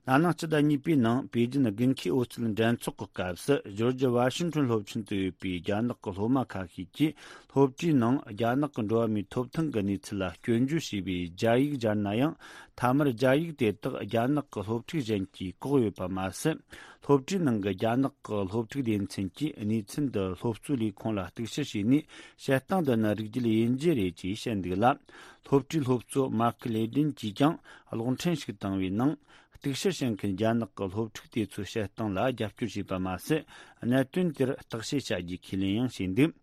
ན་ནིང་སྤྱི་ཟླ་གཉིས་པའི་ནང་པེ་ཅིན་དགུན་ཁའི་ཨོ་རྩལ་འགྲན་ཚོགས་ཀྱི་སྐབས་སུ་ཇོར་ཇི་ཝ་ཤིང་ཊོན་སློབ་ཆེན་དུ་ཡོད་པའི་རྒྱ་ནག་གི་སློབ་མ་ཁ་ཤས་ཀྱིས་སློབ་གྲྭའི་ནང་རྒྱ་ནག་གི་འགྲོ་བ་མིའི་ཐོབ་ཐང་གི་གནས་ཚུལ་ལ་སྐྱོན་བརྗོད་བྱས་པའི་རྒྱ་ཡིག་སྦྱར་ན་ཡང་། མཐའ་མར་རྒྱ་ཡིག་དེ་དག་རྒྱ་ནག་གི་སློབ་ཕྲུག་གཞན་གྱིས་བཀོག་ཡོད་པ་མ་ཟད། སློབ་གྲྭའི་ནང་གི་རྒྱ་ནག་གི་སློབ་ཕྲུག་སྡེ་ཚན་གྱིས་གནས་ཚུལ་འདི་སློབ་གཙོའི་ལས་ཁུངས་ལ་གཏུག་བཤེར་བྱས་ནས་བཤད་སྟངས་འདི་ནི་རིགས་རྒྱུད་དབྱེ་འབྱེད་རེད་ཅེས་བཤད་འདུག་ལ། སློབ་གྲྭའི་སློབ་གཙོ་མཱ་ཁི་ལེ་ཏིན་གྱིས་ཀྱང་གློག་འཕྲིན་ཞིག་བཏང་བའི་ནང་། གཏུག་བཤེར་བྱེད་མཁན་རྒྱ་ནག་གི་སློབ་ཕྲུག་དེ་ཚོའི་བཤད་སྟངས་ལ་རྒྱབ་སྐྱོར་བྱས་པ་མ་ཟད། གནད་དོན་དེར་བརྟག་དཔྱད་བྱ་རྒྱུའི་ཁས་ལེན་ཡང་བྱས་འདུག་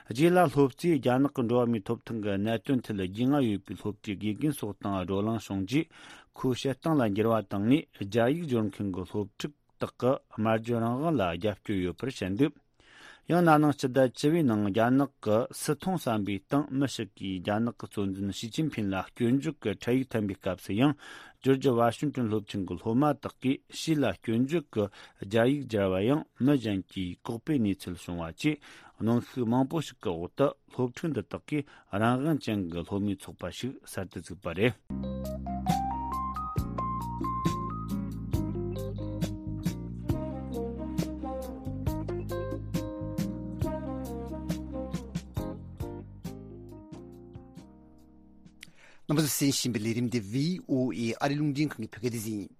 རྗེས་ལ་སློབ་གཙོས་རྒྱ་ནག་གི་འགྲོ་བ་མིའི་ཐོབ་ཐང་གི་གནད་དོན་ཐད་རྒྱུས་མངའ་ཡོད་པའི་སློབ་གྲྭའི་དགེ་རྒན་སོགས་དང་བགྲོ་གླེང་བྱུང་རྗེས། ཁོའི་བཤད་སྟངས་ལ་འགྱུར་བ་བཏང་ནས། རྒྱ་ཡིག་སྦྱོར་མཁན་གྱི་སློབ་ཕྲུག་དག་གི་སྨྲ་བརྗོད་རང་དབང་ལ་རྒྱབ་སྐྱོར་ཡོད་པར་བཤད་འདུག། ཡང་ན་ནིང་སྤྱི་ཟླ་བཅུ་པའི་ནང་རྒྱ་ནག་གི་སི་ཐོང་ཟམ་པའི་སྟེང་མི་ཞིག་གིས་རྒྱ་ནག་གི་གཙོ་འཛིན་ཞི་ཅིན་ཕིན་ལ་སྐྱོན་བརྗོད་ཀྱི་འཕྲིན་ཡིག་འཐེན་པའི་སྐབས་སུ་ཡང་། ཇོར་ཇི་ཝ་ཤིང་ཏོན་སློབ་ཆེན་གྱི་སློབ་མ་དག་གིས་ཞི་ལ་སྐྱོན་བརྗོད་ཀྱི་རྒྱ་ཡིག་སྦྱར་བ་ཡང་མི་གཞན་གྱིས་གོག་པའི་གནས་ཚུལ་བྱུང་བ་བཅས། གནོན་ཤུགས་མང་པོ་ཞིག་གི་འོག་ཏུ། སློབ་ཕྲུག་འདི་དག་གིས་རང་དབང་ཅན་གྱི་སློབ་མའི་ཚོགས་པ་ཞིག་གསར་དུ་བཙུགས་པ་རེད། རྣམ་པ་ཚོས་གསན་བཞིན་པའི་ལས་རིམ་འདི་བྷི་ཨོ་ཨེ་ཨ་རི་རླུང་འཕྲིན་ཁང་གི་བོད་སྐད་སྡེ་ཚན་ཡིན།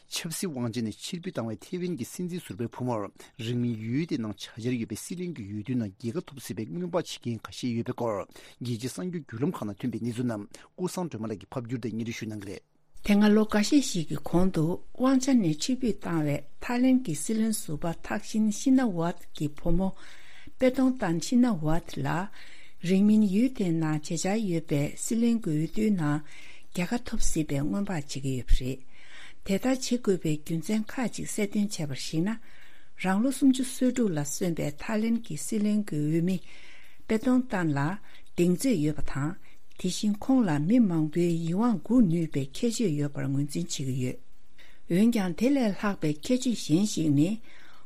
ཆབ་སྲིད་དབང་ཆ་ནས་ཕྱིར་འབུད་བཏང་བའི་ཐེ་ཝན་གྱི་སྲིད་འཛིན་ཟུར་པའི་བུ་མོར་རིང་མིན་ཡུལ་དེའི་ནང་བྱ་འཆར་ཡོད་པའི་སྲིད་བློན་གྱི་འོས་བསྡུའི་ནང་རྒྱལ་ཁ་ཐོབ་སྲིད་པའི་སྔོན་དཔག་བྱེད་མཁན་ཁ་ཤས་ཡོད་པའི་སྐོར། རྒྱལ་སྤྱིའི་གསར་འགྱུར་བརྒྱུད་ལམ་ཁག་ནང་ཐོན་པའི་གནས་ཚུལ་རྣམས་ཀུན་བཟང་སྒྲོལ་མ་ལགས་ཀྱིས་ཕབ་བསྒྱུར་དང་སྙན་སྒྲོན་ཞུ་གནང་གི་རེད། དེ་སྔ་ལོ་འགའ་ཤས་ཤིག་གི་གོང་དུ་དབང་ཆ་ནས་ཕྱིར་འབུད་བཏང་བའི་ཐའི་ལེན་གྱི་སྲིད་བློན་ཟུར་པ་ཐག་ཤིན་ཤི་ན་ཝཱད་ཀྱི་བུ་མོ་པེ་ཏོང་ཏན་ཤི་ན་ཝཱད་ལ། རིང་མིན་ཡུལ་དེའི་ནང་བྱེད་འཆར་ཡོད་པའི་སྲིད་བློན་གྱི་འོས་བསྡུའི་ནང་རྒྱལ་ཁ་ཐོབ་སྲིད་པའི་སྔོན་དཔག་བྱེད་ཀྱི་ཡོད་པ་རེད། དེ་ལྟར་བྱེད་དགོས་པའི་རྒྱུ་མཚན་ཁག་ཅིག་གསལ་སྟོན་བྱས་པར་གཞིགས་ན། རང་ལོ་སུམ་ཅུ་སོ་དྲུག་ལ་སོན་པའི་ཐའི་ལེན་གྱི་སྲིད་བློན་གྱི་འོས་མི་པེ་ཏོང་ཏན་ལ་གདེང་ཚོད་ཡོད་པ་དང་། དེ་བཞིན་ཁོང་ལ་མི་མང་པོའི་ཡིད་དབང་འགུག་ནུས་པའི་ཁྱད་ཆོས་ཡོད་པར་ངོས་འཛིན་བྱེད་ཀྱི་ཡོད། འོན་ཀྱང་། དེ་ལས་ལྷག་པའི་ཁྱད་ཆོས་གཞན་ཞིག་ནི།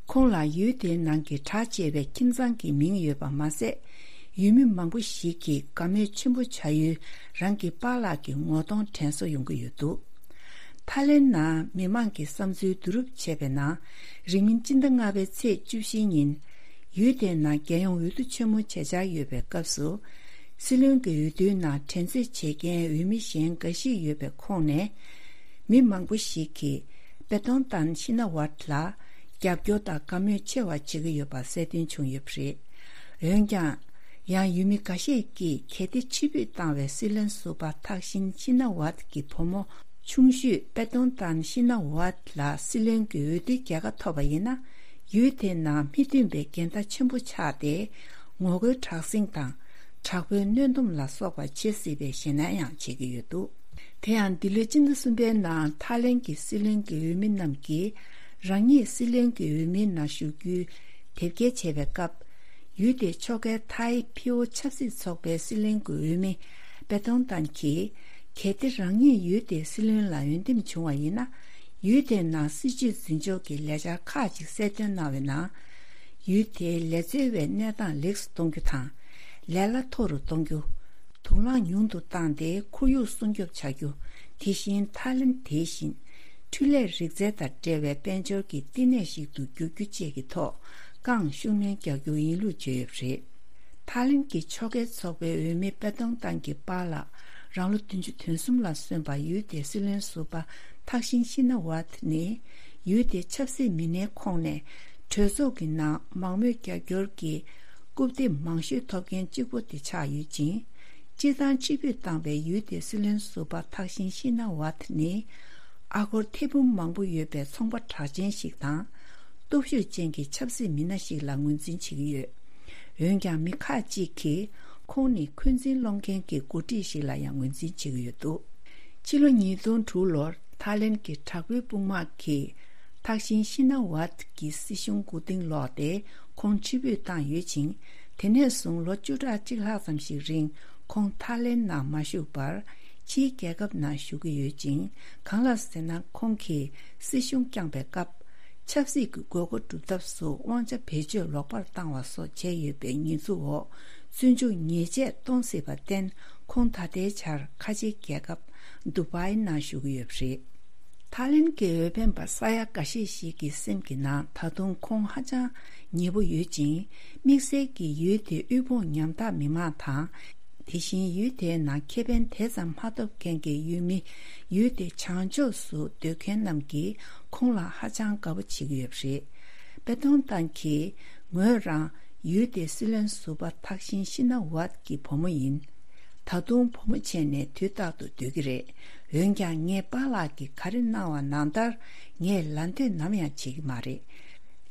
ཁོང་ལ་ཡུལ་དེའི་ནང་གི་གྲགས་ཆེ་བའི་ཁྱིམ་ཚང་གི་མིང་ཡོད་པ་མ་ཟད། ཡུལ་མི་མང་པོ་ཞིག་གིས་དགའ་མོས་ཆེན་པོ་བྱ་ཡུལ་རང་གི་པཱ་ལགས་ཀྱི་ངོ་གདོང་དྲན་གསོ་ཡོང་གི་ཡོད་འདུག། ཐའི་ལེན་ནང་མི་མང་གི་བསམ་ཚུལ་བསྡུ་རུབ་བྱས་པའི་ནང་། རིང་མིན་སྤྱི་ཟླ་ལྔ་པའི་ཚེས་བཅུ་བཞི་ཉིན། ཡུལ་དེའི་ནང་རྒྱལ་ཡོངས་འོས་བསྡུ་ཆེན་མོ་བྱེད་འཆར་ཡོད་པའི་སྐབས་སུ། སྲིད་བློན་གྱི་འོས་བསྡུའི་ནང་འགྲན་རྩོད་བྱེད་མཁན་འོས་མི་གཞན་འགའ་ཞིག་ཡོད་པའི་ཁོངས་ནས། མི་མང་པོ་ཞིག་གིས་པེ་ཏོང་ཏན་ཤི་ན་ཝཱད་ལ་རྒྱབ་སྐྱོར་དང་དགའ་མོས་ཆེ་བ་བྱེད་ཀྱི་ཡོད་པ་གསལ་སྟོན་བྱུང་ཡོད་པ་རེད། འོན་ཀྱང་། ཡང་ཡུལ་མི་འགའ་ཤས་ཀྱིས་གལ་ཏེ་ཕྱིར་འབུད་བཏང་བའི་སྲིད་བློན་ཟུར་པ་ཐག་ཤིན་ཤི་ན་ཝཱད་ཀྱི་བུ་མོ་ཆུང་ཤོས་པེ་ཏོང་ཏན་ཤི་ན་ཝཱད་ལ་སྲིད་བློན་གྱི་འོས་བསྡུའི་རྒྱལ་ཁ་ཐོབ་པ་ཡིན་ན། ཡུལ་དེའི་ནང་མི་མཐུན་པའི་འགལ་ཟླ་ཆེན་པོ་ཆགས་ཏེ། ངོ་རྒོལ་དྲག་ཟིང་དང་། དྲག་པོའི་གནོན་སྡོམ་ལ་སོགས་པ་བྱེད་སྲིད་པའི་ཞེད་སྣང་ཡང་བྱེད་ཀྱི་ཡོད་འདུག། དེ་ཡང་འདི་ལོའི་སྤྱི་ཟླ་གསུམ་པའི་ནང་ཐའི་ལེན་གྱི་སྲིད་བློན་གྱི་འོས་མི་རྣམས་ཀྱིས་རང་ཉིད་སྲིད་བློན་གྱི་འོས་མིའི་ནང་ཞུགས་རྒྱུའི་དེབ་སྐྱེལ་བྱས་པའི་སྐབས། ཡུལ་དེའི་ཕྱོགས་འགལ་ཐའི་ཕི་ཨོ་ཆབ་སྲིད་ཚོགས་པའི་སྲིད་བློན་གྱི་འོས་མི་པེ་ཏོང་ཏན་གྱིས། གལ་ཏེ་རང་ཉིད་ཡུལ་དེའི་སྲིད་བློན་ལ་འོས་འདེམས་བྱུང་བ་ཡིན་ན། ཡུལ་དེའི་ནང་སྲིད་བྱུས་འཛིན་ཕྱོགས་ཀྱི་ལས་འཆར་ཁག་ཅིག་གསལ་སྟོན་གནང་བའི་ནང་། ཡུལ་དེའི་ལས་འཚོལ་བའི་གནས་སྟངས་ལེགས་སུ་གཏོང་རྒྱུ་དང་། ལས་གླ་མཐོ་རུ་གཏོང་རྒྱུ། དུག་རླངས་ཉུང་དུ་བཏང་སྟེ་ཁོར་ཡུག་སྲུང་སྐྱོབ་བྱ་རྒྱུ། དེ་བཞིན་ཐའི་ལེན་དེ་བཞིན་འཕྲུལ་ལས་རིག་རྩལ་དང་འབྲེལ་བའི་དཔལ་འབྱོར་གྱི་བསྟི་གནས་ཤིག་ཏུ་འགྱུར་རྒྱུ་བཅས་ཀྱི་ཐོག་རྐང་ཤུགས་སྣོན་རྒྱག་རྒྱུ་ཡིན་ལུགས་བརྗོད་ཡོད་པ་རེད། ཐའི་ལེན་གྱི་ཕྱོགས་འགལ་ཚོགས་པའི་འོས་མི་པེ་ཏོང་ཏང་གི་པཱ་ལགས་རང་ལོ་བདུན་ཅུ་དོན་གསུམ་ལ་སོན་པ་ཡུལ་དེའི་སྲིད་བློན་ཟུར་པ་ཐག་ཤིན་ཤི་ན་ཝཱད་ནི། ཡུལ་དེའི་ཆབ་སྲིད་མི་སྣའི་ཁོངས་ནས་གྲོས་ཚོགས་ཀྱི་ནང་མང་མོས་རྒྱབ་སྐྱོར་གྱི་རྐུབ་སྟེགས་མང་ཤོས་ཐོབ་མཁན་གཅིག་པུ་དེ་ཆགས་ཡོད་ཅིང་། སྤྱིར་བཏང་ཕྱིར་འབུད་བཏང་བའི་ཡུལ་དེའི་སྲིད་བློན་ཟུར་པ་ཐག་ཤིན་ཤི་ན་ཝཱད་ནི། ཨ་སྒོར་ཐེར་འབུམ་མང་པོ་ཡོད་པའི་ཚོང་པ་གྲགས་ཅན་ཞིག་དང་། སྟོབས་ཤུགས་ཅན་གྱི་ཆབ་སྲིད་མི་སྣ་ཞིག་ལ་ངོས་འཛིན་བྱེད་ཀྱི་ཡོད། འོན་ཀྱང་མི་ཁག་ཅིག་གིས་ཁོང་ནི་འཁོན་འཛིན་སློང་མཁན་གྱི་འགོ་ཁྲིད་ཞིག་ལ་ཡང་ངོས་འཛིན་བྱེད་ཀྱི་ཡོད་འདུག། ཕྱི་ལོ་ཉིས་སྟོང་དྲུག་ལོར་ཐའི་ལེན་གྱི་དྲག་པོའི་དཔུང་དམག་གིས་ཐག་ཤིན་ཤི་ན་ཝཱད་ཀྱི་སྲིད་གཞུང་མགོ་རྟིང་སློག་སྟེ་ཁོང་ཕྱིར་འབུད་བཏང་ཡོད་ཅིང་། དེ་ནས་བཟུང་ལོ་བཅུ་ཕྲག་གཅིག་ལྷག་ཙམ་ཞིག་རིང་ཁོང་ཐའི་ལེན་ནང་མ་བཞུགས་པར་ཕྱིའི་རྒྱལ་ཁབ་ནང་བཞུགས་ཀྱི་ཡོད་ཅིང་། གང་ལགས་ཟེར་ན། ཁོང་གིས་སྲིད་གཞུང་བསྐྱངས་པའི་སྐབས། ཆབ་སྲིད་ཀྱི་དགོས་མཁོ་སྒྲུབ་ཐབས་སུ་དབང་ཆ་བེད་སྤྱོད་ལོག་པར་བཏང་བ་སོགས་བྱས་ཡོད་པའི་ཉེས་འཛུགས་འོག་བཙོན་འཇུག་ཉེས་ཆད་གཏོང་སྲིད་པར་བརྟེན། ཁོང་ད་ལྟའི་ཆར་ཁ་ཆེའི་རྒྱལ་ཁབ་དུ་བའི་ནང་བཞུགས་ཀྱི་ཡོད་པ་རེད། ཐའི་ལེན་གྱི་འོས་འཕེན་པ་ས་ཡ་འགའ་ཤས་ཤིག་གི་སེམས་ཀྱི་ནང་ད་དུང་ཁོང་ཧ་ཅང་ཉེ་པོ་ཡོད་ཅིང་། དམིགས་བསལ་གྱིས་ཡུལ་དེའི་དབུལ་ཕོངས་ཉམ་ཐག་མི་མང་དང་། དེ་བཞིན་ཡུལ་དེའི་ནང་ཁེ་ཕན་དེ་ཙམ་མ་ཐོབ་མཁན་གྱི་ཡུལ་མི། ཡུལ་དེ་བྱང་ཕྱོགས་སུ་སྡོད་མཁན་རྣམས་ཀྱིས་ཁོང་ལ་ཧ་ཅང་དགའ་པོ་བྱེད་ཀྱི་ཡོད་པ་རེད། པེ་ཏོང་ཏང་གིས་ངོས་རང་ཡུལ་དེའི་སྲིད་བློན་ཟུར་པ་ཐག་ཤིན་ཤི་ན་ཝཱད་ཀྱི་བུ་མོ་ཡིན། ད་དུང་བུ་མོ་བྱས་ནས་དུས་རྟག་ཏུ་སྡོད་ཀྱི་རེད། འོན་ཀྱང་ངའི་པཱ་ལགས་ཀྱིས་ག་རེ་གནང་བ་ནང་ལྟར་ངས་ལད་ཟློས་ནམ་ཡང་བྱེད་ཀྱི་མ་རེད།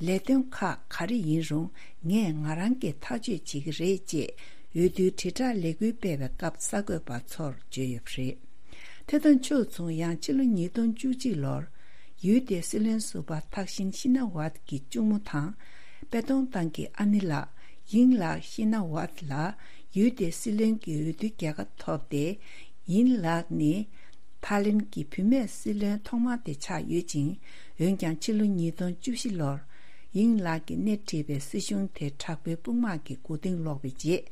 ལས་དོན་ཁག་ག་རེ་ཡིན་རུང་ངས་ང་རང་གིས་ཐག་གཅོད་བྱེད་ཀྱི་རེད་ཅེས་འོས་བསྡུའི་དྲིལ་བསྒྲགས་ལས་འགུལ་སྤེལ་བའི་སྐབས་གསར་འགོད་པ་ཚོར་བརྗོད་ཡོད་པ་རེད། དེ་དང་ཕྱོགས་མཚུངས། ཡང་ཕྱི་ལོ་ཉིས་སྟོང་བཅུ་གཅིག་ལོར་ཡུལ་དེའི་སྲིད་བློན་ཟུར་པ་ཐག་ཤིན་ཤི་ན་ཝད་ཀྱི་གཅུང་མོ་དང་། པེ་ཏོང་ཏང་གི་ཨ་ནེ་ལགས་ཡིང་ལགས་ཤི་ན་ཝད་ལ་ཡུལ་དེའི་སྲིད་བློན་གྱི་འོས་བསྡུའི་རྒྱལ་ཁ་ཐོབ་སྟེ། ཡིང་ལགས་ནི་ཐའི་ལེན་གྱི་བུད་མེད་སྲིད་བློན་ཐོག་མ་དེ་ཆགས་ཡོད་ཅིང་། འོན་ཀྱང་ཕྱི་ལོ་ཉིས་སྟོང་བཅུ་བཞི་ལོར་ཡིང་ལགས་ཀྱིས་སྣེ་ཁྲིད་པའི་སྲིད་གཞུང་དེ་དྲག་པོའི་དཔུང་དམག་གི་མགོ་རྟིང་སློག་པའི་རྗེས།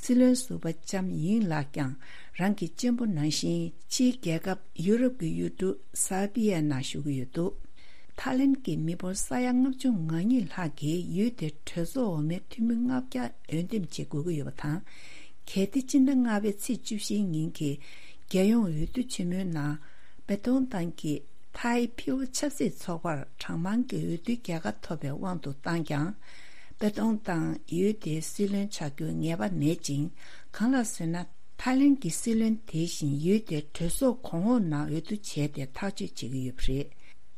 སྲིད་བློན་ཟུར་པ་ལྕམ་ཡིང་ལགས་ཀྱང་རང་གི་གཅེན་པོ་ནང་བཞིན་ཕྱིའི་རྒྱལ་ཁབ་ཡུ་རོབ་ཀྱི་ཡུལ་གྲུ་སར་བྷི་ཡའི་ནང་བཞུགས་ཀྱི་ཡོད་འདུག་ཐའི་ལེན་གྱི་མི་འབོར་ས་ཡ་ལྔ་བཅུ་ང་གཉིས་ལྷག་གིས་ཡུལ་དེར་གྲོས་ཚོགས་འོག་མའི་འཐུས་མི་ལྔ་བརྒྱ་འོས་འདེམས་བྱེད་དགོས་ཀྱི་ཡོད་པ་དང་། གལ་ཏེ་སྤྱི་ཟླ་ལྔ་པའི་ཚེས་བཅུ་བཞིའི་ཉིན་གྱི་རྒྱལ་ཡོངས་འོས་བསྡུ་ཆེན་མོའི་ནང་པེ་ཏོང་ཏང་གིས་ཐའི་ཕི་ཨོ་ཆབ་སྲིད་ཚོགས་པར་གྲངས་མང་གི་འོས་བསྡུའི་རྒྱལ་ཁ་ཐོབ་པའི་དབང་དུ་བཏང་ཀྱང་། པེ་ཏོང་ཏང་ཡུལ་དེའི་སྲིད་བློན་ཆགས་རྒྱུའི་ངེས་པ་མེད་ཅིང་། གང་ལགས་ཟེར་ན། ཐའི་ལེན་གྱི་སྲིད་བློན་དེ་བཞིན་ཡུལ་དེའི་གྲོས་ཚོགས་གོང་འོག་ནང་འོས་བསྡུ་བྱས་ཏེ་ཐག་གཅོད་བྱེད་ཀྱི་ཡོད་པ་རེད།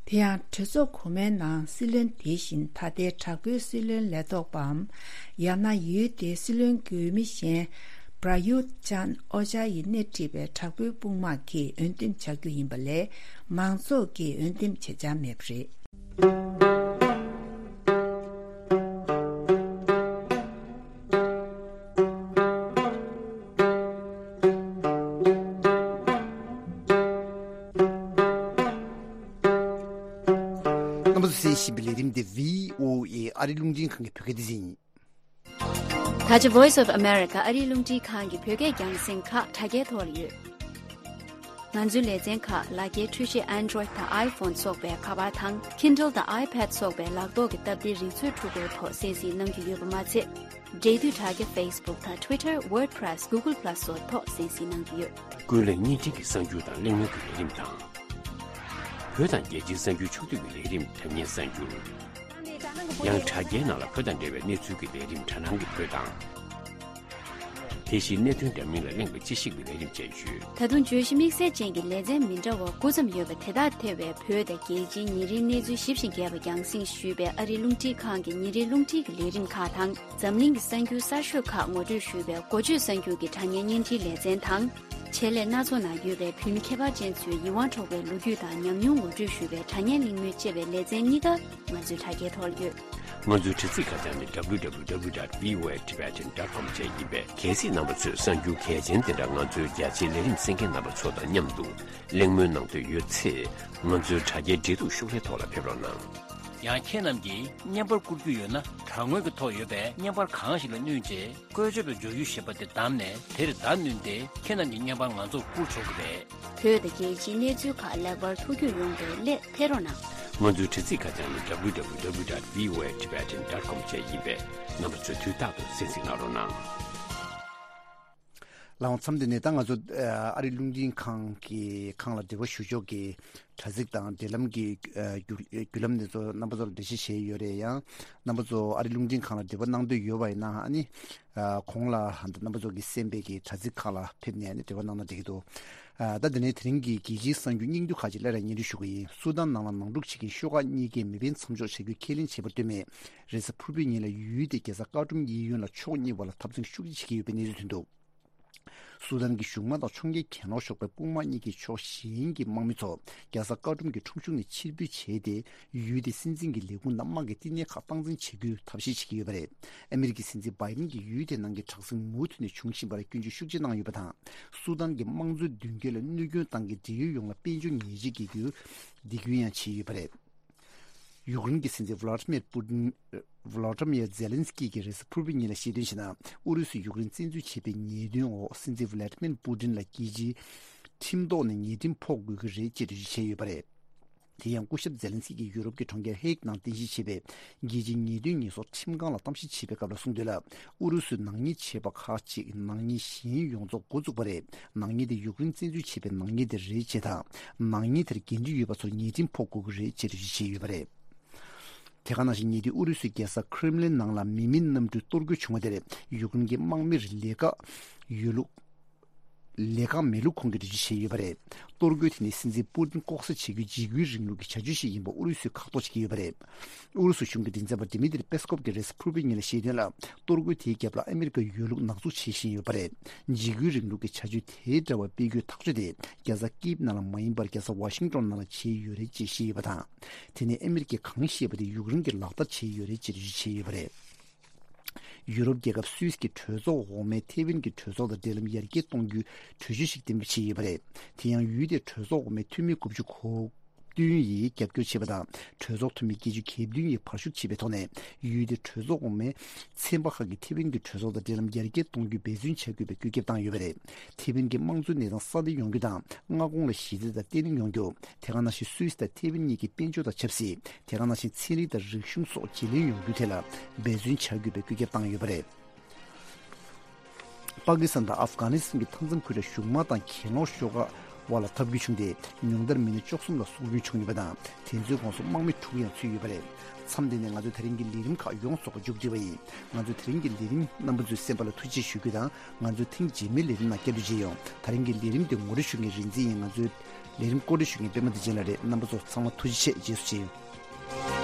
དེ་ཡང་གྲོས་ཚོགས་གོང་མའི་ནང་སྲིད་བློན་དེ་བཞིན་ད་ལྟའི་དྲག་པོའི་སྲིད་བློན་ལས་ཐོག་པའམ། ཡང་ན་ཡུལ་དེའི་སྲིད་བློན་གྱི་འོས་མི་གཞན་པྲ་ཡུད་ཅན་ཨོ་ཅཱ་ཡིས་སྣེ་ཁྲིད་པའི་དྲག་པོའི་དཔུང་དམག་གིས་འོས་འདེམས་བྱ་རྒྱུ་ཡིན་པ་ལས། མང་ཚོགས་ཀྱིས་འོས་འདེམས་བྱེད་འཆར་མེད་པ་རེད། རྣམ་པ་ཚོས་གསན་བཞིན་པའི་ལས་རིམ་འདི་བྷི་ཨོ་ཨེ་ཨ་རི་རླུང་འཕྲིན་ཁང་གི་བོད་སྐད་སྡེ་ཚན་ཡིན། ད་ཆ་Voice of America ཨ་རིའི་རླུང་འཕྲིན་ཁང་གི་བོད་སྐད་རྒྱང་སྲིང་ཁག་དྲ་རྒྱའི་ཐོག་ལ་ཡོད། ང་ཚོའི་ལེ་ཚན་ཁག་ལག་འཁྱེར་འཕྲུལ་ཆས་Android་དང་iPhone་སོགས་པའི་ཁ་པར་དང་Kindle་དང་iPad་སོགས་པའི་ལག་ཐོག་གི་སྟབས་བདེའི་རིག་མཛོད་འཕྲུལ་འཁོར་ཐོག་གསན་གཟིགས་གནང་རྒྱུ་ཡོད་པ་མ་ཚད། འབྲེལ་མཐུད་དྲ་རྒྱ་Facebook་དང་Twitter, WordPress, Google Plus་སོགས་ཐོག་གསན་གཟིགས་གནང་རྒྱུ་ཡོད། ཀུན་གླེང་བརྙན་འཕྲིན་གྱི་གསར་འགྱུར་དང་གླེང་མོལ་གྱི་ལས་རིམ་དང་། བོད་དང་རྒྱལ་སྤྱིའི་གསར་འགྱུར་ཕྱོགས་བསྡུས་ཀྱི་ལས་རིམ་དྲ་བརྙན་གསར་འགྱུར། ཡང་དྲ་རྒྱའི་ནང་ལ་བོད་དང་འབྲེལ་བའི་གནས་ཚུལ་གྱི་ལས་རིམ་དྲ་སྣང་གི་བོད་དང་། དེ་བཞིན་གནད་དོན་འདྲ་མིན་ལ་གླེང་བའི་དཔྱད་ཞིབ་ཀྱི་ལས་རིམ་བཅས་ཡོད། ད་དུང་བརྗོད་གཞི་དམིགས་བསལ་ཅན་གྱི་ལེ་ཚན་མི་འདྲ་བ་དགུ་ཙམ་ཡོད་པ་དེ་དག་ཐེ་བའི་བོད་དང་རྒྱལ་སྤྱིའི་ཉིན་རེའི་གནས་ཚུལ་ཞིབ་ཅིང་རྒྱས་པ་རྒྱང་སྲིང་ཞུས་པའི་ཨ་རིའི་རླུང་འཕྲིན་ཁང་གི་ཉིན་རེའི་རླུང་འཕྲིན་གྱི་ལས་རིམ་ཁག་དང་། འཛམ་གླིང་གི་གསར་འགྱུར་གསར་ཤོས་ཁག་ངོ་སྤྲོད་ཞུས་པའི་འགོ་བརྗོད་གསར་འགྱུར་གྱི་དྲ་བརྙན་བརྙན་འཕྲིན་ལེ་ཚན་དང་། ཆེད་ལས་སྣ་ཚོགས་ནང་ཡོད་པའི་བོད་མི་ཁྱད་པར་ཅན་ཚོའི་ཡིད་དབང་འཕྲོག་པའི་ལོ་རྒྱུས་དང་ཉམས་མྱོང་ངོ་སྤྲོད་ཞུ་བའི་དྲ་བརྙན་གླེང་མོལ་བཅས་པའི་ལེ་ཚན་གཉིས་ཀ་ང་ཚོའི་དྲ་རྒྱའི་ཐོག་ལ་ཡོད། ང་ཚོའི་དྲ་ཚིགས་ཁ་བྱང་ནི་W W W dot V O A Tibetan dot com བཅས་ཡིན་པས། གལ་སྲིད་རྣམ་པ་ཚོས་གསར་འགྱུར་གལ་ཆེན་དེ་འདྲ་ང་ཚོའི་རྒྱ་ཆེའི་ལས་རིམ་གསན་མཁན་རྣམ་པ་ཚོ་དང་མཉམ་དུ་གླེང་མོལ་གནང་འདོད་ཡོད་ཚེ། ང་ཚོའི་དྲ་རྒྱའི་འབྲེལ་གཏུག་ཤོག་ལྷེ་ཐོག་ལ་ཕེབས་རོགས་གནང་། ཡང་ཁྱེད་རྣམས་ཀྱིས་བརྙན་པར་བསྐུར་རྒྱུ་ཡོད་ན། དྲ་ངོས་ཀྱི་ཐོག་ཡོད་པའི་བརྙན་པར་གང་ཞིག་ལ་བསྣུན་རྗེས། བཀོལ་སྤྱོད་པའི་སྦྱོར་ཡུལ་ཞེས་པ་དེ་བདམས་ནས། དེར་བརྡ་བསྣུན་ཏེ་ཁྱེད་རྣམས་ཀྱི་བརྙན་པར་ང་ཚོར་བསྐུར་ཆོག་གི་རེད། བོད་དང་རྒྱལ་སྤྱིའི་གནས་ཚུལ་ཁག་ལེགས་པར་ཐུགས་རྒྱུས་ཡོང་བའི་སླད་ཕེབས་རོགས་གནང་། ང་ཚོའི་དྲ་ཚིགས་ཁ་བྱང་ནི་W W W dot V O A Tibetan dot com བཅས་ཡིན་པས། རྣམ་པ་ཚོས་དུས་རྟག་ཏུ་གསན་གཟིགས་གནང་རོགས་གནང་། ལགས་འོང་། མཚམས་འདི་ནས་ད་ང་ཚོ་ཨ་རི་རླུང་འཕྲིན་ཁང་གི་ཁང་ལ་འབྲེལ་བ་ཞུ་ཕྱོགས་ཀྱི་དྲ་ཚིགས་དང་འབྲེལ་ལམ་གྱི་ཨ་བརྒྱུད་བརྒྱུད་ལམ་འདི་ཚོ་རྣམ་པ་ཚོར་འགྲེལ་བཤད་བྱས་ཡོད་རེད། ཡང་རྣམ་པ་ཚོ་ཨ་རི་རླུང་འཕྲིན་ཁང་ལ་འབྲེལ་བ་གནང་འདོད་ཡོད་པ་ཡིན་ན། ཨ་ནི་ཨ་གོང་ལ་རྣམ་པ་ཚོ་གིས་གསན་པའི་གི་དྲ་ཚིགས་ཁག་ལ་ཕེབས་ནས་ཨ་ནི་འབྲེལ་བ་གནང་ན་འགྲིག་གི་འདུག་ཨ་ད་དེ་ནས་དེ་རིང་གི་རྒྱལ་སྤྱིའི་གསར་འགྱུར་སྙིང་བསྡུས་ཁག་ཅིག་སླར་ཡང་སྙན་སྒྲོན་ཞུ་གི་ཡིན། སུ་དཱན་ནང་ལ་ནང་འཁྲུག་བྱེད་མཁན་ཤོག་ཁག་གཉིས་ཀས་མེ་འཕེན་མཚམས་འཇོག་བྱ་རྒྱུ་ཁས་ལེན་བྱས་པར་ལྟོས་མེད། རེས་གཟའ་ཕུར་བུའི་ཉིན་ལ་ཡུལ་དེའི་རྒྱལ་ས་ཀར་ཀྲུམ་གཡས་གཡོན་ལ་ཕྱོགས་གཉིས་བར་ལ་འཐབ་འཛིང་ཤུགས་ཆེ་བྱེད་ཀྱི་ཡོད་པའི་གནས་ཚུལ་ཐོན་འདུག་སུ་དཱན་གྱི་གཞུང་དམངས་དང་ཕྱོགས་འགལ་གྱེན་ལོག་ཤོག་ཁག་དཔུང་དམག་གཉིས་ཀྱིས་ཕྱོགས་གཞན་གྱི་དམག་མི་ཚོ་རྒྱལ་ས་ཀར་ཀྲུམ་གྱི་ཁྲོམ་གཞུང་ནས་ཕྱིར་འབུད་བྱས་ཏེ། ཡུལ་དེའི་སྲིད་འཛིན་གྱི་ལས་ཁུངས་དང་དམག་གི་བསྟི་གནས་ཁག་སྟངས་འཛིན་བྱེད་རྒྱུའི་ཐབས་ཤེས་བྱེད་ཀྱི་ཡོད་པ་རེད། ཨ་མི་རི་ཀའི་སྲིད་འཛིན་བྷའི་ཌེན་གྱིས་ཡུལ་དེའི་ནང་གི་དྲག་ཟིང་མུ་མཐུད་ནས་འབྱུང་བཞིན་པར་སྐྱོན་བརྗོད་ཤུགས་ཆེ་གནང་ཡོད་པ་དང་། སུ་དཱན་གྱི་དམངས་གཙོའི་མདུན་སྐྱོད་ལ་གནོད་སྐྱོན་བཏང་གི་འབྲེལ་ཡོད་ཡོངས་ལ་དཔལ་འབྱོར་ཉེས་ཆད་འགེལ་རྒྱུའི་འདེད་སྐུལ་ཡང་བྱས་ཡོད་པ་རེད། ཡུཀ་རེན་གྱི་སྲིད་འཛིན་ཝ་ལ་ཏི་མིར་པུ་ཏིན། ཝ་ལ་ཏི་མིར་ཛེ་ལན་སི་ཀི་གིས་རེས་གཟའ་ཕུར་བུའི་ཉིན་ལ་བཤད་དོན་བྱས་ན། ཨུ་རུ་སུས་ཡུཀ་རེན་བཙན་འཛུལ་བྱས་པའི་ཉེས་དོན་འོག་སྲིད་འཛིན་ཝ་ལ་ཏི་མིར་པུ་ཏིན་ལ་རྒྱལ་སྤྱིའི་ཁྲིམས་ཐོག་ནས་ཉེས་ཁྲིམས་ཕོག་དགོས་ཀྱི་རེད་ཅེས་འགྲེལ་བརྗོད་བྱས་ཡོད་པ་རེད། དེ་ཡང་སྐུ་ཞབས་ཛེ་ལན་སི་ཀི་གིས་ཡུ་རོབ་ཀྱི་གྲོང་ཁྱེར་ཧེག་ནང་རྟེན་གཞི་བྱས་པའི་རྒྱལ་སྤྱིའི་ཉེས་དོན་ཉེས་གསོག་ཁྲིམས་ཁང་ལ་གཏམ་བཤད་བྱས་པའི་སྐབས་ལ་གསུངས་དོན་ལ། ཨུ་རུ་སུས་ནག་ཉེས་བྱས་པ་ཁག་ཅིག་ནག་ཉེས་གཞན་ཡོངས་རྫོགས་འགོ་བཙུགས་པ་རེད། ནག་ཉེས་དེ་ཡུཀ་རེན་བཙན་འཛུལ་བྱས་པའི་ནག་ཉེས་དེ་རེད་ཅེས་དང་། ནག་ཉེས་དེར་འགན་འཁྲི་ཡོད་པ་ཚོར་ཉེས་ཁྲིམས་ཕོག་དགོས་ཀྱི་རེད་ཅེས་འགྲེལ་བརྗོད་བྱས་ཡོད་པ་རེད། དེ་ག་ནང་བཞིན་ཉེ་དུས་ཨུ་རུ་སུའི་རྒྱལ་ས་ཁྲེམ་ལིན་ནང་ལ་མི་མིན་གནམ་གྲུའི་གཏོར་རྒོལ་བྱུང་བ་དེར་ཡུཀ་རེན་གྱི་དམག་མིར་ལས་ཀ་ཡོད་ལུགས། ལས་ཁང་མེད་ལུགས་ཁོང་གིས་འགྲེལ་བརྗོད་བྱས་ཡོད་པ་རེད། གཏོར་རྒོལ་དེ་ནི་སྲིད་འཛིན་པུ་ཏིན་ལྐོག་ཟ་བྱེད་རྒྱུའི་འཇིགས་སྐུལ་རིང་ལུགས་ཀྱི་བྱ་སྤྱོད་ཞིག་ཡིན་པ་ཨུ་རུ་སུས་ཁག་ཐེག་བྱེད་ཀྱི་ཡོད་པ་རེད། ཨུ་རུ་སུ་གཞུང་གི་མགྲིན་ཚབ་པ་ཌི་མི་ཏྲི་པེ་སི་ཀོབ་ཀྱིས་རེས་གཟའ་ཕུར་བུའི་ཉིན་ལ་བཤད་དོན་ལ། གཏོར་རྒོལ་དེའི་རྒྱབ་ལ་ཨ་མི་རི་ཀ་ཡོད་ལུགས་ནག་འཛུགས་བྱེད་བཞིན་ཡོད་པ་རེད། འཇིགས་སྐུལ་རིང་ལུགས་ཀྱི་བྱ་སྤྱོད་དེའི་འབྲེལ་བ་སྤེལ་རྒྱུའི་ཐག་གཅོད་དེ་རྒྱལ་ས་ཀིབ་ནང་ལ་མ་ཡིན་པར་རྒྱལ་ས་ཝ་ཤིང་ཏོན་ནང་ལ་བྱས་ཡོད་རེད་ཅེས་བཤད་ཡོད་པ་དང་། དེ་ནི་ཨ་མི་རི་ཀས་གང་བཤད་པ་དེ་ཡུཀ་རེན་གྱི་ལག་བསྟར་བྱས་ཡོད་རེད་ཅེས་འགྲེལ་བརྗོད་བྱས་ཡོད་པ་རེད། ཡུ་རོབ་རྒྱལ་ཁབ་སུད་སི་གི་གྲོས་ཚོགས་འོག་མས་ཐེ་ཝན་གྱི་གྲོས་ཚོགས་དང་འབྲེལ་ལམ་ཡར་རྒྱས་གཏོང་རྒྱུའི་གྲོས་ཆོད་ཞིག་གཏན་འབེབས་བྱས་ཡོད་པ་རེད། དེ་ཡང་ཡུལ་དེའི་གྲོས་ཚོགས་འོག་མའི་འཐུས་མི་དགུ་བཅུ་གོ་བདུན་ཡིས་རྒྱབ་སྐྱོར་བྱས་པ་དང་། གྲོས་ཚོགས་འཐུས་མི་བརྒྱད་ཅུ་གྱ་བདུན་ཡིས་བར་ཞུགས་བྱས་པའི་ཐོག་ནས། ཡུལ་དེའི་གྲོས་ཚོགས་འོག་མས་ཚན་པ་ཁག་གིས་ཐེ་ཝན་གྱི་གྲོས་ཚོགས་དང་འབྲེལ་ལམ་ཡར་རྒྱས་གཏོང་རྒྱུ་འབད་བརྩོན་བྱ་དགོས་པའི་བཀོད་ཁྱབ་བཏང་ཡོད་པ་རེད། ཐེ་ཝན་གྱི་དམངས་གཙོའི་གནས་སྟངས་སྲ་བརྟན་ཡོང་རྒྱུ་དང་། མངའ་ཁོངས་ལ་ཞི་བདེ་དང་བརྟན་ལྷིང་ཡོང་རྒྱུ། དེ་ག་ནང་བཞིན་སུད་སི་དང་ཐེ་ཝན་གཉིས་ཀྱི་དཔལ་འབྱོར་དང་ཆབ་སྲིད། དེ་ག་ནང་བཞིན་ཚན་རིག་དང་རིག་གཞུང་སོགས་བརྗེ་ལེན་ཡོང་རྒྱུའི་ཐད་ལ་འབད་བརྩོན་བྱ་དགོས་པའི་བཀོད་ཁྱབ་བཏང་ཡོད་པ་རེད། པ་ཀི་སི་ཐན་དང་ཨབ་གྷ་ནི་སི་ཐན་གྱི་མཐའ་མཚམས་ཁུལ་ལ་གཞུང་དམག་དང་གྱེན་ལོག་ཤོག་ཁག་དབར་ལ་འཐབ་རྒོལ་བྱུང་སྟེ། ཉུང་མཐར་མི་སྣ་བཅུ་གསུམ་ལ་སྲོག་སྐྱོན་བྱུང་ཡོད་པ་དང་། དེ་ཚོའི་ཁོངས་སུ་དམག་མི་དྲུག་ཡང་ཚུད་ཡོད་པ་རེད། མཚམས་འདི་ནས་ང་ཚོའི་དེ་རིང་གི་ལས་རིམ་ཁག་ཡོངས་རྫོགས་པ་མཇུག་སྒྲིལ་བ་ཡིན། ང་ཚོའི་དེ་རིང་གི་ལས་རིམ་རྣམ་པ་ཚོས་གསན་པ་ལ་ཐུགས་རྗེ་ཆེ་ཞུ་རྒྱུ་དང་། ང་ཚོའི་ཐེངས་རྗེས་མའི་ལས་རིམ་ནང་བསྐྱར་མཇལ་ཡོང་། དེ་རིང་གི་ལས་རིམ་དེ་ངོ་སྤྲོད་ཞུ་མཁན་རིག་འཛིན་ཡིན། ང་ཚོའི་ལས་རིམ་བཀོད་སྒྲིག་ཞུ་མཁན་པད་མ་བདེ་ཆེན་ལགས་རེད། རྣམ་པ་ཚོ་ཚང་མ་ཐུགས་རྗེ་ཆེ། རྗེས་སུ་མཇལ་ཡོང་།